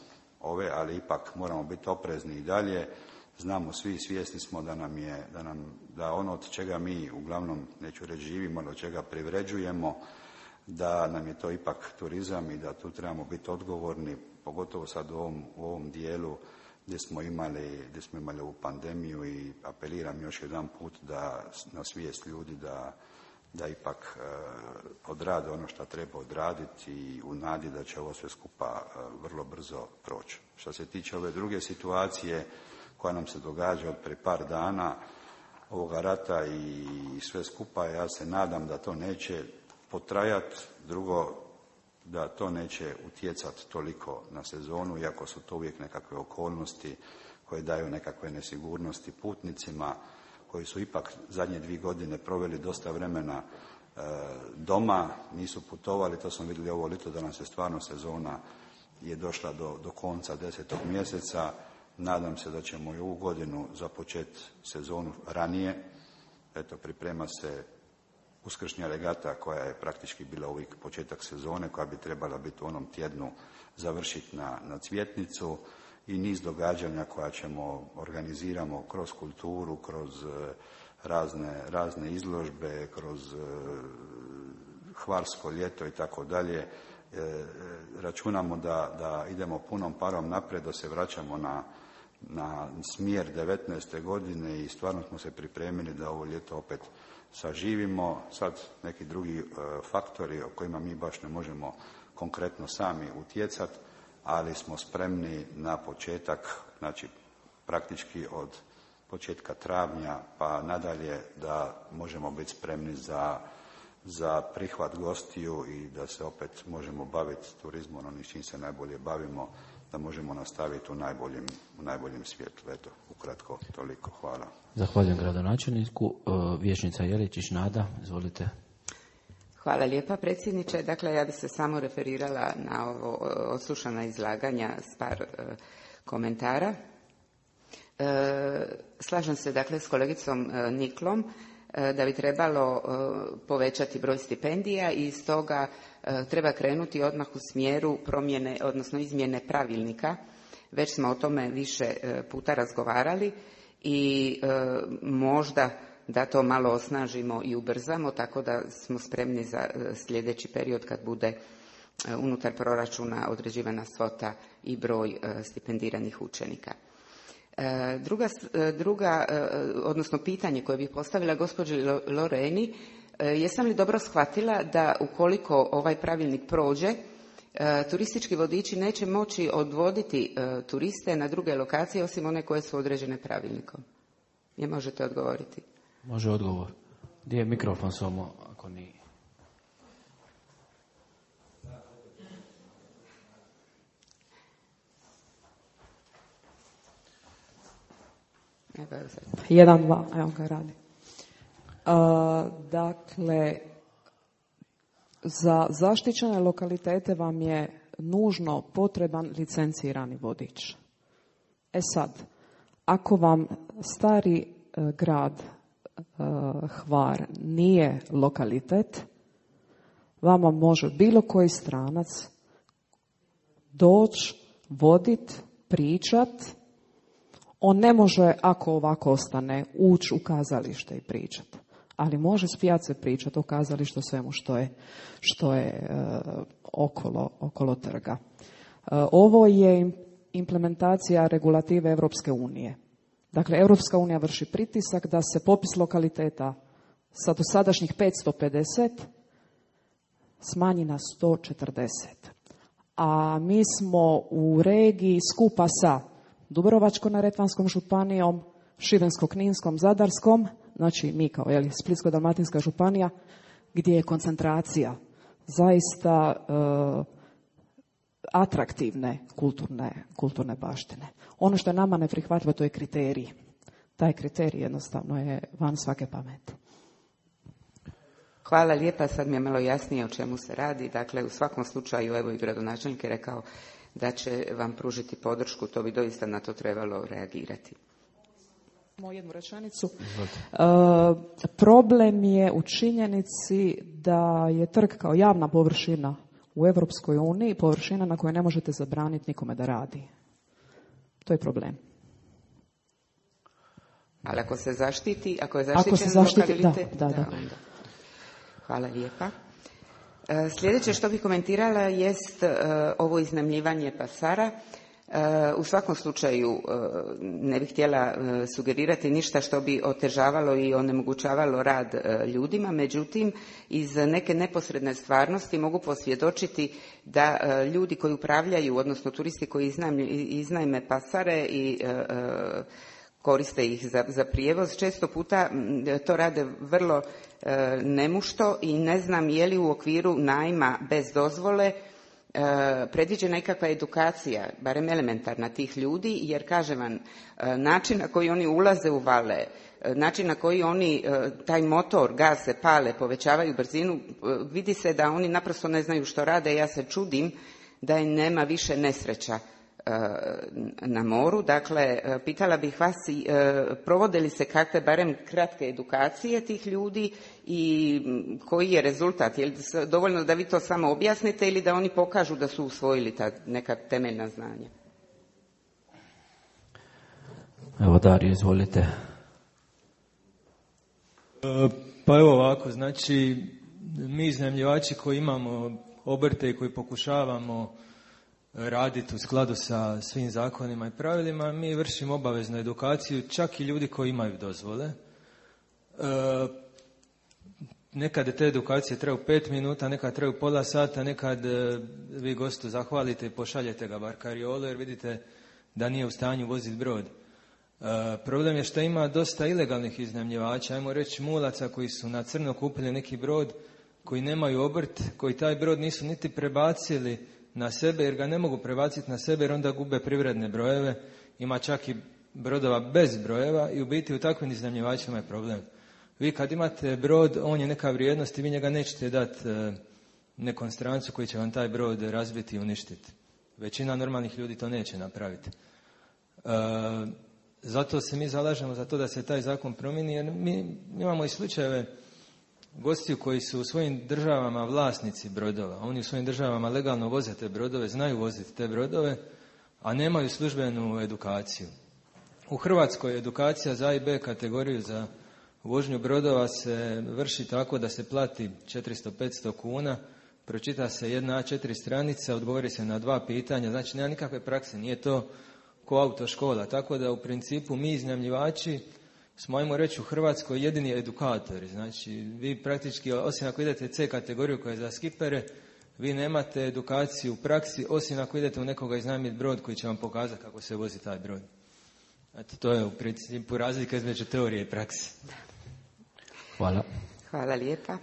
Speaker 10: ali ipak moramo biti oprezni i dalje. Znamo svi, svjesni smo da ono od čega mi uglavnom, neću reći živimo, ali od čega privređujemo, da nam je to ipak turizam i da tu trebamo biti odgovorni, pogotovo sad u ovom dijelu gdje smo imali ovu pandemiju, i apeliram još jedan put na svijest ljudi da ipak odrade ono što treba odraditi i u nadi da će ovo sve skupa vrlo brzo proći. Što se tiče ove druge situacije koja nam se događa od prije par dana, ovoga rata i sve skupa, ja se nadam da to neće potrajati, drugo da to neće utjecati toliko na sezonu, iako su to uvijek nekakve okolnosti koje daju nekakve nesigurnosti putnicima koji su ipak zadnje 2 godine proveli dosta vremena doma, nisu putovali. To smo vidjeli ovo ljeto da nam se stvarno sezona je došla do konca 10. mjeseca. Nadam se da ćemo i ovu godinu započeti sezonu ranije. Eto, priprema se uskršnja regata koja je praktički bila uvijek početak sezone, koja bi trebala biti u onom tjednu završiti na Cvjetnicu, i niz događanja koja organiziramo kroz kulturu, kroz razne izložbe, kroz Hvarsko ljeto i tako dalje. Računamo da idemo punom parom naprijed, da se vraćamo na smjer 19. godine i stvarno smo se pripremili da ovo ljeto opet saživimo. Sad neki drugi faktori o kojima mi baš ne možemo konkretno sami utjecati, ali smo spremni na početak, znači praktički od početka travnja pa nadalje, da možemo biti spremni za prihvat gostiju i da se opet možemo baviti turizmom, onim s čim se najbolje bavimo, da možemo nastaviti u najboljem svjetlu. Eto, ukratko toliko. Hvala.
Speaker 1: Zahvaljujem gradonačelniku. Vijećnica Jeličić Nada, izvolite.
Speaker 7: Hvala lijepa, predsjedniče. Dakle, ja bih se samo referirala na ovo odslušana izlaganja s par komentara. Slažem se, dakle, s kolegicom Niklom da bi trebalo povećati broj stipendija i stoga treba krenuti odmah u smjeru promjene, odnosno izmjene pravilnika. Već smo o tome više puta razgovarali i možda da to malo osnažimo i ubrzamo, tako da smo spremni za sljedeći period kad bude unutar proračuna određivana svota i broj stipendiranih učenika. Odnosno pitanje koje bih postavila gospođi Loreni, jesam li dobro shvatila da ukoliko ovaj pravilnik prođe, turistički vodiči neće moći odvoditi turiste na druge lokacije osim one koje su određene pravilnikom? Je možete odgovoriti?
Speaker 1: Može odgovor. Gdje je mikrofon samo, ako nije?
Speaker 14: Jedan, dva, evo ga radi. Dakle, za zaštićene lokalitete vam je nužno potreban licencirani vodič. E sad, ako vam stari grad Hvar nije lokalitet, vama može bilo koji stranac doći, vodit, pričat. On ne može, ako ovako ostane, ući u kazalište i pričati. Ali može s pijace pričati o kazalištu, svemu što je okolo trga. Ovo je implementacija regulative Europske unije. Dakle, Europska unija vrši pritisak da se popis lokaliteta sa dosadašnjih 550 smanji na 140. A mi smo u regiji skupa sa Dubrovačko-neretvanskom županijom, Šibensko-kninskom, Zadarskom, znači mi kao Splitsko-dalmatinska županija, gdje je koncentracija zaista atraktivne kulturne baštine. Ono što je nama neprihvatljivo, to je kriterij. Taj kriterij jednostavno je van svake pameti.
Speaker 7: Hvala lijepa, sad mi je malo jasnije o čemu se radi. Dakle, u svakom slučaju, evo i gradonačelnik je rekao da će vam pružiti podršku, to bi doista na to trebalo reagirati.
Speaker 14: Samo jednu rečenicu. Problem je u činjenici da je trg kao javna površina u Europskoj uniji površina na kojoj ne možete zabraniti nikome da radi. To je problem.
Speaker 7: Ali ako se zaštiti, ako je zaštićen lokalitet,
Speaker 14: da.
Speaker 7: Onda. Hvala lijepa. Sljedeće što bih komentirala jest ovo iznajmljivanje pasara. U svakom slučaju ne bih htjela sugerirati ništa što bi otežavalo i onemogućavalo rad ljudima, međutim iz neke neposredne stvarnosti mogu posvjedočiti da ljudi koji upravljaju, odnosno turisti koji iznajme pasare i koriste ih za prijevoz, često puta to rade vrlo nemušto i ne znam je li u okviru najma bez dozvole predviđena nekakva edukacija, barem elementarna tih ljudi, jer kažem vam, način na koji oni ulaze u vale, način na koji oni taj motor, gase, pale, povećavaju brzinu, vidi se da oni naprosto ne znaju što rade. Ja se čudim da im nema više nesreća na moru. Dakle, pitala bih vas, provode li se kakve barem kratke edukacije tih ljudi i koji je rezultat? Je li dovoljno da vi to samo objasnite ili da oni pokažu da su usvojili ta neka temeljna znanja?
Speaker 1: Evo, Dario, izvolite.
Speaker 16: Pa evo ovako, znači mi iznajmljivači koji imamo obrte i koji pokušavamo raditi u skladu sa svim zakonima i pravilima, mi vršimo obaveznu edukaciju, čak i ljudi koji imaju dozvole. Nekad te edukacije traju 5 minuta, nekad traju pola sata, nekad vi gostu zahvalite i pošaljete ga bar kariolu jer vidite da nije u stanju voziti brod. Problem je što ima dosta ilegalnih iznajmljivača, ajmo reći mulaca koji su na crno kupili neki brod, koji nemaju obrt, koji taj brod nisu niti prebacili na sebe jer ga ne mogu prebaciti na sebe jer onda gube privredne brojeve, ima čak i brodova bez brojeva i u biti u takvim iznajmljivačima je problem. Vi kad imate brod, on je neka vrijednost i vi njega nećete dati nekom strancu koji će vam taj brod razbiti i uništiti. Većina normalnih ljudi to neće napraviti. Zato se mi zalažemo za to da se taj zakon promijeni jer mi imamo i slučajeve gostiju koji su u svojim državama vlasnici brodova. Oni u svojim državama legalno voze te brodove, znaju voziti te brodove, a nemaju službenu edukaciju. U Hrvatskoj edukacija za A i B kategoriju za vožnju brodova se vrši tako da se plati 400-500 kuna, pročita se jedna A4 stranica, odgovori se na 2 pitanja, znači nema nikakve prakse, nije to ko autoškola. Tako da u principu mi iznajmljivači smo, ajmo reći, u Hrvatskoj jedini edukatori. Znači, vi praktički, osim ako idete C kategoriju koja je za skipere, vi nemate edukaciju u praksi, osim ako idete u nekoga iznajmiti brod koji će vam pokazati kako se vozi taj brod. Eto, to je u principu razlika između teorije i praksi.
Speaker 1: Hvala.
Speaker 7: Hvala lijepa.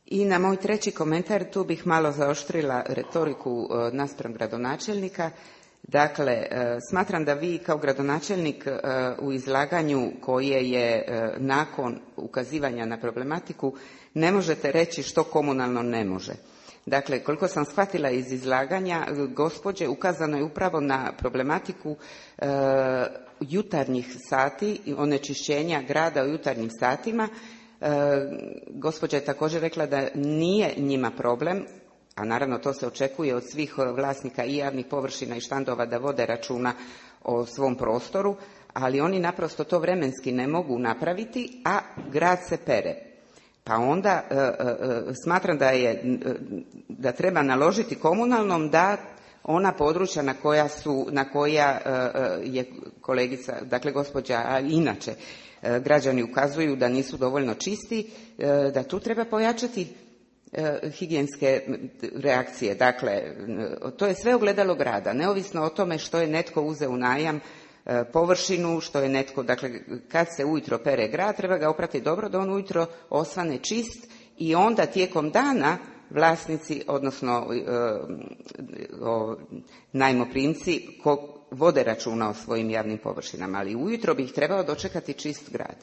Speaker 7: I na moj treći komentar, tu bih malo zaoštrila retoriku naspram gradonačelnika. Dakle, smatram da vi kao gradonačelnik u izlaganju koje je nakon ukazivanja na problematiku ne možete reći što komunalno ne može. Dakle, koliko sam shvatila iz izlaganja gospođe, ukazano je upravo na problematiku jutarnjih sati i onečišćenja grada u jutarnjim satima. Gospođa je također rekla da nije njima problem, a naravno to se očekuje od svih vlasnika i javnih površina i štandova da vode računa o svom prostoru, ali oni naprosto to vremenski ne mogu napraviti, a grad se pere. Pa onda smatram da treba naložiti komunalnom da ona područja na koja je kolegica, dakle gospođa, a inače građani ukazuju da nisu dovoljno čisti, da tu treba pojačati higijenske reakcije. Dakle, to je sve ogledalo grada, neovisno o tome što je netko uzeo u najam površinu, što je netko, dakle, kad se ujutro pere grad, treba ga oprati dobro da on ujutro osvane čist i onda tijekom dana vlasnici, odnosno najmoprimci vode računa o svojim javnim površinama, ali ujutro bi ih trebao dočekati čist grad.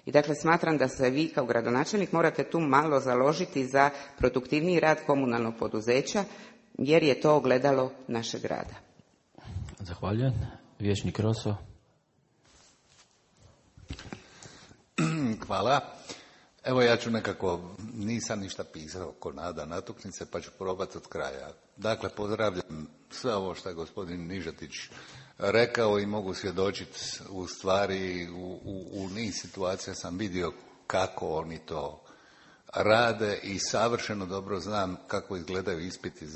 Speaker 7: I dakle, smatram da se vi kao gradonačelnik morate tu malo založiti za produktivniji rad komunalnog poduzeća, jer je to ogledalo našeg grada.
Speaker 1: Zahvaljujem. Vijećnik Roso.
Speaker 8: Hvala. Evo ja ću nekako, nisam ništa pisao ko Nada natuknice, pa ću probati od kraja. Dakle, pozdravljam sve ovo što je gospodin Nižetić rekao i mogu svjedočiti u stvari u niz situacija sam vidio kako oni to rade i savršeno dobro znam kako izgledaju ispiti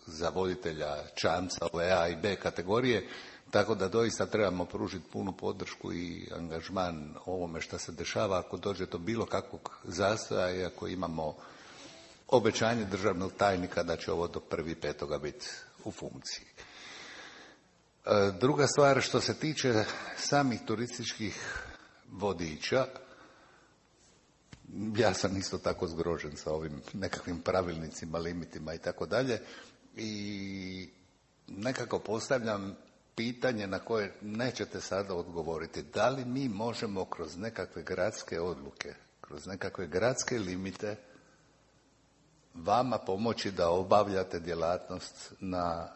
Speaker 8: za voditelja čamca ove A i B kategorije, tako da doista trebamo pružiti punu podršku i angažman ovome što se dešava ako dođe do bilo kakvog zastoja i ako imamo obećanje državnog tajnika da će ovo do 1.5. biti u funkciji. Druga stvar, što se tiče samih turističkih vodiča, ja sam isto tako zgrožen sa ovim nekakvim pravilnicima, limitima i tako dalje i nekako postavljam pitanje na koje nećete sada odgovoriti. Da li mi možemo kroz nekakve gradske odluke, kroz nekakve gradske limite vama pomoći da obavljate djelatnost na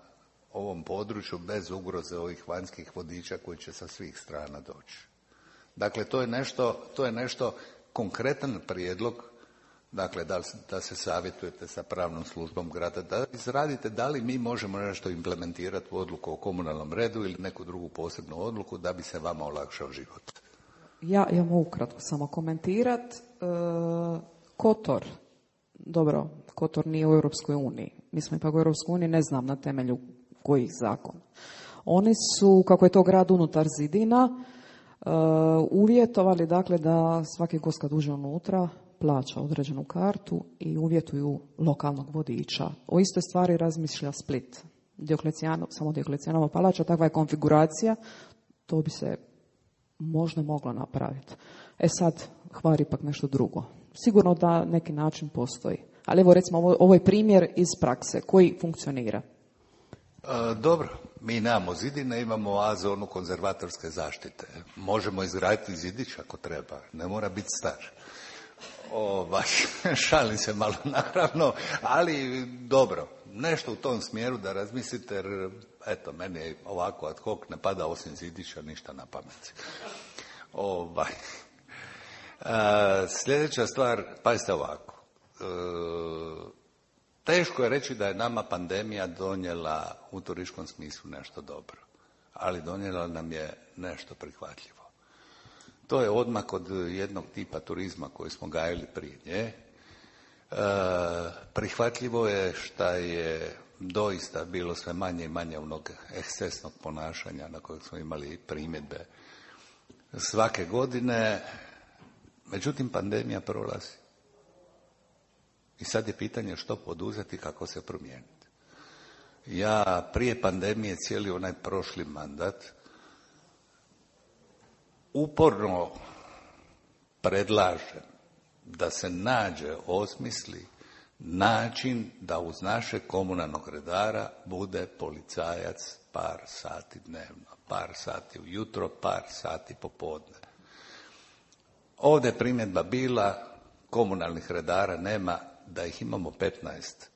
Speaker 8: ovom području bez ugroze ovih vanjskih vodiča koji će sa svih strana doći? Dakle, to je nešto konkretan prijedlog, dakle da se savjetujete sa pravnom službom grada, da izradite da li mi možemo nešto implementirati u odluku o komunalnom redu ili neku drugu posebnu odluku da bi se vama olakšao život.
Speaker 14: Ja mogu kratko samo komentirati. Kotor, dobro, Kotor nije u Europskoj uniji. Mi smo ipak u Europskoj uniji, ne znam na temelju kojih zakona. Oni su, kako je to grad unutar zidina, uvjetovali dakle da svaki gost kad uđe unutra plaća određenu kartu i uvjetuju lokalnog vodiča. O istoj stvari razmišlja Split. Samo Dioklecijanova palača, takva je konfiguracija, to bi se možda moglo napraviti. Sad, Hvar ipak nešto drugo. Sigurno da neki način postoji. Ali evo recimo, ovo je primjer iz prakse koji funkcionira.
Speaker 8: Dobro, mi nemamo zidine, imamo A zonu konzervatorske zaštite. Možemo izgraditi zidić ako treba, ne mora biti star. Šalim se malo naravno, ali dobro, nešto u tom smjeru da razmislite, jer eto, meni je ovako ad hoc ne pada osim zidića ništa na pamet. Sljedeća stvar, pazite ovako. Teško je reći da je nama pandemija donijela u turističkom smislu nešto dobro, ali donijela nam je nešto prihvatljivo. To je odmak od jednog tipa turizma koji smo gajili prije nje. Prihvatljivo je šta je doista bilo sve manje i manje onog ekscesnog ponašanja na kojeg smo imali primjedbe svake godine. Međutim, pandemija prolazi. I sad je pitanje što poduzeti, kako se promijeniti. Ja prije pandemije cijeli onaj prošli mandat uporno predlažem da se nađe, osmisli način da uz našeg komunalnog redara bude policajac par sati dnevno, par sati ujutro, par sati popodne. Ovdje je primjedba bila, komunalnih redara nema, da ih imamo 15.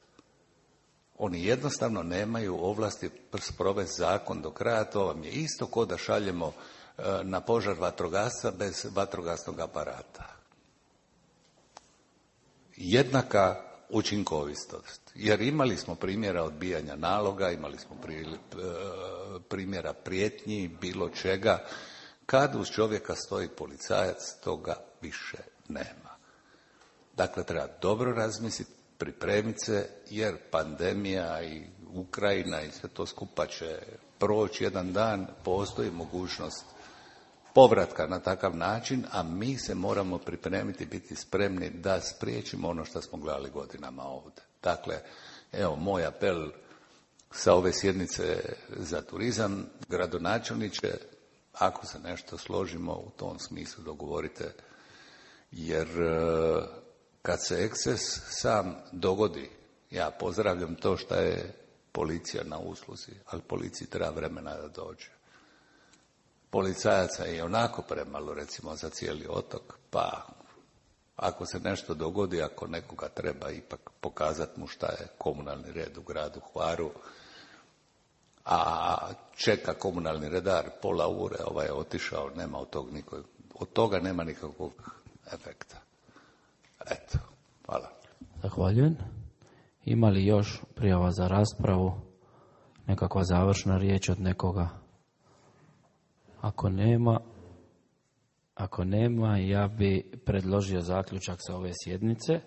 Speaker 8: Oni jednostavno nemaju ovlasti sprovesti zakon do kraja. To vam je isto kao da šaljemo na požar vatrogasca bez vatrogasnog aparata. Jednaka učinkovitost. Jer imali smo primjera odbijanja naloga, imali smo primjera prijetnji, bilo čega. Kad uz čovjeka stoji policajac, toga više nema. Dakle, treba dobro razmisliti, pripremiti se, jer pandemija i Ukrajina i sve to skupa će proći jedan dan, postoji mogućnost povratka na takav način, a mi se moramo pripremiti, biti spremni da spriječimo ono što smo gledali godinama ovdje. Dakle, evo moj apel sa ove sjednice za turizam, gradonačelniče, ako se nešto složimo u tom smislu dogovorite, jer kad se eksces sam dogodi, ja pozdravljam to što je policija na usluzi, ali policiji treba vremena da dođe. Policajaca je onako premalo, recimo, za cijeli otok, pa ako se nešto dogodi, ako nekoga treba ipak pokazati mu šta je komunalni red u gradu Hvaru, a čeka komunalni redar pola ure, ovaj je otišao, nema od toga nema nikakvog efekta. Eto, hvala.
Speaker 1: Zahvaljujem. Ima li još prijava za raspravu? Nekakva završna riječ od nekoga? Ako nema, ja bi predložio zaključak sa ove sjednice.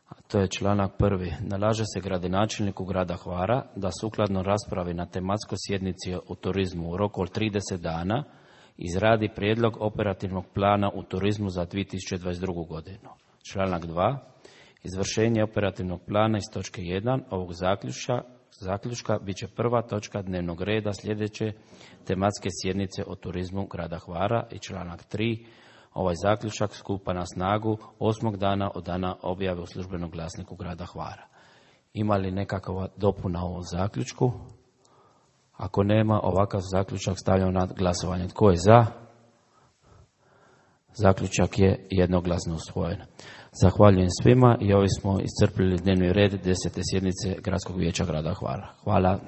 Speaker 1: A to je članak 1. Nalaže se gradonačelniku grada Hvara da sukladno raspravi na tematskoj sjednici o turizmu u roku od 30 dana izradi prijedlog operativnog plana u turizmu za 2022. godinu. Članak 2. Izvršenje operativnog plana iz točke 1 ovog zaključka bit će prva točka dnevnog reda sljedeće tematske sjednice o turizmu grada Hvara. I članak 3. Ovaj zaključak stupa na snagu 8. dana od dana objave u službenom glasniku grada Hvara. Ima li nekakva dopuna ovom zaključku? Ako nema, ovakav zaključak stavljam na glasovanje. Tko je za? Zaključak je jednoglasno usvojen. Zahvaljujem svima i ovi smo iscrpili dnevni red 10. sjednice Gradskog vijeća grada Hvara. Hvala.